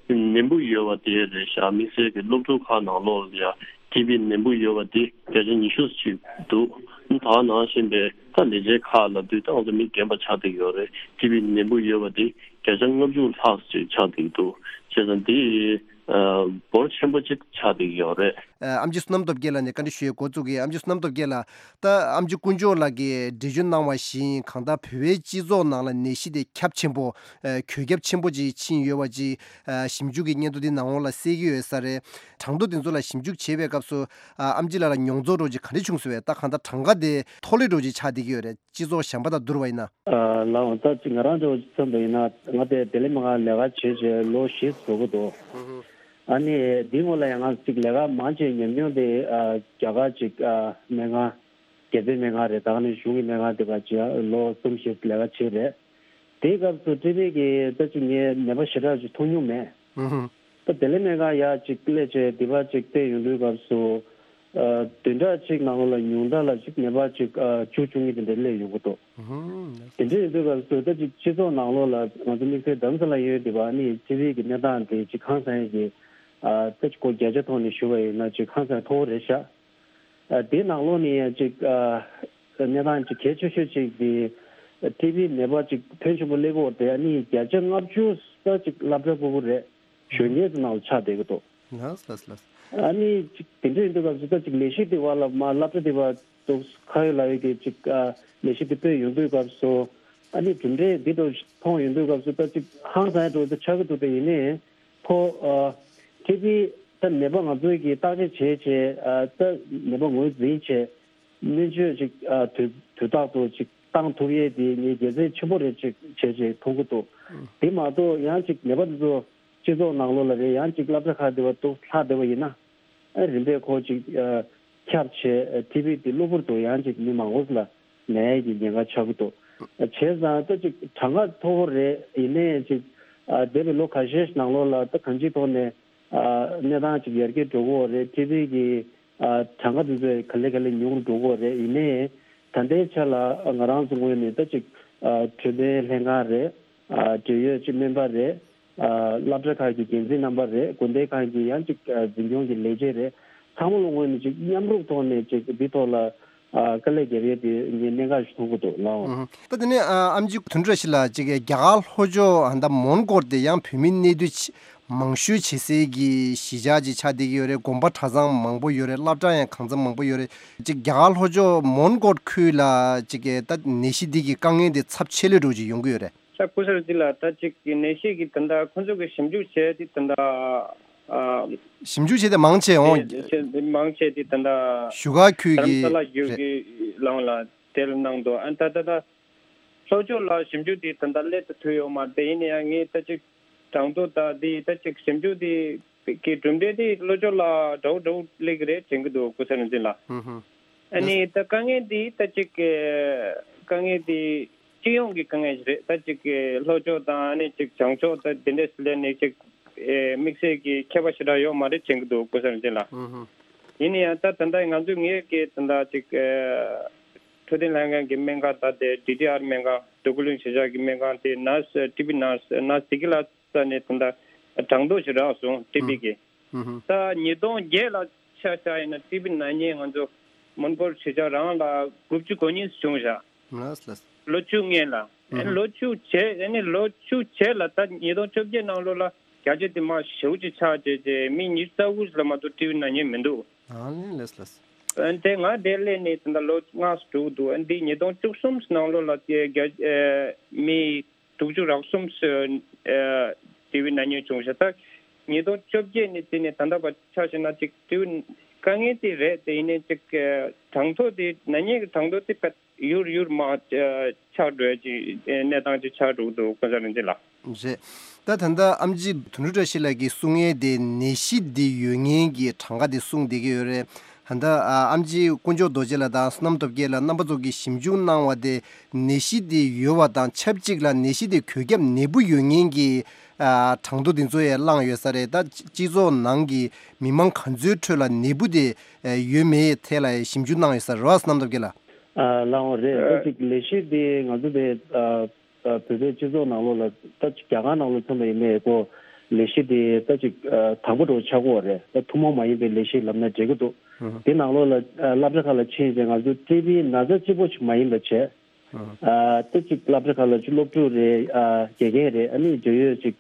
ནད་འབུ་ཡོད་པ་དེ་རེད་ཤག་དམིགས་བསལ་གྱི་སློབ་ཕྲུག་ཁག་ནང་ལོགས་ལ་ཡ་ཊི་བི་ནད་འབུ་ཡོད་པ་དེ་བརྒྱ་ཆ་ཉི་ཤུ་ཅིག་འདུག་ད་ག་ནང་བཞིན་པའི་ད་ལས་བྱེད་ཁག་ལབ་དུས། ད་ང་ཚོ་མི་རྒན་པ་ཆགས་བསྡད་ཡོད་རེད། ཊི་བི་ནད་འབུ་ཡོད་པ་དེ་བརྒྱ་ཆ་ལྔ་བཅུ་ལྷག་ཅིག་ཆགས་བསྡད་འདུག་བྱས་ཙང་དེ། ཨ། འབོར་ཆེན་པོ་ཅིག་ཆགས་བསྡད་ཡོད་རེད། ཨ། ཨམ་ཆི་བསོད་ནམས་སྟོབས་རྒྱལ་ལགས་ནས་བཀའ་འདྲི་ཞུ་ཡས་འགོ་བཙུགས་ཀྱི། ཨམ་ཆི་བསོད་ནམས་སྟོབས་རྒྱལ་ལགས། ད་ཨམ་ཆི་དཀོན་མཆོག་ལགས་ཀྱིས་འགྲེལ་བརྗོད་གནང་བ་བཞིན། གང་ལྟར་བོད་པའི་སྤྱི་ཚོགས་ནང་ལ་ནད་གཞི་དེ་ཁྱབ་ཆེན་པོ། ཨ། འགོས་ཁྱབ་ཆེན་པོ་ཅིག་ཕྱིན་ཡོད་པ་ཅིག་ཨ། ཞིབ་འཇུག་གི་སྙན་ཐོ་འདི་ནང་ལོགས་ལ་གསལ་གྱི་ཡོད་ས་རེད། གྲངས་ཐོ་འདི་ཚོ་ལ་ཞིབ་འཇུག་བྱེད་པའི་སྐབས་སུ། ཨ། ཨམ་ཆི་ལགས་ལ་མྱོང་ཚོར་འདྲ་ཅིག་ག་འདྲ་བྱུང་སོང་བས། ད་གང་ལྟར་གྲངས་ཀ་དེ་མཐོ་སླེབས་འདྲ་ཅིག་ཆགས་བསྡད་ཀྱི་ཡོད་རེད། སྤྱི་ཚོགས་གཞན་པ་དང་བསྡུར་བ་ཡིན་ན། ཨ། ལགས་འོང་། ད་ཅིག་ང་རང་འདྲ་བོ་ཅིག་མཚོན་པ་ཡིན་ན། ང་དེ་བདེ་ལེགས་སྨན་ཁང་ལས་ཀ་བྱས་བྱས་ལོ་བཞི་འགྲོ་གི་འདུག་ཨ་ནི་འདིའི་སྔོན་ལ་ཡང་ང་ཅིག་ལས་ཀ་མང་ཆེ་ཉམས་མྱོང་དེ། ཨ། རྒྱ་གར་ཅིག་ཨ། སྨན་ཁང་། རྒྱལ་བཙུན་སྨན་ཁང་རེད། ད་ག་ནང་བཞིན་གཞུང་གི་སྨན་ཁང་དེ་ག་ཅིག་ལོ་གསུམ་བཞི་ལས་ཀ་བྱས་རེད། དེའི་སྐབས་སུ་ཊི་བི་གི་ད་ཅིག་ངས་ནད་པ་ཞེ་དྲག་ཅིག་མཐོང་མྱོང་མེད། ཨུ་ཧུ། ད་བདེ་ལེགས་སྨན་ཁང་ཡར་ཅིག་སླེབས་བྱས་འདི་པར་ཅིག་བལྟས་ཡོང་དུས་སྐབས་སུ། ཨ། བདུན་ཕྲག་གཅིག་ནང་ལོགས་ལ་ཉུང་མཐའ་ལ་ཅིག་ནད་པ་ཅིག་ཨ། བཅུ་བཅུ་གཉིས་དེ་འདྲ་སླེབས་ཡོང་གི་འདུག་ཨུ་ཧུ། དེ་འདྲ་ཡིན་དུས་སྐབས་སུ་ད་ཅིག་སྤྱི་ཚོགས་ནང་ལོགས་ལ་ང་ཚོ་དམིགས་བསལ་རྡ་རམ་ས་ལ་ཡོད་འདི་པ་ནི་ཊི་བི་གི་གནས་སྟངས་དེ་ཅིག་ཧང་སང་ཡས་ཀྱི། ཨ། ད་ཅིག་སྒོ་བརྒྱ་ཆ་ཐོག་ནས་ཞུ་བ་ཡིན་ན་ཅིག་ཧང་སང་མཐོ་བོ་རེད་ཤག་ཨ། དེའི་ནང་ལོགས་ནས་ཡང་ཅིག་ཨ། གནས་སྟངས་ཅིག་གལ་ཆེ་ཤོས་ཅིག་དེ། ཊི་བི་ནད་པ་ཅིག་ཕོན་ཆེན་པོ་སླེབས་ཡོད་དེ། ཨ་ནི་བརྒྱ་ཆ་ལྔ་བཅུ་ཙམ་ཅིག་སློབ་གྲྭ་ཕྲུ་གུ་རེད། གཞོན་སྐྱེས་ཚོ་ནང་ལ་ཆགས་བསྡད་ཀྱི་འདུག་ལགས་ལགས་ལགས། ཨ་ནི་ཅིག་དེ་འདྲ་ཡིན་དུས་སྐབས་སུ་ད་ཅིག་ལས་གཞི་དེ་བར་ལ་མར་སློབ་གྲྭ་དེ་བར་འདུག་ཁ་ཡོད་ལག་ཡོད་ཀྱི་ཅིག་ཨ། ལས་གཞི་དེ་སྤེལ་ཡོང་དུས་སྐབས་སུ། ཨ་ནི་གྲུབ་འབྲས་འདི་འདྲ་མཐོང་ཡོང་དུས་སྐབས་སུ་ད་ཅིག་ཧང་སང་འདྲ་ཅིག་ཆགས་ཀྱི་འདུག་དེ་ཡིན་ནའི་ཁོ། ཨ། ཊི་བི་ད་ནད་པ་ང་ཚོས་ཀྱིས་བརྟག་དཔྱད་བྱས་བྱས། ཨ། ད་ནད་པ་ངོས་འཛིན་བྱས། སྨན་བཅོས་ཅིག་ཨ། དུས་དུས་རྟག་ཏུ་ཅིག་བཏང་ཐུབ་ཡས་དེ་ངས་དགེ་མཚན་ཆེན་པོ་རེད་ཅིག་བྱས་བྱས་མཐོང་གི་འདུག་དེ་མ་གཏོགས་ཡང་ཅིག་ནད་པ་དེ་ཚོ་སྤྱི་ཚོགས་ནང་ལོགས་ལ་རེད། ཡང་ཅིག་སློབ་གྲྭ་ཁག་དེ་བར་འདུག་ལྷག་བསྡད་པ་ཡིན་ན། ཨ། རིམ་པས་ཁོ་ཅིག་ཨ། ཁྱབ་བྱས། ཨ། ཊི་བི་དེ་གློ་བུར་དུ་ཡང་ཅིག་མི་མང་པོ་ལ་ན་ཡས་ཀྱི་ཉེན་ཁ་ཆགས་ཀྱི་འདུག་བྱས་ཙང་ད་ཅིག་གྲངས་ཀ་མཐོ་པོ་རེད། ཡིན་ནའི་ཅིག་ཨ། འདས་པའི་ལོ་ཁ་ཤས་ནང་ལོགས་ལ་ད་གང་ཅིའི་ཐོག་ནས། ཨ། གནས་སྟངས་ཅིག་ཡར་རྒྱས་འགྲོ་གི་ཡོད་རེད། ཊི་བི་གི་ཨ། གྲངས་ཀ་དེ་ཚོ་ག་ལེ་ག་ལེ་ཉུང་རུ་འགྲོ་གི་ཡོད་རེད། ཡིན་ནའི་ད་ལྟའི་ཆ་ལ་ང་རང་ཚོ་ངོས་ནས་ད་ཅིག་ཨ། འཕྲོད་བསྟེན་ལྷན་ཁང་རེད། ཨ། འབྲེལ་ཡོད་ཅིག་སྨན་པ་རེད། ཨ། སློབ་གྲྭ་ཁག་གི་འགན་འཛིན་རྣམ་པ་རེད། དགོན་སྡེ་ཁག་གི་ཡང་ཅིག་ཨ། འཛིན་སྐྱོང་གི་ལས་བྱེད་རེད། ཚང་མ་ལོ་ངོས་ནས་ཅིག་མཉམ་རུབ་ཐོག་ནས་ཅིག་འདི་ཐོག་ལ། ཨ། དཀའ་ལས་བརྒྱབ་ཡས་དེ་ངས་གནད་འགག་ཞིག་མཐོང་གི་འདུག་ལགས། ཨུ་ཧུ། ད་དེ་ནས་ཨ། ཨམ་ཆི་དོན་གྲུབ་བཀྲ་ཤིས་ལགས། ཅིག་རྒྱ་གར་ལྷོ་ཕྱོགས་ཨ། ད་མོན་གྷོ་དེ་ཡང་བོད་མི་གནས་སྡོད་ཆེ་མང་ཤོས་བྱེད་སའི་གི་གཞིས་ཆགས་ཅིག་ཆགས་བསྡད་ཀྱི་ཡོད་རེད། དགོན་པ་གྲྭ་ཚང་མང་པོ་ཡོད་རེད། སློབ་གྲྭ་ཡང་གང་འཚམ་མང་པོ་ཡོད་རེད། ཅིག་རྒྱ་གར་ལྷོ་ཕྱོགས་མོན་གྷོ་ཁུལ་ལ་ཅིག་ད་ནད་གཞི་འདི་གི་དཀའ་ངལ་འདི་ཚབས་ཆེ་ལོས་འགྲོ་ཅིག་ཡོང་གི་ཡོད་རེད། ད་སྐུ་གཟུགས་འདི་ལ་ད་ཅིག་ནད་གཞི་གི་ད་ལྟ་ཁོང་ཚོ་གི་ཞིབ་འཇུག་བྱས་ཏེ་ད་ལྟ་ཨ། ཞིབ་འཇུག་བྱས་ཏེ་མང་ཆེ་འོང་། དེ་མང་ཆེ་དེ་ད་ལྟ་བཞུགས་སྒར་ཁུལ་རྡ་རམ་ས་ལ་བརྒྱུད་རེད། ཀྱི་ལམ་ལ་དེ་ལ་གནང་འདུག་ཨ། ད་ད་ད་ལྷོ་ཕྱོགས་ལ་ཞིབ་འཇུག་དེ་ད་ལྟ་སླེབས་ཐུབ་ཡོད་མ་རེད། ཡིན་ན་ཡང་ངས་ད་ཅིག་གྲངས་ཐོ་ད་དེ་ད་ཅིག་ཞིབ་འཇུག་དེ་གི་གྲུབ་འབྲས་དེ་ལྷོ་ཕྱོགས་ལ་འདྲ་བོ་འདྲ་བོ་སླེབས་ཀྱི་རེད་དྲན་གྱི་འདུག་སྐུ་ཚེ་རིང་འཛིན་ལགས། ཨུ་ཧུ། ཨ་ནི་ད་དཀའ་ངལ་འདི་ད་ཅིག་གི་དཀའ་ངལ་འདི་སྤྱི་ཡོངས་ཀྱི་དཀའ་ངལ་ཞིག་རེད། ད་ཅིག་གི་ལྷོ་ཕྱོགས་དང་ཨ་ནི་ཅིག་བྱང་ཕྱོགས་ད་དེ་འདྲས་སུ་སླེབས་ནས་ཅིག་ཨེ་དམིགས་བསལ་གྱི་ཁྱད་པར་ཞེ་དྲག་ཡོད་མ་རེད་དྲན་གྱི་འདུག་སྐུ་གཟུགས་ཅན་ལགས། ཨུ་ཧུ། ཡིན་ན་ཡང་ད་ད་ལྟ་ང་ཚོས་ངས་ཀྱི་ད་ལྟ་ཅིག་ཨེ་འཕྲོད་བསྟེན་ལྷན་ཁང་གི་སྨན་ཁང་ད་དེ་ཌི་ཊི་ཨར་སྨན་ཁང་འདུ་ཁུ་ལུན་གཞིས་ཆགས་ཀྱི་སྨན་ཁང་དེ་ནར་སི་ཊི་བི་ནར་སི་ནར་སི་དེ་གི་ལ་ས་ནས་ད་ལྟ་གྲངས་ཐོ་ཞིག་རག་སོང་ཊི་བི་གི། ཨུ་ཧུ། ད་ཉིས་སྟོང་བརྒྱད་ལ་ཆ་བཞག་ཡིན་ན་ཊི་བི་ན་མཁན་ང་ཚོ་མོན་གྷོ་གཞིས་ཆགས་རང་ལ་དགུ་བཅུ་གོ་གཉིས་བྱུང་བཞག་ལགས་ལགས། ལོ་བཅུ་སྔོན་ལ། ཨུ་ཧུ། ལོ་བཅུ་བྱས་ཨ་ནི་ལོ་བཅུ་བྱས་ལ་ད་ཉིས་སྟོང་བཅོ་བརྒྱད་ནང་ལོགས་ལ་བརྒྱ་ཆ་དེ་མར་ཞེ་པོ་ཅིག་ཆག་བྱས་རྗེས་མི་ཉི་ཤུ་རྩ་དགུ་ལ་མ་གཏོགས་ཊི་བི་ན་མཁན་མི་འདུག་ཨ་ནི་ལགས་ལགས། ཨ་དེ་ང་དེ་སླེབས་ནས་ད་ལྟ་ལོ་ལྔ་ཙམ་འགྲོ་གི་འདུག་ཨ་འདི་ཉིས་སྟོང་བཅུ་གསུམ་ནང་ལོགས་ལ་དེ་རྒྱ་ཨ་མི་དྲུག་ཅུ་རེ་གསུམ་ཙམ་ཨ་ཊི་བི་ན་མཉེན་བྱུང་ཤག་ད་ཉིས་སྟོང་བཅོ་བརྒྱད་ནས་བརྩིས་ནས་ད་ལྟ་བར་ཆ་བཞག་ན་ཅིག་ཊི་བི་དཀའ་ངལ་དེ་རེད། དེ་ཡིན་ནའི་ཅིག་ཨ་གྲངས་ཐོ་དེ་ན་མཉེན་གྱི་གྲངས་ཐོ་དེ་ཕར་ཡུར་ཡུར་མར་ཨ་ཆག་འགྲོ་ཡ་ཅིག་ཨ་གནས་སྟངས་ཅིག་ཆགས་འགྲོ་གི་འདུག་ཀུན་བཟང་རིག་འཛིན་ལགས། རེད། ད་ད་ལྟ་ཨེམ་ཆི་དོན་གྲུབ་བཀྲ་ཤིས་ལགས་ཀྱིས་གསུང་ཡས་དེ་ནད་གཞི་འདི་ཡོད་མཁན་གྱི་གྲངས་ཀ་དེ་གསུངས་བསྡད་ཀྱི་ཡོད་རེད། ད་ལྟ་ཨ་ཨེམ་ཆི་དཀོན་མཆོག་རྡོ་རྗེ་ལགས་དང་བསོད་ནམས་སྟོབས་རྒྱལ་ལགས་རྣམ་པ་ཚོ་གིས་ཞིབ་འཇུག་གནང་བ་དེ་ནད་གཞི་དེ་ཡོད་པ་དང་ཆབས་ཅིག་ལ་ནད་གཞི་དེ་འགོས་ཁྱབ་ནད་འབུ་ཡོད་མཁན་གྱི་ཨ་གྲངས་ཐོ་དེ་ཚོ་ཡང་བླངས་ཡོད་ས་རེད། ད་སྤྱི་ཚོགས་ནང་གི་མི་མང་ག་ཚོད་ཁྲོད་ལ་ནད་འབུ་དེ་ཡོད་མེད་ཐད་ལ་ཞིབ་འཇུག་གནང་ཡོད་ས་རེད་བ། བསོད་ནམས་སྟོབས་རྒྱལ་ལགས། ཨ་ལགས་འོང་རེད། ད་ཅིག་ལས་གཞི་དེ་ང་ཚོ་དེ་ཨ། ཨ་བོད་པའི་སྤྱི་ཚོགས་ནང་ལོགས་ལ་ད་ཅིག་རྒྱ་གར་ནང་ལོགས་མཚོན་པ་ཡིན་ནའི་ཁོ་ལས་གཞི་དེ་ད་ཅིག་ཨ་དང་པོ་འདྲ་བོ་ཆགས་ཀྱི་ཡོད་རེད། ད་ཐུན་མོང་མ་ཡིན་པའི་ལས་གཞི་ལབ་ན་འགྲིག་གི་འདུག་ཧུམ། དེ་ནང་ལོགས་ལ་ཨ་སློབ་གྲྭ་ཁག་ལ་ཕྱིན་བྱས་ང་ཚོ་ཊི་བི་ན་ཚ་གཅིག་པོ་ཞིག་མ་ཡིན་པ་བྱས། ཧུམ། ཨ་ད་ཅིག་སློབ་གྲྭ་ཁག་ལ་ཅིག་སློབ་ཕྲུག་རེད། ཨ་དགེ་རྒན་རེད། ཨ་ནི་འབྲེལ་ཡོད་ཅིག་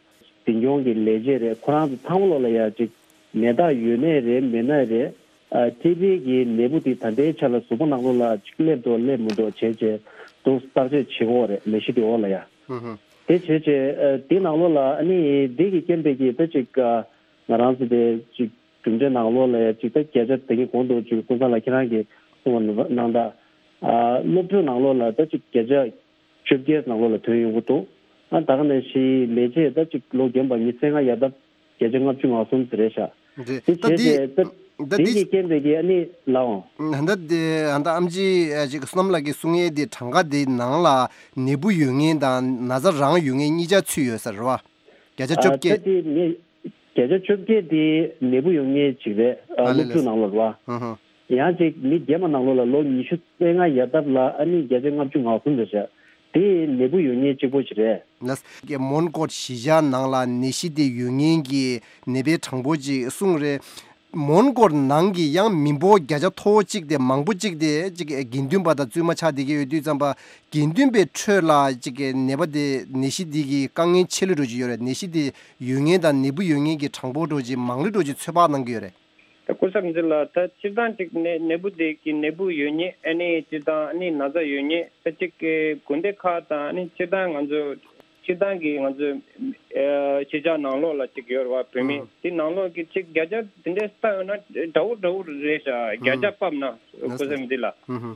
འཛིན་སྐྱོང་གི་ལས་བྱེད་རེད། ཁོ་རང་ཚོ་ཚང་མ་ལོགས་ལ་ཡ་ཅིག་ནད་རྟགས་ཡོད་ནའི་རེད་མེད་ནའི་རེད། ཨ་ཊི་བི་གི་ནད་འབུ་དེ་ད་ལྟའི་ཆ་ལ་གཟུགས་པོ་ནང་ལོགས་ལ་ཅིག་སླེབས་འགྲོ་སླེབས་མི་འགྲོ་བྱས་བྱས་དུ་བརྟག་དཔྱད་བྱེད་ཀྱི་ཡོད་རེད་ལས་གཞི་དེ་འོག་ལ་ཡ། ཧུམ་ཧུམ། དེ་བྱས་བྱས་ཨ་དེ་ནང་ལོགས་ལ་ཨ་ནི་འདི་གི་རྐྱེན་པས་ཀྱི་ད་ཅིག་ཨ་ང་རང་ཚོ་དེ་ཅིག་གྲུབ་འབྲས་ནང་ལོགས་ལ་ཡ་ཅིག་ད་བརྒྱ་ཆ་དེ་གི་གོང་དུ་ཅིག་ཀུན་བཟང་ལགས་ཁྱེད་རང་གིས་གསུངས་པ་ནང་ད་ཨ་སློབ་ཕྲུག་ནང་ལོགས་ལ་ད་ཅིག་བརྒྱ་ཆ་བཅོ་བརྒྱད་ནང་ལོགས་ལ་ཐོན་ཡོང་གི་འདུག་ཨ་ད་ག་ནང་བཞིན་ལས་བྱེད་ད་ཅིག་ལོ་རྒན་པ་ཉི་ཤུ་རྩ་ལྔ་ཡར་ལྡབ་བརྒྱ་ཆ་ལྔ་བཅུ་ང་གསུམ་ཟེར་རེད་ཤག་རེད། དེ་ད་བྱས་འདི་ཏེ་ད་ད་འདི་འདི་གི་རྐྱེན་པས་ཀྱི་ཨ་ནི་ལའོ། ད་འདི་ད་ཨེམ་ཆི་ཅིག་བསོད་ནམས་ལགས་ཀྱིས་གསུང་ཡས་དེ་གྲངས་ཀ་དེ་ནང་ལ་ནད་འབུ་ཡོད་མཁན་དང་ན་ཚ་རང་ཡོད་མཁན་གཉིས་ཆ་ཚུད་ཡོད་ས་རེད་བ། བརྒྱ་ཆ་བཅོ་བརྒྱད། ད་དེ་ངས་བརྒྱ་ཆ་བཅོ་བརྒྱད་དེ་ནད་འབུ་ཡོད་མཁན་ཅིག་རེད། ཨ་ཨ་ལེ་སློབ་ལེ། ཕྲུག་ནང་ལོགས་རེད་བ། ཧུ་ཧུ། ཡང་ཅིག་མི་རྒན་པ་ནང་ལོགས་ལ་ལོ་ཉི་ཤུ་རྩ་ལྔ་ཡར་ལྡབ་ལ་ཨ་ནི་བརྒྱ་ཆ་ལྔ་བཅུ་ང་གསུམ་རེད་ཤག་དེ་ནད་འབུ་ཡོད་མཁན་གཅིག་པོ་ཞིག་རེད། ལགས། མོན་གྷོ་གཞིས་ཆགས་ནང་ལ་ནད་གཞི་དེ་ཡོད་མཁན་གྱི་ནད་པའི་གྲངས་འབོར་ཅིག་གསུངས་རེད། མོན་གྷོ་ནང་གི་ཡང་མི་འབོར་བརྒྱ་ཆ་མཐོ་བོ་གཅིག་དེ་མང་པོ་གཅིག་དེ་ཅིག་དགེ་འདུན་པ་དང་བཙུན་མ་ཆགས་བསྡད་ཀྱི་ཡོད་དུས་ཙམ་པ་དགེ་འདུན་པའི་ཁྲོད་ལ་ཅིག་ནད་པ་དེ་ནད་གཞི་དེ་གི་དཀའ་ངལ་ཆེ་ལོས་འགྲོ་གི་ཡོད་རེད། ནད་གཞི་དེ་ཡོད་མཁན་དང་ནད་འབུ་ཡོད་མཁན་གྱི་གྲངས་འབོར་འགྲོ་གི་མང་ལོས་འགྲོ་གི་ཚོད་དཔག་གནང་གི་ཡོད་རེད། ད་སྐུ་ཞབས་འདི་ལ་ད་སྤྱིར་བཏང་ཅིག་ནད་ནད་འབུ་དེ་གི་ནད་འབུ་ཡོད་མཁན་ཨ་ནི་སྤྱིར་བཏང་ཨ་ནི་ན་ཚ་ཡོད་མཁན་ད་ཅིག་གི་དགོན་སྡེ་ཁག་དང་ཨ་ནི་སྤྱིར་བཏང་ང་ཚོ་སྤྱིར་བཏང་གི་ང་ཚོ་ཨ་གཞིས་ཆགས་ནང་ལོགས་ལ་ཅིག་ཡོད་རེད་བ། བོད་མི་ཨང་དེ་ནང་ལོགས་ཀྱི་ཅིག་བརྒྱ་ཆ་དེ་འདྲའི་ལྟ་ཡོང་ན་འདྲ་བོ་འདྲ་བོ་རེད་ཤག་བརྒྱ་ཆ་ཨང་ཕབ་ན་ལགས་སོ། སྐུ་ཞབས་འདི་ལ། ཨང་ཧུ།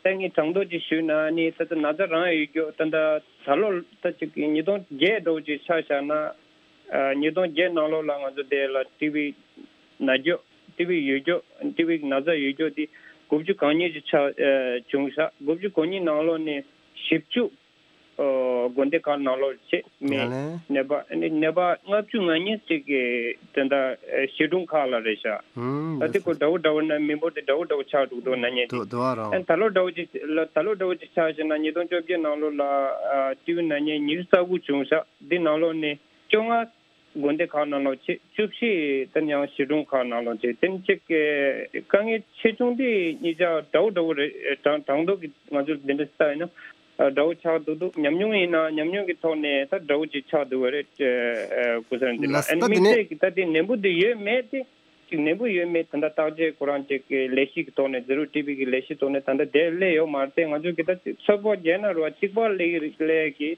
ད་ངས་དྲང་ཐོག་ཅིག་ཞུས་ན་ནི་ད་ལྟ་ན་ཚ་རང་ཡོད་རྒྱུ་ད་ལྟ་ད་ལོ་ད་ཅིག་ཉིས་སྟོང་བརྒྱད་འདྲ་བོ་ཅིག་ཆ་བཞག་ན། ཨ་ཉིས་སྟོང་བརྒྱད་ནང་ལོགས་ལ་ང་ཚོ་དེ་ལ་ཊི་བི་ན་རྒྱུ་ཊི་བི་ཡོད་རྒྱུ་ཊི་བི་ན་ཚ་ཡོད་རྒྱུ་དེ་དགུ་བཅུ་གོ་གཉིས་ཅིག་ཆ་ཨ་བྱུང་ཤག་དགུ་བཅུ་གོ་གཉིས་ནང་ལོགས་ནས་བཞི་བཅུ་ཨ་དགོན་སྡེ་ཁག་ནང་ལོགས་བྱས་མི་ཡ་ལན། ནད་པ་ནད་པ་ལྔ་བཅུ་ང་གཉིས་ཅིག་གི་དེ་འདྲ་ཨ་བྱིས་སྒྲུང་ཁག་ལ་རེད་ཤག་ཨང་། ད་དེ་ཁོ་འདྲ་བོ་འདྲ་བོ་ན་མི་འབོར་དེ་འདྲ་བོ་འདྲ་བོ་ཆགས་འགྲོ་འདུག་ན་ཉེ་དེ། དོ་དོ་ཨ་རང་། ཨ་ད་ལོ་འདྲ་བོ་ཅིག་ལ་ད་ལོ་འདྲ་བོ་ཅིག་ཆགས་བྱས་ན་ཉིས་སྟོང་བཅོ་བརྒྱད་ནང་ལོགས་ལ་ཨ་ཊི་བི་ན་མཉེན་ཉི་ཤུ་རྩ་དགུ་བྱུང་ཤག་འདི་ནང་ལོགས་ནས་བཅོ་ལྔ་དགོན་སྡེ་ཁག་ནང་ལོགས་བྱས་བཅུ་བཞི་དེ་ཡང་བྱིས་སྒྲུང་ཁག་ནང་ལོགས་བྱས་དེ་ནི་ཅིག་གི་དཀའ་ངལ་ཆེ་ཆུང་དེ་གཉིས་ཆ་འདྲ་བོ་འདྲ་བོ་རེད། དྲང་དྲང་ཐོག་གི་ང་ཚོ་འདི་འདྲ་ལྟ་ཡིན་ན་འདྲ་བོ་ཆགས་འདུག་འདུག་ཉམས་མྱོང་ཡིན་ན་ཉམས་མྱོང་གི་ཐོག་ནས་ད་འདྲ་བོ་ཅིག་ཆགས་འདུག་བ་རེད། སྐུ་ཞབས་འདི་ལ་ལགས་སོ། ཨ་ནི་ད་དེ་དམིགས་ནས་བསལ་གྱི་ད་དེ་ནད་འབུ་དེ་ཡོད་མེད་དེ། ཅིག་ནད་འབུ་ཡོད་མེད་ད་ལྟ་བརྟག་དཔྱད་ཁོ་རང་ཅིག་གི་ལས་གཞི་གི་ཐོག་ནས་ཛི་རོ་ཊི་བི་གི་ལས་གཞི་ཐོག་ནས་ད་ལྟ་དེ་སླེབས་ཡོད་མ་རེད་དེ། ང་ཚོ་གི་ད་ཚོད་དཔག་བརྒྱབ་ན་རེད་བ་གཅིག་པ་སླེབས་སླེབས་ཀྱི་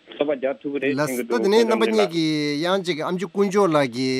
ཚོད་དཔག་རྒྱག་ཐུབ་ཀྱི་རེད། ལགས་སོ། ད་དེ་ནས་རྣམ་པ་གཉིས་ཀྱིས་ཡང་ཅིག་ཨེམ་ཆི་དཀོན་མཆོག་ལགས་ཀྱི་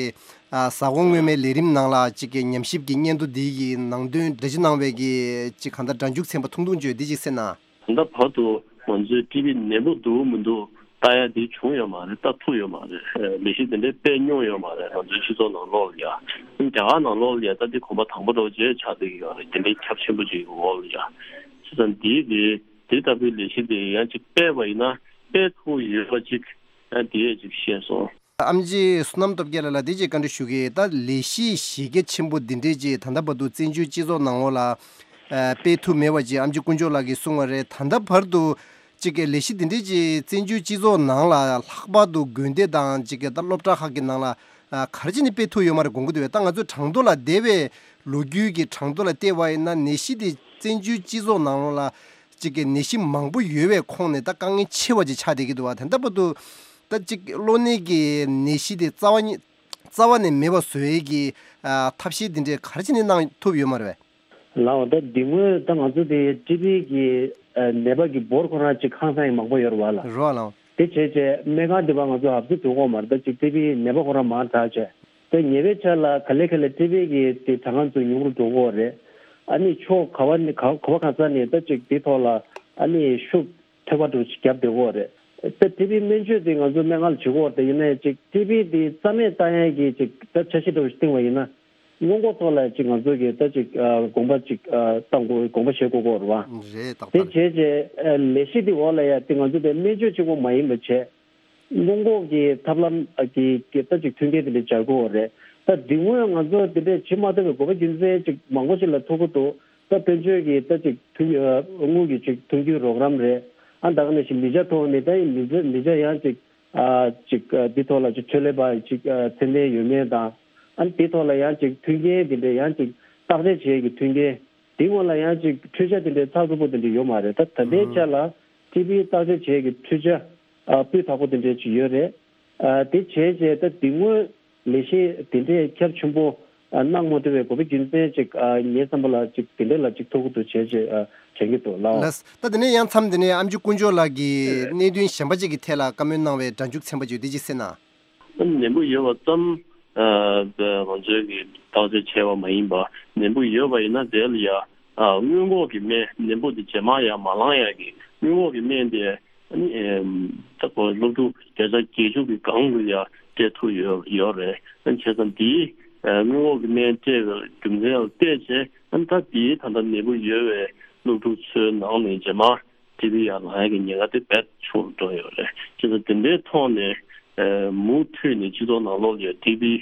ཨ་གཟའ་འཁོར་སྔོན་མའི་ལས་རིམ་ནང་ལ་ཅིག་གི་ཉམས་ཞིབ་ཀྱི་སྙན་ཐོ་འདི་ཡི་ནང་དོན་འགྲེལ་བརྗོད་གནང་བའི་གི་ཅིག་གང་ལྟར་སྒྲ་འཇུག་ཚན་པ་ཐུང་ཐུང་བརྗོད་འདི་ཅིག་གསན་ན། ད་ལྟ་བར་དུ་ང་ཚོས་ཊི་བི་ནད་འབུ་འདུག་མི་འདུག་ལྟ་ཡ་དེ་བྱུང་ཡོད་མ་རེད། ལྟ་ཐུབ་ཡོད་མ་རེད། ལས་གཞི་དེ་འདྲའི་སྤེལ་མྱོང་ཡོད་མ་རེད། ང་ཚོའི་སྤྱི་ཚོགས་ནང་ལོགས་ལ་ཡ། རྒྱ་གར་ནང་ལོགས་ལ་ཡ་ད་འདི་གོམ་པ་དང་པོ་འདྲ་བོ་ཅིག་ཆགས་བསྡད་ཀྱི་ཡོད་རེད། དེ་འདྲའི་ཁྱབ་ཆེན་པོ་ཅིག་གི་འོག་ལ་ཡ། བྱས་ཙང་འདིའི་དེ་དེ་ལྟ་བུའི་ལས་གཞི་དེ་ཡང་ཅིག་སྤེལ་བ་ཡིན་ན་སྤེལ་ཐུབ་ཡོད་པ་ཅིག་ཡང་དེ་ཡས་ཅིག་ཤེས་སོང་། ཨེམ་ཆི་བསོད་ནམས་སྟོབས་རྒྱལ་ལགས་ལ་འདི་ཅིག་བཀའ་འདྲི་ཞུ་གི། ད་ལས་གཞི་གཞི་རྒྱ་ཆེན་པོ་འདི་འདྲས་ཅིག་ད་ལྟ་བར་དུ་བཙན་བྱོལ་སྤྱི་ཚོགས་ནང་ལོགས་ལ་ཨ་སྤེལ་ཐུབ་མེད་པ་ཅིག་ཨེམ་ཆི་དཀོན་མཆོག་ལགས་ཀྱིས་གསུངས་པ་རེད། ད་ལྟ་བར་དུ་ཅིག་གི་ལས་གཞི་འདི་འདྲས་ཅིག་བཙན་བྱོལ་སྤྱི་ཚོགས་ནང་ལ་ལྷག་པར་དུ་དགོན་སྡེ་དང་ཅིག་གི་ད་སློབ་གྲྭ་ཁག་གི་ནང་ལ་ཨ་ག་རེ་བྱས་ནས་སྤེལ་ཐུབ་ཡོད་མ་རེད་དགོངས་ཀྱི་འདུག་པས། ད་ང་ཚོས་དྲང་ཐོག་ལ་འདས་པའི་ལོ་རྒྱུས་ཀྱི་དྲང་ཐོག་ལ་བལྟས་པ་ཡིན་ན་ནད་གཞི་དེ་བཙན་བྱོལ་སྤྱི་ཚོགས་ནང་ལོགས་ལ་ཅིག་གི་ནད་གཞི་མང་པོ་ཡོད་པའི་ཁོངས་ནས་ད་དཀའ་ངལ་ཆེ་བ་ཅིག་ཆགས་བསྡད་ཀྱི་འདུག་པ། དེ་འདྲ་བར་དུ་ད་ཅིག་གློ་ནད་ཀྱི་ནད་གཞི་དེ་རྩ་བ་ཉིད་རྩ་བ་ནས་མེད་པ་བཟོ་ཡས་ཀྱི་ཨ་ཐབས་ཤེས་དེ་འདྲས་ག་རེ་བྱས་ནས་གནང་ཐུབ་ཡོད་མ་རེད་པས། ལགས། ད་འདི་སྔོན་ད་ང་ཚོ་དེ་ཊི་བི་གི་ཨ་ནད་པ་གི་འབོར་ཁོ་རང་ཅིག་ཧང་སང་ཡང་མང་པོ་ཡོད་རེད་བ་ལགས། རེད་བ་ལགས། དེ་བྱས་བྱས་སྨན་ཁང་འདི་བ་ང་ཚོ་ཧབ་ཚུ་འགྲོ་གི་ཡོད་མ་རེད། ད་ཅིག་ཊི་བི་ནད་པ་ཁོ་རང་མང་དྲགས་བྱས། ད་ཉེ་བའི་ཆར་ལ་ག་ལེ་ག་ལེ་ཊི་བི་གི་དེ་གྲངས་ཀ་ཚོ་ཉུང་རུ་འགྲོ་གི་ཡོད་རེད། ཨ་ནི་ཕྱོགས་ག་བ་ནས་ག་ག་བ་ག་ས་ནས་ད་ཅིག་དེ་ཐོག་ལ་ཨ་ནི་ཤུགས་ཐེབས་པ་འདྲ་ཅིག་བརྒྱབ་བསྡད་ཀྱི་ཡོད་རེད། ད་ཊི་བི་སྨན་བཅོས་དེ་ང་ཚོ་སྨན་ཁང་ལ་བྱེད་ཀྱི་ཡོད་རེད། ད་ཡིན་ནའི་ཅིག་ཊི་བི་དེ་རྩ་མེད་བཏང་ཡས་ཀྱི་ཅིག་ད་འཆར་གཞི་འདྲ་བོ་ཞིག་བཏིང་བ་ཡིན་ན། སྔོན་འགོག་ཐོག་ལ་ཅིག་ང་ཚོ་གི་ད་ཅིག་ཨ་དགོངས་པ་ཅིག་ཨ་བཏང་དགོས། དགོངས་པ་བཞེས་དགོས་ཀྱི་ཡོད་རེད་བ། རེད། ཏག་ཏག་རེད། དེ་བྱས་རྗེས་ཨ་ལས་གཞི་དེ་འོག་ལ་ཡ་དེ་ང་ཚོ་དེ་སྨན་བཅོས་གཅིག་པོ་མ་ཡིན་པ་བྱས། སྔོན་འགོག་གི་ཐབས་ལམ་ཨ་གི་གི་ད་ཅིག་མཐུན་རྐྱེན་དེ་འདྲ་སྦྱར་དགོས་ཡོད་རེད། ད་དེ་སྔོན་ང་ཚོ་དེ་འདྲས་བྱེད་མ་ཐུབ་པའི་དགོས་པ་རྒྱུ་མཚན་ཅིག་མང་པོ་ཞིག་ལ་ཐུག་གི་འདུག་ད་དཔལ་འབྱོར་གྱི་ད་ཅིག་མཐུན་རྐྱེན་དངུལ་གྱི་ཅིག་མཐུན་རྐྱེན་རོགས་རམ་རེད། ཨ་ད་ག་ནང་བཞིན་ལི་ཅ་ཐོག་ནས་ད་ཡིན་ལི་ཅ་ལི་ཅ་ཡང་ཅིག་ཨ་ཅིག་ཨ་འདི་ཐོག་ལ་ཅིག་འཕྲོད་ལས་པ་ཅིག་ཨ་ཚད་ལྡན་ཡོད་མེད་དང་། ཨ་འདི་ཐོག་ལ་ཡང་ཅིག་མཐུན་རྐྱེན་འདི་འདྲ་ཡང་ཅིག་བརྟག་དཔྱད་བྱེད་ཀྱི་མཐུན་རྐྱེན། འདི་སྔོན་ལ་ཡང་ཅིག་འཕྲུལ་ཆས་འདི་འདྲའི་ཚགས་ཚུད་པོ་འདི་འདྲ་ཡོད་མ་རེད། ད་ད་ལྟའི་ཆ་ལ་ཊི་བི་བརྟག་དཔྱད་བྱེད་ཀྱི་འཕྲུལ་ཆས་ཨ་སྤུས་དག་པོ་འདི་འདྲ་ཅིག་ཡོད་རེད། ཨ་དེ་བྱས་རྗེས་ད་འདི་སྔོན་ལས་གཞི་འདི་འདྲའི་ཁྱབ་ཆེན་པོ་ཨ་གནང་མ་ཐུབ་པའི་དགོས་པའི་རྒྱུ་མཚན་ཅིག་ཨ་ངའི་བསམ་པ་ལ་ཅིག་འདི་འདྲ་ལ་ཅིག་ཐུག་གི་འདུག་བྱས་རྗེས་ཨ་དྲན་གྱི་འདུག་ལགས། ལགས། ད་དེ་ནས་ཡང་མཚམས་དེ་ནས་ཨེམ་ཆི་དཀོན་མཆོག་ལགས་ཀྱིས་གནད་དོན་གཞན་པ་ཅིག་གི་ཐད་ལ་བཀའ་མོལ་གནང་བའི་སྒྲ་འཇུག་ཚན་པ་ཅིག་ཡོད། དེ་ཅིག་གསན་ན། ནད་འབུ་ཡོད་པ་ཙམ་ཨ་ང་ཚོས་ཀྱི་བརྟག་དཔྱད་བྱས་པ་མ་ཡིན་པ། ནད་འབུ་ཡོད་པ་ཡིན་ན་དེ་ལ་ཡ་ཨ་སྔོན་འགོག་གི་སྨན། ནད་འབུ་དེ་རྗེས་མ་ཡ་མ་ལངས་ཡ་གི་སྔོན་འགོག་གི་སྨན་དེ་ཨ་ནི་ཨེམ་ད་ཁོ་སློབ་ཕྲུག་བརྒྱ་ཆ་བརྒྱད་ཅུ་གི་སྒང་དུ་ཡ་སྤྲད་ཐུབ་ཡོད་ཡོད་རེད། ཨ་ནི་བྱས་ཙང་དེའི་ཨ་སྔོན་འགོག་གི་སྨན་སྤྲད་པའི་རྒྱུ་མཚན་ལ་བལྟས་བྱས། ཨ་ནི་ད་དེའི་ད་ལྟ་ནད་འབུ་ཡོད་པའི་སློབ་ཕྲུག་ཚོའི་ནང་ནས་རྗེས་མ་ཊི་བི་ཡར་ལངས་ཡག་གི་ཉེན་ཁ་དེ་རྦད་ཆུང་རུ་འགྲོ་ཡོད་རེད། བྱས་ཙང་དེ་འདྲའི་ཐོག་ནས་ཨ་མུ་མཐུད་ནས་སྤྱི་ཚོགས་ནང་ལོགས་ལ་ཊི་བི་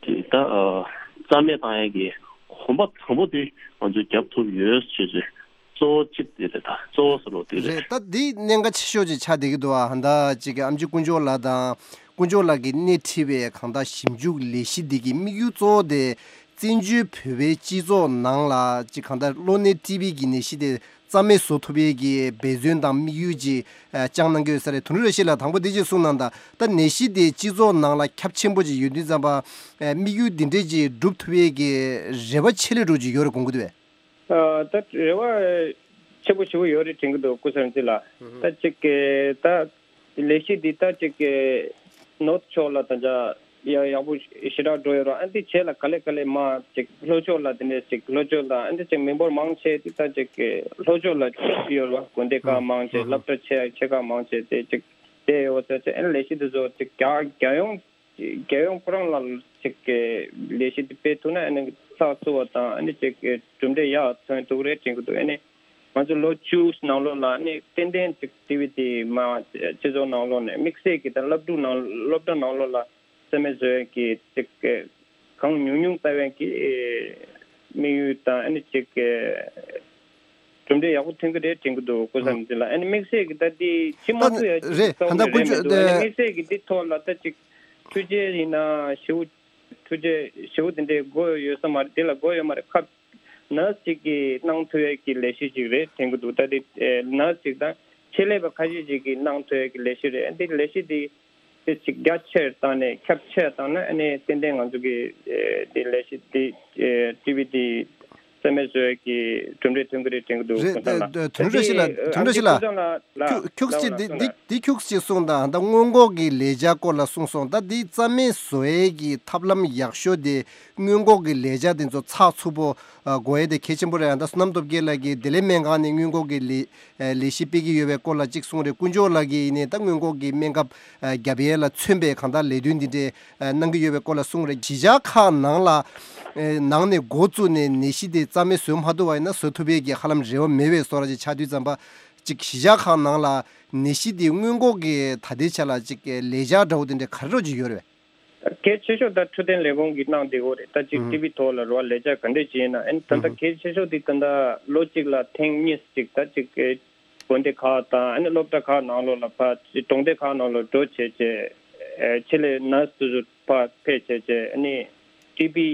དེ་ད་ཨ་རྩ་མེད་བཏང་ཡག་གི་གོམ་པ་དང་པོ་དེ་ང་ཚོས་རྒྱབ་ཐུབ་ཡོད་ཅེས་ཅེས་གཙོ་བོ་གཅིག་དེ་རེད། ད་གཙོ་བོ་ཟེར་རོགས་དེ་རེད། རེད། ད་འདི་གནད་འགག་ཆེ་ཤོས་ཅིག་ཆགས་བསྡད་ཀྱི་འདུག་ཨ། ད་ཅིག་ཨེམ་ཆི་དཀོན་མཆོག་ལགས་དང་དཀོན་མཆོག་ལགས་ཀྱིས་སྣེ་ཁྲིད་པའི་གང་ལྟར་ཞིབ་འཇུག་ལས་གཞི་འདི་གི་དམིགས་ཡུལ་གཙོ་བོ་དེ་བཙན་བྱོལ་བོད་པའི་སྤྱི་ཚོགས་ནང་ལ་ཅིག་གང་ལྟར་གློ་ནད་ཊི་བི་གི་ནད་གཞི་དེ་རྩ་མེད་བཟོ་ཐུབ་ཡས་ཀྱི་འབད་བརྩོན་དང་དམིགས་ཡུལ་ཅིག་ཨ་བཅངས་གནང་གི་ཡོད་ས་རེད། དོན་གྲུབ་བཀྲ་ཤིས་ལགས་དང་པོ་འདི་ཅིག་གསུངས་གནང་དང་། ད་ནད་གཞི་དེ་སྤྱི་ཚོགས་ནང་ལ་ཁྱབ་ཆེན་པོ་ཅིག་ཡོད་དུས་ཙམ་པ་ཨ་དམིགས་ཡུལ་འདི་འདྲས་ཅིག་འགྲུབ་ཐུབ་ཡས་ཀྱི་རེ་བ་ཆེ་ལོས་འགྲོ་ཅིག་ཡོད་རེད་དགོངས་ཀྱི་འདུག་པས། ཨ་ད་རེ་བ་ཆེ་པོ་ཞེ་པོ་ཡོད་རེད་དྲན་གྱི་འདུག་སྐུ་ཞབས་འདི་ལ། ད་ཅིག་གི་ད་ལས་གཞི་འདི་ད་ཅིག་གི་ནོར་ཕྱོགས་ལ་ད་ཆ་ཡག་ཡག་པོ་ཞེ་དྲག་འགྲོ་ཡོད་ར། ཨ་འདི་བྱས་ལ་ག་ལེ་ག་ལེ་མ་ཅིག་ལྷོ་ཕྱོགས་ལ་དེ་ནས་ཅིག་ལྷོ་ཕྱོགས་ལ་ཨ་འདི་ཅིག་མི་འབོར་མང་ཆེ་དེ་ད་ཅིག་གི་ལྷོ་ཕྱོགས་ལ་ཡོད་ར། དགོན་སྡེ་ཁག་མང་ཆེ་སློབ་གྲྭ་ཆེ་ཆེ་ཁག་མང་ཆེ་དེ་ཅིག་དེ་ཡོད་ཟེར་ཅིག་ཨ་ནི་ལས་གཞི་འདི་ཚོ་ཅིག་རྒྱ་རྒྱལ་ཡོངས་རྒྱལ་ཡོངས་ཁོ་རང་ལ་ཅིག་གི་ལས་གཞི་འདི་སྤེལ་ཐུབ་ན་ཨ་ནི་ཚགས་ཚུད་པ་དང་ཨ་ནི་ཅིག་གི་གྲུབ་འབྲས་ཡག་ཐོན་ཐུབ་རེད་དྲན་གྱི་འདུག་ཨ་ནི་ང་ཚོ་ལོ་བཅུ་ནང་ལོགས་ལ་ཨ་ནི་ཏན་ཏན་ཅིག་ཊི་བི་དེ་མ་སྤྱི་ཚོགས་ནང་ལོགས་ནས་དམིགས་བསལ་གྱི་ད་སློབ་ཕྲུག་ནང་སློབ་གྲྭ་ནང་ལོགས་ལ་རྩ་མེད་བཟོ་ཡག་གི་ཅིག་གི་གང་ཉུང་ཉུང་ལྟ་བའི་གི་དམིགས་ཡུལ་དང་ཨ་ནི་ཅིག་གི་གྲུབ་འབྲས་ཡག་པོ་ཐོན་གྱི་རེད་དྲན་གྱི་འདུག་སྐུ་ཨ་ཞབས་འདི་ལ། ཨ་ནི་དམིགས་བསལ་གྱི་ད་འདི་ཕྱི་མ་ད་ཚུད་ཡ་ཅིག་རེད། རྩ་བ་ད་ནས་ལྐོག་རེད་མི་ཇུས་འདུག་ཨ་ནི་དེ་དམིགས་བསལ་གྱི་འདི་ཐོག་ལ་ད་ཅིག་འཕྲུལ་ཆས་ཡིན་ན་ཞེ་པོ་འཕྲུལ་ཆས་ཞེ་པོ་དེ་འདྲའི་དགོས་ཡོད་ས་མ་རེད། དེ་ལ་དགོས་ཡོད་མ་རེད། ཁ་ནར་སི་ཅིག་གིས་གནང་ཐུབ་ཡ་གི་ལས་གཞི་ཅིག་རེད་དྲན་གྱི་འདུག་ད་དེ་ནར་སི་ཅིག་དང་ཆེད་ལས་པ་ཁ་ཤས་ཅིག་གིས་གནང་ཐུབ་ཡ་གི་ལས་གཞི་རེད། ཨ་ནི་དེ་ལས་གཞི་དེ་དེ་ཅིག་རྒྱ་ཆེར་བཏང་ནས་ཁྱབ་ཆེར་བཏང་ན་ཨ་ནི་ཏན་ཏན་ང་ཚོ་གི་ཨེ་དེ་ལས་གཞི་དེ་ཨེ་ཊི་བི་དེ་རྩ་མེད་བཟོ་ཡག་གི་གྲུབ་འདྲས་ཐོན་གི་རེད་དྲན་གི་འདུག་རེད། ཁོང་ཚང་ལ། ཨ་དོན་གྲུབ་བཀྲ་ཤིས་ལགས། དེ་དོན་གྲུབ་བཀྲ་ཤིས་ལགས། ཁོང་ཚང་ལ་ལ་ཁྱུག་ཁྱུག་ལ་ཅིག་ལ་དེ་ལ་དེ་ཁྱུག་ཅིག་གསུངས་དང་། ད་སྔོན་འགོག་གི་ལས་འཆར་སྐོར་ལ་གསུངས་སོང་། ད་དེ་རྩ་མེད་བཟོ་ཡག་གི་ཐབས་ལམ་ཡག་ཤོས་དེ་སྔོན་འགོག་གི་ལས་འཆར་དེ་ཚོ་ཚགས་ཚུད་པོ་ཨ་དགོས་ཡ་དེ་གལ་ཆེན་པོ་རེད། ད་བསོད་ནམས་སྟོབས་རྒྱལ་ལགས་ཀྱིས་བདེ་ལེགས་སྨན་ཁང་ནས་སྔོན་འགོག་གི་ལས་ལས་གཞི་སྤེལ་གྱི་ཡོད་པའི་སྐོར་ལ་གཅིག་གསུངས་རེད། དཀོན་མཆོག་ལགས་ཀྱིས་ཡིན་ནའི་ད་སྔོན་འགོག་གི་སྨན་ཁབ་ཨ་རྒྱབ་ཡས་ལ་མཚོན་པའི་གང་ལྟར་ལས་དོན་འདི་འདྲའི་ཨ་གནང་གི་ཡོད་པའི་སྐོར་ལ་གསུངས་རེད། གཞིས་ཆགས་ཁག་ནང་ལ་ཨ་ནང་ནས་འགོ་བཙུགས་ནས་ནད་གཞི་དེ་རྩ་མེད་བཟོ་མ་ཐུབ་པ་ཡིན་ན་བཟོ་ཐུབ་ཡས་ཀྱི་ཧ་ལམ་རེ་བ་མེད་པའི་བཟོ་འདྲ་ཅིག་ཆགས་དུས་ཙམ་པ། གཅིག་གཞིས་ཆགས་ཁག་ནང་ལ་ནད་གཞི་དེ་སྔོན་འགོག་གི་ད་ལྟའི་ཆ་ལ་གཅིག་ལས་འཆར་འདྲ་བོ་དེ་འདྲའི་ག་རེ་འདྲ་ཅིག་ཡོད་རེད་པས། གལ་ཆེ་ཤོས་ད་འཕྲོད་བསྟེན་ལས་ཁུངས་ཀྱིས་གནང་བསྡད་ཡོད་རེད། ད་ཅིག་ཨུ་ཊི་བི་ཐོག་ལ་རོ་ལས་འཆར་ག་འདྲས་ཅིག་ཡིན་ན། ཨ་ནི་ད་ལྟ་ཨུ་གལ་ཆེ་ཤོས་དེ་ད་ལྟ་ལོ་གཅིག་ལ་ཐེངས་གཉིས་ཅིག་ད་ཅིག་དགོན་སྡེ་ཁག་དང་ཨ་ནི་སློབ་གྲྭ་ཁག་ནང་ལོགས་ལ་ཕར་ཅིག་གྲོང་སྡེ་ཁག་ནང་ལོགས་འགྲོ་བྱས་བྱས་ཨེ་ཆེད་ལས་ནར་སི་དེ་ཚོ་ཕར་ཕེབས་བྱས་བྱས་ཨ་ནི་ཊི་བི་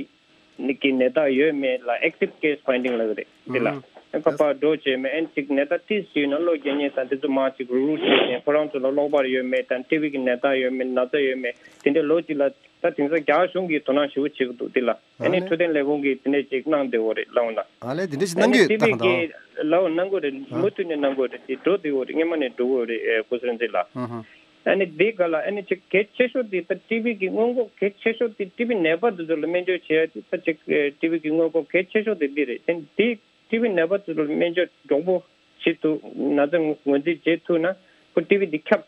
ནི་གི་ནད་རྟགས་ཡོད་མེད་ལ་ཨེག་ཊིབ་ཀེ་སི་ཕའིན་ཌིང་ལབ་ཀྱི་རེད། འདི་ལ། ཨུ། ཨ་ཁ་པར་འགྲོ་བྱས་མེད། ཨན་ཅིག་ནད་རྟགས་ཏིས་ཅིག་ཡོད་ན་གློ་རྒྱག་མཁན་དང་དེ་ཚོ་མར་ཅིག་རུག་རུག་བྱས་ནས་ཁོ་རང་ཚོ་ལ་གློ་བུར་ཡོད་མེད་དང་ཊི་བི་གི་ནད་རྟགས་ཡོད་མེད་ན་ཚ་ཡོད་མེད་དེ་འདྲའི་ལོ་གཅིག་ལ་ད་དེང་སང་རྒྱ་གཞུང་གིས་དོ་སྣང་ཞེ་པོ་བྱེད་ཀྱི་འདུག་དེ་ལ། ཨ་ཨ་ནི་ནི་འཕྲོད་བསྟེན་ལས་ཁུངས་ཀྱིས་དེ་འདྲས་ཅིག་གནང་བསྡད་ཡོད་རེད་ལབ་ན། ཨ་ལས་དེ་འདྲས་ཅིག་ཨ་གནང་ནི་གི་ཊི་ད་བི་གང་ལྟར། གིས་ལབ་གནང་གི་རེད། ཨ་མུ་མཐུད་ནས་གནང་གི་རེད། དེ་འགྲོ་བསྡད་ཡོད་རེད། སྔོན་མ་ནས་འགྲོ་གི་ཡོད་རེད། ཨེ་སྐུ་གཟུགས་འཛིན་ལགས། ཧུམ་ཧུམ། ཨ་ནི་འདི་ག་ལ་ཨ་ནི་ཅིག་གལ་ཆེ་ཤོས་དེ་ད་ཊི་བི་གི་སྔོན་འགོག་གལ་ཆེ་ཤོས་དེ་ཊི་བི་ནད་པ་དེ་ཚོ་ལ་སྨན་བཅོས་བྱེད་ཡ་དེ་ད་ཅིག་ཨེ་ཊི་བི་གི་སྔོན་འགོག་གལ་ཆེ་ཤོས་དེ་འདི་རེད། དེ་འདི་ཊི་བི་ནད་པ་དེ་ཚོ་ལ་སྨན་བཅོས་མགྱོགས་པོ་བྱེད་ཐུབ། ན་ཚ་ངོས་འཛིན་བྱེད་ཐུབ་ན་ཁོ་ཊི་བི་འདི་ཁྱབ་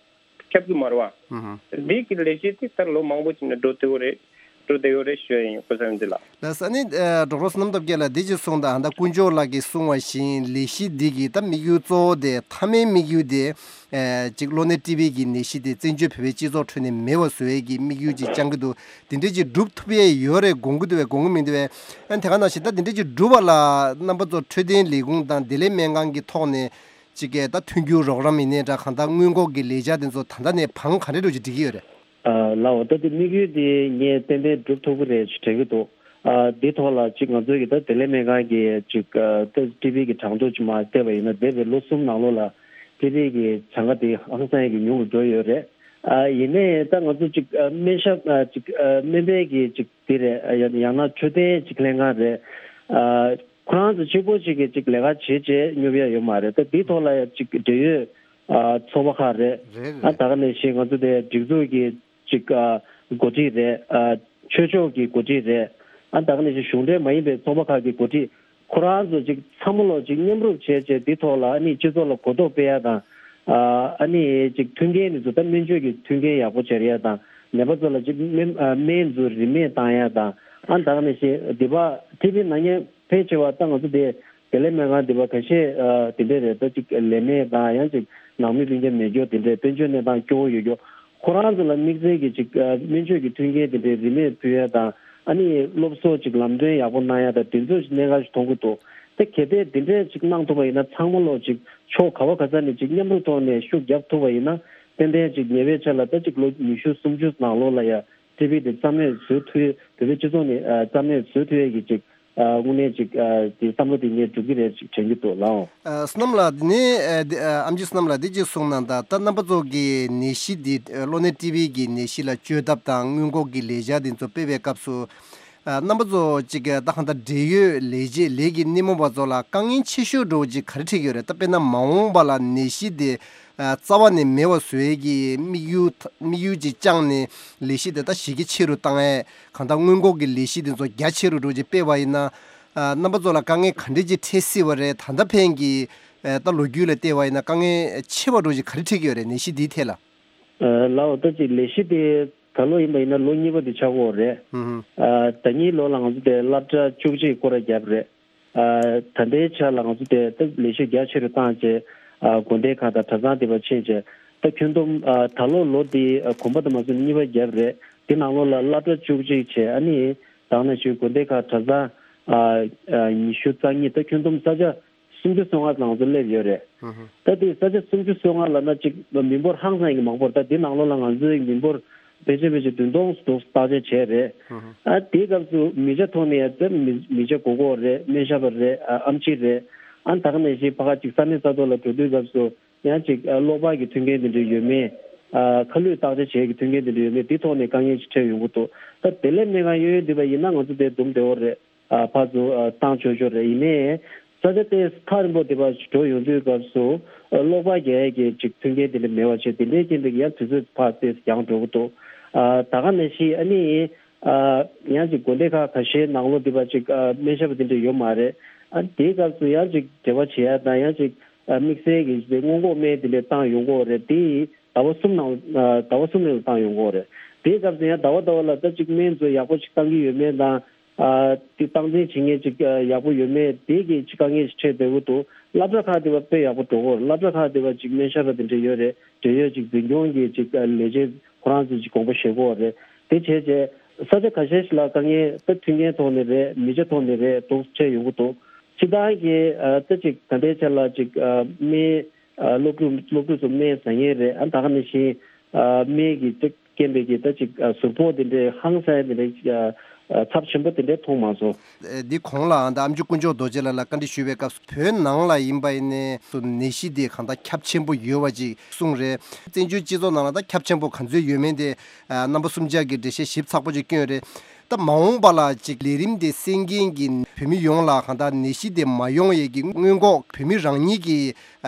ཁྱབ་ཀྱི་མ་རེད་བ། ཧུམ་ཧུམ། འདི་གི་ལས་གཞི་དེ་ད་ལོ་མང་པོ་ཅིག་ནས་འགྲོ་བསྡད་ཡོད་རེད། འགྲོ་བསྡད་ཡོད་རེད་ཞུ་ཡ་ཡིན། སྐུ་གཟུགས་འཛིན་ལགས། ལགས་སོ། ཨ་ནི་ཨ་ཌོག་ཊར་བསོད་ནམས་སྟོབས་རྒྱལ་ལགས་འདི་ཅིག་གསུངས་དང་། ད་དཀོན་མཆོག་ལགས་ཀྱིས་གསུངས་པ་བཞིན་ལས་གཞི་འདི་གི་ད་དམིགས་ཡུལ་གཙོ་བོ་དེ་མཐའ་མའི་དམིགས་ཡུལ་དེ་ཨ་ཅིག་གློ་ནད་ཊི་བི་གི་ནད་གཞི་དེ་བཙན་བྱོལ་བོད་པའི་སྤྱི་ཚོགས་ཁྲོད་ནས་མེད་པ་བཟོ་ཡས་ཀྱི་དམིགས་ཡུལ་ཅིག་བཅངས་ཀྱི་འདུག་དེ་འདྲས་ཅིག་སྒྲུབ་ཐུབ་ཡས་ཡོད་རེད་དགོངས་ཀྱི་འདུག་པས་དགོངས་ཀྱི་མི་འདུག་པས། ཨ་ནི་དེ་ག་ནང་བཞིན་ད་དེ་འདྲས་ཅིག་སྒྲུབ་པ་ལ་རྣམ་པ་ཚོ་འཕྲོད་བསྟེན་ལས་ཁུངས་དང་བདེ་ལེགས་སྨན་ཁང་གི་ཐོག་ནས་ཅིག་གི་ད་མཐུན་འགྱུར་རོགས་རམ་ཡིན་ནའི་འདྲ། གང་ལྟར་སྔོན་འགོག་གི་ལས་འཆར་དེ་ཚོ་ད་ལྟ་ནས་བང་ག་འདྲས་འདྲ་ཅིག་སྒྲིག་གི་ཡོད་རེད། ཨ་ལགས་འོ། ད་དེ་དམིགས་ཡུལ་དེ་ངས་ཏན་ཏན་སྒྲུབ་ཐུབ་ཀྱི་རེད་ཅེས་དྲན་གྱི་འདུག་ཨ་དེ་ཐོག་ལ་ཅིག་ང་ཚོའི་གི་ད་བདེ་ལེགས་སྨན་ཁང་གི་ཅིག་ཨ་ད་ཊི་བི་གི་གྲངས་ཐོ་ཅིག་མར་བལྟས་པ་ཡིན་ན། འདས་པའི་ལོ་གསུམ་ནང་ལོགས་ལ་ཊི་བི་གི་གྲངས་ཀ་དེ་ཧང་སང་གི་ཉུང་རུ་འགྲོ་ཡོད་རེད། ཨ་ཡིན་ནའི་ད་ང་ཚོ་ཅིག་ཨ་སྨན་ཞབས་ཨ་ཅིག་ཨ་སྨན་པའི་གི་ཅིག་དེ་རེད། ཨ་ཡང་ཡང་ན་འཕྲོད་བསྟེན་ཅིག་ལྷན་ཁང་རེད། ཨ་ཁོ་རང་ཚོ་གཅིག་པོ་ཅིག་གི་ཅིག་ལས་ཀ་བྱེད་བྱེད་སྙོབ་ཡ་ཡོད་མ་རེད། ད་འདི་ཐོག་ལ་ཡང་ཅིག་འབྲེལ་ཡོད་ཨ་ཚོགས་པ་ཁག་རེད། རེད་ཨ་རེད། ད་ག་ནང་བཞིན་ང་ཚོ་དེ་སྒྲིག་འཛུགས་ཀྱི་ཅིག་ཨ་འགོ་ཁྲིད་རེད། ཨ་ཆོས་ཕྱོགས་ཀྱི་འགོ་ཁྲིད་རེད། ཨ་ད་ག་ནང་བཞིན་གཞུང་འབྲེལ་མ་ཡིན་པའི་ཚོགས་པ་ཁག་གི་འགོ་ཁྲིད། ཁོ་རང་ཚོ་ཅིག་ཚང་མ་ལོ་ཅིག་མཉམ་རུབ་བྱས་བྱས་འདི་ཐོག་ལ་ཨ་ནི་སྤྱི་ཚོགས་ལ་གོ་རྟོགས་སྤེལ་ཡ་དང་། ཨ་ཨ་ནི་ཅིག་མཐུན་རྐྱེན་འདི་ཚོ་ད་སྨན་བཅོས་ཀྱི་མཐུན་རྐྱེན་ཡག་པོ་སྦྱར་ཡ་དང་། ནད་པ་ཚོ་ལ་ཅིག་སྨན་ཨ་སྨན་ཚོ་རིན་མེད་བཏང་ཡ་དང་། ཨ་ད་ག་ནང་བཞིན་འདི་པ་ཊི་བི་ན་མཁན་ཕལ་ཆེ་བ་ད་ང་ཚོ་དེ་བདེ་ལེགས་སྨན་ཁང་འདི་པ་ཁ་ཤས་ཨ་དེ་འདྲས་རེད། ད་ཅིག་ལས་མེད་དང་ཡང་ཅིག་ནང་མི་སྤུན་ཀྱག་མེད་རྒྱུ་དེ་འདྲས་དཔལ་འབྱོར་གནས་སྟངས་སྐྱོ་བོ་ཡོད་རྒྱུ། ཁོ་རང་ཚོ་ལ་དམིགས་བསལ་གྱི་ཅིག་ཨ་སྨན་བཅོས་ཀྱི་མཐུན་རྐྱེན་དེ་འདྲའི་རིན་མེད་ཕུལ་ཡ་དང་། ཨ་ནི་སློབ་གསོ་ཅིག་ལམ་སྟོན་ཡག་པོ་གནང་ཡ་དང་དེ་ཚོ་ཅིག་གནད་འགག་ཅིག་མཐོང་གི་འདུག་དེ་གལ་ཏེ་དེ་འདྲའི་ཅིག་གནང་ཐུབ་པ་ཡིན་ན་ཚང་མ་ལོ་ཅིག་ཕྱོགས་ག་བ་ག་ས་ནས་ཅིག་མཉམ་རུབ་ཐོག་ནས་ཤུགས་རྒྱབ་ཐུབ་པ་ཡིན་ན། ཏན་ཏན་ཅིག་ཉེ་བའི་ཆར་ལ་ད་ཅིག་ལོ་ཉི་ཤུ་སུམ་ཅུ་ནང་ལོགས་ལ་ཡ་ཊི་བི་དེ་རྩ་མེད་བཟོ་ཐུབ་ཡ། བོད་པའི་སྤྱི་ཚོགས་ནས་ཨ་རྩ་མེད་བཟོ་ཐུབ་ཡ་གི་ཅིག་ཨ་དངོས་གནས་ཅིག་ཨ་དེ་བསམ་བློ་དེ་ངས་འགྲོ་གི་རེད་ཅིག་དྲན་གྱི་འདུག་ལགས། ཨ་བསོད་ནམས་ལགས། དེ་ནས་ཨ་དེ་ཨ་ཨམ་ཆི་བསོད་ནམས་ལགས་འདི་ཅིག་གསུངས་གནང་དང་། ད་རྣམ་པ་ཚོ་གི་ནད་གཞི་འདི་ཨ་གློ་ནད་ཊི་བི་གི་ནད་གཞི་ལ་བཅོས་ཐབས་དང་སྔོན་འགོག་གི་ལས་འཆར་འདི་ཚོ་སྤེལ་བའི་སྐབས་སུ་ཨ་རྣམ་པ་ཚོ་ཅིག་ད་གང་ལྟར་འབྲེལ་ཡོད་ལས་བྱེད་ལས་ཀྱི་སྣེ་མོ་བ་ཚོ་ལ་དཀའ་ངལ་ཆེ་ཤོས་འདྲ་བོ་ཅིག་ག་རེ་འཕྲད་ཀྱི་ཡོད་རེད། ད་དཔེར་ན་མ་འོངས་པ་ལ་ནད་གཞི་འདི་ཨ་རྩ་བ་ནས་མེད་པ་བཟོ་ཡས་ཀྱི་དམིགས་ཡུལ་དམིགས་ཡུལ་ཅིག་བཅངས་ནས་ལས་གཞི་དེ་ད་གཞི་རྒྱ་ཆེ་རུ་བཏང་ཡས། གང་ལྟར་སྔོན་འགོག་གི་ལས་གཞི་དེ་ཚོ་རྒྱ་ཆེ་རུ་འགྲོ་ཅིག་སྤེལ་བ་ཡིན་ན། ཨ་རྣམ་པ་ཚོ་ལ་དཀའ་ངལ་ག་འདྲས་ཅིག་འཕྲད་སྲིད་པ་རེད། ད་ལྟ་ཕན་གྱི་ཨ་ད་ལོ་རྒྱུས་ལ་བལྟས་པ་ཡིན་ན་དཀའ་ངལ་ཆེ་བ་འདྲ་ཅིག་ག་རེ་འཕྲད་ཀྱི་ཡོད་རེད། ནད་གཞི་འདིའི་ཐད་ལ། ཨ་ལགས་འོ། ད་ཅིག་ལས་གཞི་དེ་ད་ལོ་ཡིན་པ་ཡིན་ན་ལོ་གཉིས་པ་དེ་ཆགས་ཀྱི་ཡོད་རེད། ཧུམ་ཧུམ། ཨ་ད་གཉིས་ལོ་ལ་ང་ཚོ་དེ་སློབ་གྲྭ་བཅུ་གཅིག་སྐོར་ར་བརྒྱབ་རེད། ཨ་ད་ལྟའི་ཆ་ལ་ང་ཚོ་དེ་ད་ལས་གཞི་རྒྱ་ཆེ་རུ་བཏང་བྱས། ཨ་དགོན་སྡེ་ཁག་དང་གྲྭ་ཚང་དེ་པར་ཕྱིན་བྱས། ད་ཁྱོན་བསྡོམས་ཨ་ད་ལོ་ལོ་འདི་ཨ་གོམ་པ་དུ་མ་སོང་གཉིས་པ་བརྒྱབ་རེད། དེ་ནང་ལོགས་ལ་སློབ་གྲྭ་བཅུ་གཅིག་བྱས། ཨ་ནི་ད་ག་ནང་བཞིན་དགོན་སྡེ་ཁག་གྲྭ་ཚང་ཨ་ཨ་ཉི་ཤུ་རྩ་གཉིས། ད་ཁྱོན་བསྡོམས་ས་ཆ་སུམ་ཅུ་སོ་ལྔ་ལ་ང་ཚོ་སླེབས་ཡོད་རེད། ཧུམ་ཧུམ། ད་དེ་ས་ཆ་སུམ་ཅུ་སོ་ལྔ་ལབ་ན་ཅིག་མི་འབོར་ཧང་སང་གི་མང་པོ་རེད། ད་དེ་ནང་ལོགས་ལ་ང་ཚོའི་མི་འབོར་ཕལ་ཆེར་ཕལ་ཆེར་བདུན་སྟོང་ཙམ་བརྟག་དཔྱད་བྱས་རེད། ཧུམ་ཧུམ། ཨ་དེའི་སྐབས་སུ་མི་ཆ་ཐོག་ནས་ཡང་ད་མི་མི་ཆ་དགོས་མཁོ་རེད། སྨན་ཞབས་པ་རེད། ཨ་ཨེམ་ཆི་རེད། ཨ་ད་ག་ནང་བཞིན་ཕ་ག་ཅིག་ས་གནས་ས་ཐོག་ལ་འགྲོ་དུས་སྐབས་སུ་ཡང་ཅིག་ཨ་གློག་པར་གྱི་མཐུན་རྐྱེན་དེ་འདྲ་ཡོད་མེད། ཨ་ཁ་ལུད་བརྟག་དཔྱད་བྱེད་ཀྱི་མཐུན་རྐྱེན་དེ་འདྲ་ཡོད་མེད། དེ་ཐོག་ནས་དཀའ་ངལ་ཞིག་འཕྲད་ཡོང་གི་འདུག་ད་བདེ་ལེགས་སྨན་ཁང་གཡས་གཡོན་འདི་པ་ཡིན་ན་ང་ཚོ་དེ་འདུམ་བདེ་བོ་རེད། ཨ་ཕར་ཚུར་ཨ་བཏང་ཆོག་ཆོག་རེད། ཡིན་ནའི་ས་ཆ་དེ་ཐག་རིང་པོ་དེ་པར་འགྲོ་ཡོང་དུས་སྐབས་སུ་ཨ་གློག་པར་རྒྱག་ཡས་ཀྱི་ཅིག་མཐུན་རྐྱེན་དེ་འདྲ་མེད་པ་བྱས། དེ་འདྲའི་རྐྱེན་པས་ཡང་དུས་ཚོད་ཕར་ཏོག་ཙམ་འགྱངས་འགྲོ་གི་འདུག་ཨ་ད་ག་ནང་བཞིན་ཨ་ནི་ཨ་ཡང་ཅིག་དགོན་སྡེ་ཁག་ཁ་ཤས་ནང་ལོགས་དེ་པར་ཅིག་ཨ་སྨན་ཞབས་པ་དེ་འདྲ་ཡོད་མ་རེད། ཨ་དེའི་སྐབས་སུ་ཡང་ཅིག་འབྲེལ་བ་བྱེད་ཡ་དང་། ཡང་ཅིག་ཨ་དམིགས་བསལ་གྱི་སྔོན་འགོག་སྨན་དེ་འདྲ་བཏང་ཡོང་གི་ཡོད་རེད། དེ་ཟླ་བ་གསུམ་ནང་ཨ་ཟླ་བ་གསུམ་རིང་ལ་བཏང་ཡོང་གི་ཡོད་རེད། དེའི་སྐབས་སུ་ཡང་ཟླ་བ་ཟླ་བ་ལ་ད་ཅིག་སྨན་ཚོ་ཡག་པོ་ཅིག་བཏང་གི་ཡོད་མེད་དང་། ཨ་དེ་སྟངས་འཛིན་བྱེད་མཁན་ཅིག་ཨ་ཡག་པོ་ཡོད་མེད་དེ་གི་ཅིག་དཀའ་ངལ་ཞིག་འཕྲད་བསྡད་ཀྱི་འདུག་སློབ་གྲྭ་ཁག་དེ་བ་དཔེ་ཡག་པོ་འགྲོ་གི་ཡོད་རེད། སློབ་གྲྭ་ཁག་དེ་བ་ཅིག་སྨན་ཞབས་པ་དེ་འདྲ་ཡོད་རེད། འབྲེལ་ཡོད་ཅིག་འཛིན་སྐྱོང་གི་ཅིག་ཨ་ལས་བྱེད་ཁོ་རང་ཚོས་ཅིག་དགོངས་པ་བཞེས་ཀྱི་ཡོད་རེད། དེ་བྱས་རྗེས་ས་ཆ་ཁ་ཤས་ཤིག་ལ་དཀའ་ངལ་ད་མཐུན་རྐྱེན་ཐོག་ནས་རེད། མི་ཆ་ཐོག་ནས་རེད། འདུག་འཕྲད་ཡོང་གི་འདུག་སྤྱིར་བཏང་གི་ཨ་ད་ཅིག་ད་ལྟའི་ཆ་ལ་ཅིག་ཨ་སྨན་ཨ་སློབ་ཕྲུག་སློབ་ཕྲུག་ཚོ་སྨན་ཟ་མཁན་རེད། ཨ་ད་ག་ནང་བཞིན་ཨ་སྨན་གྱི་ད་རྐྱེན་པས་ཀྱི་ད་ཅིག་ཨ་གཟུགས་པོ་དེ་འདྲའི་ཧང་སང་དེ་འདྲའི་ཨ་ ཚབས་ཆེན་པོ་དེ་འདྲའི་མཐོང་མ་སོང་། འདི་གོང་ལ་ཨ་ནི་ཨ་མཆོག་དཀོན་མཆོག་རྡོ་རྗེ་ལགས་ལ་བཀའ་འདྲི་ཞུས་པའི་སྐབས་སུ་བོད་ནང་ལ་ཡིན་པ་ཡིན་ནའི་ནད་གཞི་དེ་གང་ལྟར་ཁྱབ་ཆེན་པོ་ཡོད་པ་ཅིག་གསུངས་རེད། བཙན་བྱོལ་སྤྱི་ཚོགས་ནང་ལ་ད་ཁྱབ་ཆེན་པོ་ག་ཚོད་ཡོད་མེད་དེ་རྣམ་པ་གསུམ་ཆ་གི་འགྲེལ་བཤད་ཞིབ་ཚགས་པོ་ཅིག་བསྐྱོན་རེད། ད་མ་འོངས་པ་ལ་ཅིག་ལས་རིམ་དེ་གསན་མཁན་གྱི་བོད་མི་ཡོངས་ལ་གང་ལྟར་ནད་གཞི་དེ་མ་ཡོང་ཡས་ཀྱི་སྔོན་འགོག་བོད་མི་རང་ཉིད་ཀྱིས་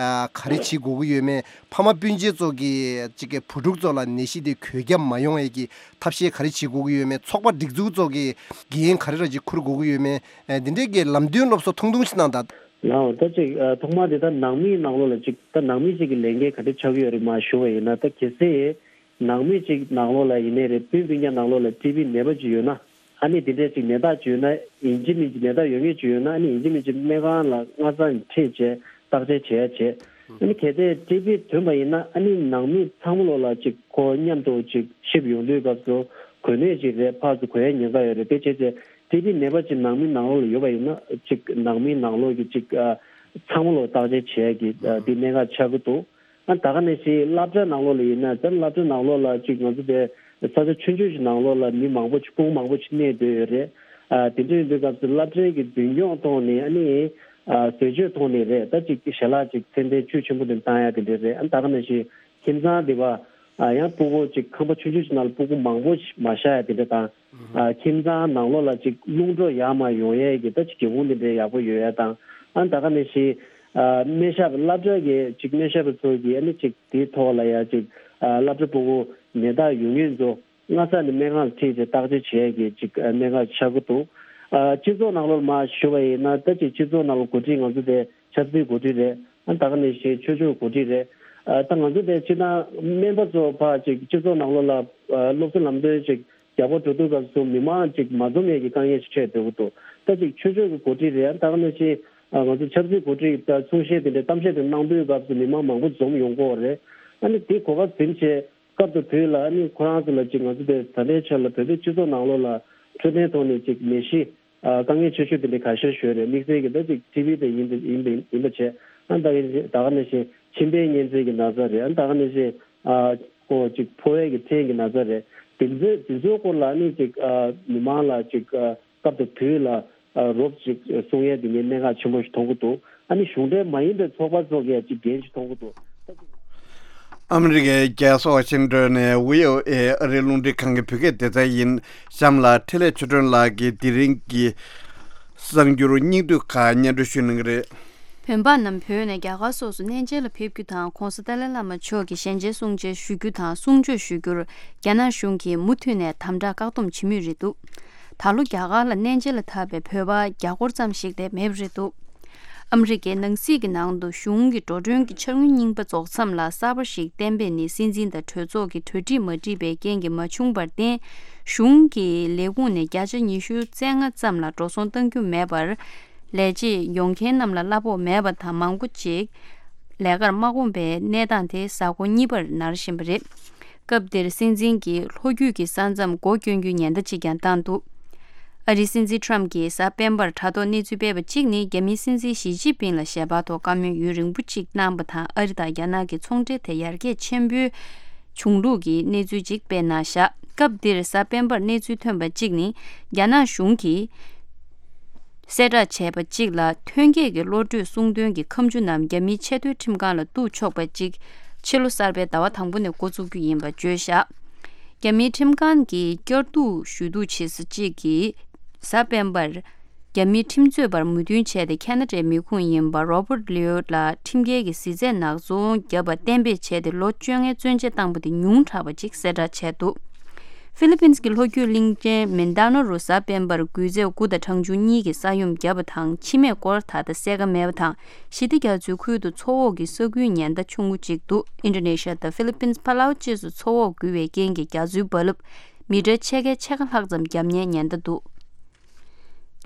ག་རེ་བྱེད་དགོས་ཀྱི་ཡོད་མེད། ཕ་མ་སྤུན་མཆེད་ཚོ་གིས་ཅིག་གི་བུ་ཕྲུག་ཚོ་ལ་ནད་གཞི་དེ་འགོས་ཁྱབ་མ་ཡོང་ཡས་ཀྱི་ཐབས་ཤེས་ག་རེ་བྱེད་དགོས་ཀྱི་ཡོད་མེད། ཚོགས་པ་སྒྲིག་འཛུགས་ཚོ་གིས་འགན་ག་རེ་ར་ཅིག་འཁུར་དགོས་ཀྱི་ཡོད་མེད། འདི་འདྲའི་གི་ལམ་སྟོན་སློབ་གསོ་ཐུང་ཐུང་ཞིག་གནང་དང་། ལའོ་ད་ཅིག་ཐོག་མར་དེ་ད་ནང་མིའི་ནང་ལོགས་ལ་ཅིག་ད་ནང་མི་ཅིག་གི་ལས་འགན་ག་འདྲ་ཆགས་ཀྱི་ཡོད་རེད་མ་ཞུ་བ་ཡིན་ན། ད་གལ་སྲིད་ནང་མི་གཅིག་ནང་ལོགས་ལ་ཡིན་ནའི་རེད། སྤུན་སྤུན་ཀྱག་ནང་ལོགས་ལ་ཊི་བི་ནད་པ་ཅིག་ཡོད་ན། ཨ་ནི་དེ་འདྲའི་ཅིག་ནད་རྟགས་ཅིག་ཡོད་ན། ཡིན་གཅིག་མིན་གཅིག་ནད་རྟགས་ཡོད་མཁན་ཅིག་ཡོད་ན། ཨ་ནི་ཡིན་གཅིག་མིན་གཅིག་སྨན་ཁང་ལ་སྔ་ས་ནས་ཁྲིད་བྱས་བརྟག་དཔྱད་བྱེད་ཡ་བྱེད། ཨ་ནི་གལ་ཏེ་ཊི་བི་ཐོན་པ་ཡིན་ན། ཨ་ནི་ནང་མི་ཚང་མ་ལོགས་ལ་ཅིག་ཁོ་མཉམ་དུ་ཅིག་ཤི་ཡོང་དུས་སྐབས་སུ་གོ་གནས་ཅིག་རེད། ཕར་ཚུར་གོ་ཡ་ཉེན་ཁ་ཡོད་རེད། དེ་བྱས་ཚེ་ཊི་བི་ནད་པ་ཅིག་ནང་མི་ནང་ལོགས་ལ་ཡོད་པ་ཡིན་ན། ཅིག་ནང་མི་ནང་ལོགས་ཀྱི་ཅིག་ཨ་ཚང་མ་ལོགས་བརྟག་དཔྱད་བྱེད་ཡ་གི་ཨ་དེ་གནད་འགག་ཆགས་ཀྱི་འདུག་ཨ་ད་ག་ནང་བཞིན་སློབ་གྲྭ་ནང་ལོགས་ལ་ཡིན་ན། ད་སློབ་གྲྭ་ནང་ལོགས་ལ་ཅིག་ང་ཚོ་དེ་ས་ཆ་ཆུང་ཆུང་ཞིག་ནང་ལོགས་ལ་མི་མང་པོ་ཅིག་སྤུན་མང་པོ་ཅིག་གནས་སྡོད་ཡོད་རེད། ཨ་དེ་འདྲ་ཡིན་དུས་སྐབས་སུ་སློབ་གྲྭའི་གི་མདུན་སྐྱོང་ཐོག་ནས། ཨ་ནི་ཨ་ཟས་སྤྱོད་ཐོག་ནས་རེད། ད་ཅིག་ཞལ་ལག་ཅིག་ཚད་ལྡན་བཅུད་ཆེན་པོ་དེ་བཏང་ཡ་དེ་འདྲ་རེད། ཨ་ད་ག་ནང་བཞིན་ཁྱིམ་ཚང་དེ་བ་ཨ་ཡང་སྤུ་གུ་ཅིག་ཁང་པ་ཆུང་ཆུང་ཞིག་ནང་ལ་སྤུ་གུ་མང་པོ་ཞིག་མ་བཞག་ཡ་དེ་འདྲ་དང་། ཨ་ཁྱིམ་ཚང་ནང་ལོགས་ལ་ཅིག་རླུང་འགྲོ་ཡར་མར་ཡོང་ཡས་ཀྱི་ད་ཅིག་སྒེའུ་ཁུང་དེ་འདྲའི་ཡག་པོ་ཡོད་ཡ་དང་། ཨ་ད་ག་ནང་བཞིན་ཨ་སྨན་ཞབས་སློབ་གྲྭ་གི་ཅིག་སྨན་ཞབས་ཚོ་གིས་ཨ་ནི་ཅིག་དེའི་ཐོག་ལ་ཡ་ཅིག་ཨ་སློབ་གྲྭ་སྤུ་གུ་ནད་རྟགས་ཡོད་མཁན་ཚོ་སྔ་ས་ནས་སྨན་ཁང་ལ་ཁྲིད་བྱས་བརྟག་དཔྱད་བྱེད་ཡས་ཀྱི་ཅིག་ཨ་གནད་འགག་ཆགས་ཀྱི་འདུག་ཨ་སྤྱི་ཚོགས་ནང་ལོགས་མར་ཞུ་བ་ཡིན་ན། ད་ཅིག་སྤྱི་ཚོགས་ནང་ལ་འགོ་ཁྲིད་ང་ཚོ་དེ་ཆབ་སྲིད་འགོ་ཁྲིད་རེད། ཨ་ད་ག་ནང་བཞིན་ཆོས་ཕྱོགས་འགོ་ཁྲིད་རེད། ཨ་ད་ང་ཚོ་དེ་སྤྱིར་བཏང་སྨན་པ་ཚོ་ཕར་ཅིག་སྤྱི་ཚོགས་ནང་ལོགས་ལ་ཨ་སློབ་གསོ་ལམ་སྟོན་ཅིག་རྒྱག་པར་འགྲོ་དུས་སྐབས་སུ་མི་མང་ཅིག་མ་འཛོམས་ཡས་ཀྱི་དཀའ་ངལ་ཞིག་འཕྲད་སྡོད་ཀྱི་འདུག་ད་ཅིག་ཆོས་ཕྱོགས་ཀྱི་འགོ་ཁྲིད་རེད། ཨ་ད་ག་ནང་བཞིན་ཨ་ང་ཚོ་ཆབ་སྲིད་འགོ་ཁྲིད་ད་གསུང་བཤད་དེ་འདྲའི་གཏམ་བཤད་དེ་གནང་དུས་སྐབས་སུ་མི་མང་མང་པོ་འཛོམས་ཡོང་གི་ཡོད་རེད། ཨ་ནི་དེ་གོ་སྐབས་ཟིན་བྱས་སྐབས་དང་དུས་ལ། ཨ་ནི་ཁོ་རང་ཚོ་ལ་ཅིག་ང་ཚོ་དེ་ད་ལྟའི་ཆར་ལ་བོད་པའི་སྤྱི་ཚོགས་ནང་ལོགས་ལ་འཕྲོད་བསྟེན་ཐོག་ནས་ཅིག་ནད་གཞི་ཨ་དཀའ་ངལ་ཆེ་ཤོས་དེ་འདྲ་ཁ་ཤས་ཤོད་རེད། དམིགས་བསལ་གྱི་ད་ཅིག་ཊི་བི་དེ་ཡིན་པ་ཡིན་པ་ཡིན་པ་བྱས། ཨ་ད་ག་ནང་བཞིན་ད་ག་ནང་བཞིན་མཆིན་པའི་གཉན་ཚད་ཀྱི་ན་ཚ་རེད། ཨ་ད་ག་ནང་བཞིན་ཨ་ཁོ་ཅིག་ཕོ་བའི་གི་ཕྲན་གྱི་ན་ཚ་རེད། དེ་ཚོའི་དེ་ཚོའི་སྐོར་ལ་ཨ་ནི་ཅིག་ཨ་མི་མང་ལ་ཅིག་ཨ་སྐབས་དང་དུས་ལ་ཨ་རོབ་ཅིག་གསུང་ཡས་དེ་ངས་གནད་འགག་ཆེན་པོ་ཞིག་མཐོང་གི་འདུག་ཨ་ནི་གཞུང་འབྲེལ་མ་ཡིན་པའི་ཚོགས་པ་ཚོ་གིས་ཅིག་འགན་ཞིག་མཐོང་གི་འདུག་ཨ་མི་རི་ཀའི་རྒྱལ་ས་ཝ་ཤིང་ཏོན་ནས་བྷི་ཨོ་ཨེ་ཨ་རིའི་རླུང་འཕྲིན་ཁང་གི་བོད་སྐད་སྡེ་ཚན་ཡིན། གཤམ་ལ་འཕྲིན་ལས་ཆོས་སྒྲོན་ལགས་ཀྱིས་དེ་རིང་གི་གསར་འགྱུར་སྙིང་བསྡུས་ཁག་སྙན་སྒྲོན་ཞུ་གནང་གི་རེད། བོད་པ་རྣམས་བོད་ནས་རྒྱ་གར་སོགས་སུ་གནས་མཇལ་ལ་ཕེབས་རྒྱུ་དང་། ྋགོང་ས་ཏཱ་ལའི་བླ་མ་མཆོག་གི་ཞལ་མཇལ་གསུང་མཇལ་ཞུ་རྒྱུ་དང་གསུང་ཆོས་ཞུ་རྒྱུར་རྒྱ་ནག་གཞུང་གིས་མུ་མཐུད་ནས་དམ་དྲག་བཀག་སྡོམ་བྱེད་མུས་རེད་འདུག་ད་ལོ་རྒྱ་གར་ལ་གནས་མཇལ་ལ་ཐར་པའི་བོད་པ་བརྒྱ་སྐོར་ཙམ་ཞིག་ལས་མེད་པ་རེད་འདུག་ཨ་མི་རི་ཀའི་ནང་སྲིད་ཀྱི་ནང་དུ་གཞུང་གི་འགྲོ་གྲོན་གྱི་འཆར་དངུལ་རྙིང་པ་རྫོགས་མཚམས་ལ་གསར་པ་ཞིག་གཏན་འབེབས་ནི། སྲིད་འཛིན་དང་གྲོས་ཚོགས་ཀྱི་གྲོས་འགྲིག་མ་འགྲིག་པའི་རྐྱེན་གྱིས་མ་བྱུང་བར་བརྟེན། གཞུང་གི་ལས་ཁུངས་ནས་བརྒྱ་ཆ་ཉི་ཤུ་རྩ་ལྔ་ཙམ་ལ་འགྲོ་སོང་གཏང་རྒྱུ་མེད་པར། ལས་བྱེད་ཡོང་མཁན་རྣམས་ལ་གླ་ཕོགས་མེད་པ་དང་། མང་པོ་ཅིག་ལས་ཀར་མ་དགོངས་པའི་གནས་སྟངས་དེ་གཟའ་འཁོར་གཉིས་པར་ནར་བཞིན་པ་རེད། སྐབས་འདིར་སྲིད་འཛིན་གྱིས་ལྷོ་རྒྱུད་ཀྱི་ས་མཚམས་སྒོ་སྐྱོན་རྒྱུའི་ཉེན་བརྡ་ཅིག་ཀྱང་བཏང་འདུག་ཨ་རིའི་སྲིད་འཛིན་ཁྲམ་གྱིས་གཟའ་སྤེན་པར་དྲ་ཐོག་གནས་ཚུལ་སྤེལ་བ་གཅིག་ནི། རྒྱ་མིའི་སྲིད་འཛིན་ཞི་ཅིན་ཕིང་ལ་ཞལ་པར་ཐོག་བཀའ་མོལ་ཡུན་རིང་པོ་གཅིག་གནང་བ་དང་། ཨ་རི་དང་རྒྱ་ནག་གི་ཚོང་འབྲེལ་དེ་ཡར་རྒྱས་ཆེན་པོའི་བྱུང་ལུགས་ཀྱི་གནས་ཚུལ་ཅིག་སྤེལ་གནང་བཞག་སྐབས་འདིར་གཟའ་སྤེན་པར་གནས་ཚུལ་ཐོན་པ་གཅིག་ནི། རྒྱ་ནག་གཞུང་གིས་གསལ་བསྒྲགས་བྱས་པ་གཅིག་ལ། ཐོན་སྐྱེད་ཀྱི་བློ་གྲོས་གསུང་འདོན་གྱི་ཁ་མཆུ་རྣམས་རྒྱ་མིའི་ཆེས་མཐོའི་ཁྲིམས་ཁང་ལ་གཏུག་ཆོག་པ་གཅིག་ཕྱི་ལོ་གསར་པའི་ཟླ་བ་དང་པོ་ནས་འགོ་བཙུགས་རྒྱུ་ཡིན་པ་བརྗོད་བཞག་རྒྱ་མིའི་ཁྲིམས་ཁང་གིས་བསྐྱར་གཏུག་ཞུ་གཏུག་བྱེད་ས་གཅིག་གིས་གཟའ་སྤེན་པར་རྒྱ་མིའི་ཁྲིམས་རྩོད་པར་མོས་མཐུན་བྱས་ཏེ། ཁ་ན་ཌའི་མི་ཁུངས་ཡིན་པ་རོ་པར་ལིའུ་ལ་ཁྲིམས་འགལ་གྱི་གཟི་རྫས་ནག་ཚོང་བརྒྱབ་པ་གཏན་འབེབས་བྱས་ཏེ། ལོ་བཅོ་ལྔའི་བཙོན་འཇལ་བཏང་པ་དེ་ཉུང་དྲགས་པ་ཅིག་གསལ་བསྒྲགས་བྱས་འདུག་ཧྥི་ལི་པིན་གྱི་ལྷོ་རྒྱུད་གླིང་ཆེན་མིན་ཏཱ་ནོ་རུ་གཟའ་སྤེན་པར་འགུལ་རྫས་དགུ་དང་གྲང་ཆུ་གཉིས་ཀྱིས་ས་ཡོམ་བརྒྱབ་པ་དང་། འཆི་རྨས་སྐོར་ད་ལྟ་གསལ་ཁ་མེད་པ་དང་། ཞི་བདེ་རྒྱ་མཚོའི་ཁུལ་དུ་མཚོ་འོག་གི་ས་ཁུལ་ཉེན་བརྡ་ཆུང་ངུ་གཅིག་འདུག་ཨིན་ཌོ་ནེ་ཤི་ཡ་དང་ཧྥི་ལི་པིན། ཕ་ལའུ་བཅས་སུ་མཚོ་འོག་འགུལ་བའི་རྐྱེན་གྱིས་རྒྱ་མཚོའི་རྦ་རླབས་མི་ཊར་ཕྱེད་ཀའི་ཕྱེད་ཀ་ལྷག་ཙམ་བརྒྱབ་ཉེན་ཉེན་བརྡ་འདུག་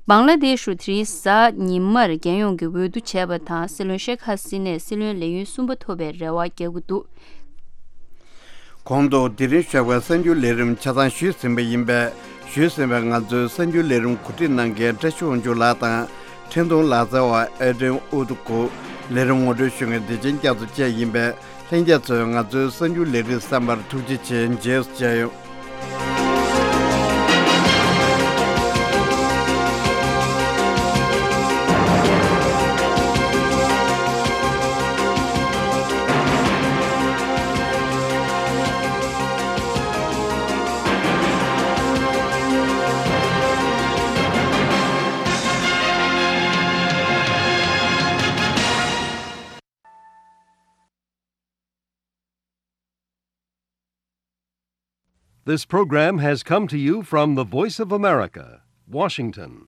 བང་ལ་དེ་ཤུ་དེ་རིང་གཟའ་ཉི་མར་རྒྱལ་ཡོངས་ཀྱི་འོས་བསྡུ་བྱས་པ་དང་། སྲིད་བློན་ཤེག་ཧ་སི་ནས་སྲིད་བློན་ལས་ཡུན་གསུམ་པ་ཐོབ་པའི་རེ་བ་རྒྱག་གི་འདུག་གོང་དུ་དེ་རིང་ཞོགས་པའི་གསར་འགྱུར་ལས་རིམ་ཆ་ཚང་ཞུས་ཟིན་པ་ཡིན་པས། ཞུས་ཟིན་པའི་ང་ཚོའི་གསར་འགྱུར་ལས་རིམ་གོ་སྒྲིག་གནང་མཁན་བཀྲ་ཤིས་དབང་ཕྱུག་ལགས་དང་། འཕྲིན་གཏོང་ལག་རྩལ་བ་ཨེ་ཌྲེན་ཨུ་ཏུ་ཀུ། ལས་རིམ་ངོ་སྤྲོད་ཞུ་མཁན་བདེ་ཆེན་རྒྱ་མཚོ་བཅས་ཡིན་པས། ལྷན་རྒྱས་ཚོས་ང་ཚོའི་གསར་འགྱུར་ལས་རིམ་གསན་པར་ཐུགས་རྗེ་ཆེ། རྗེས་སུ་མཇལ་ཡོང་། This program has come to you from the Voice of America, Washington.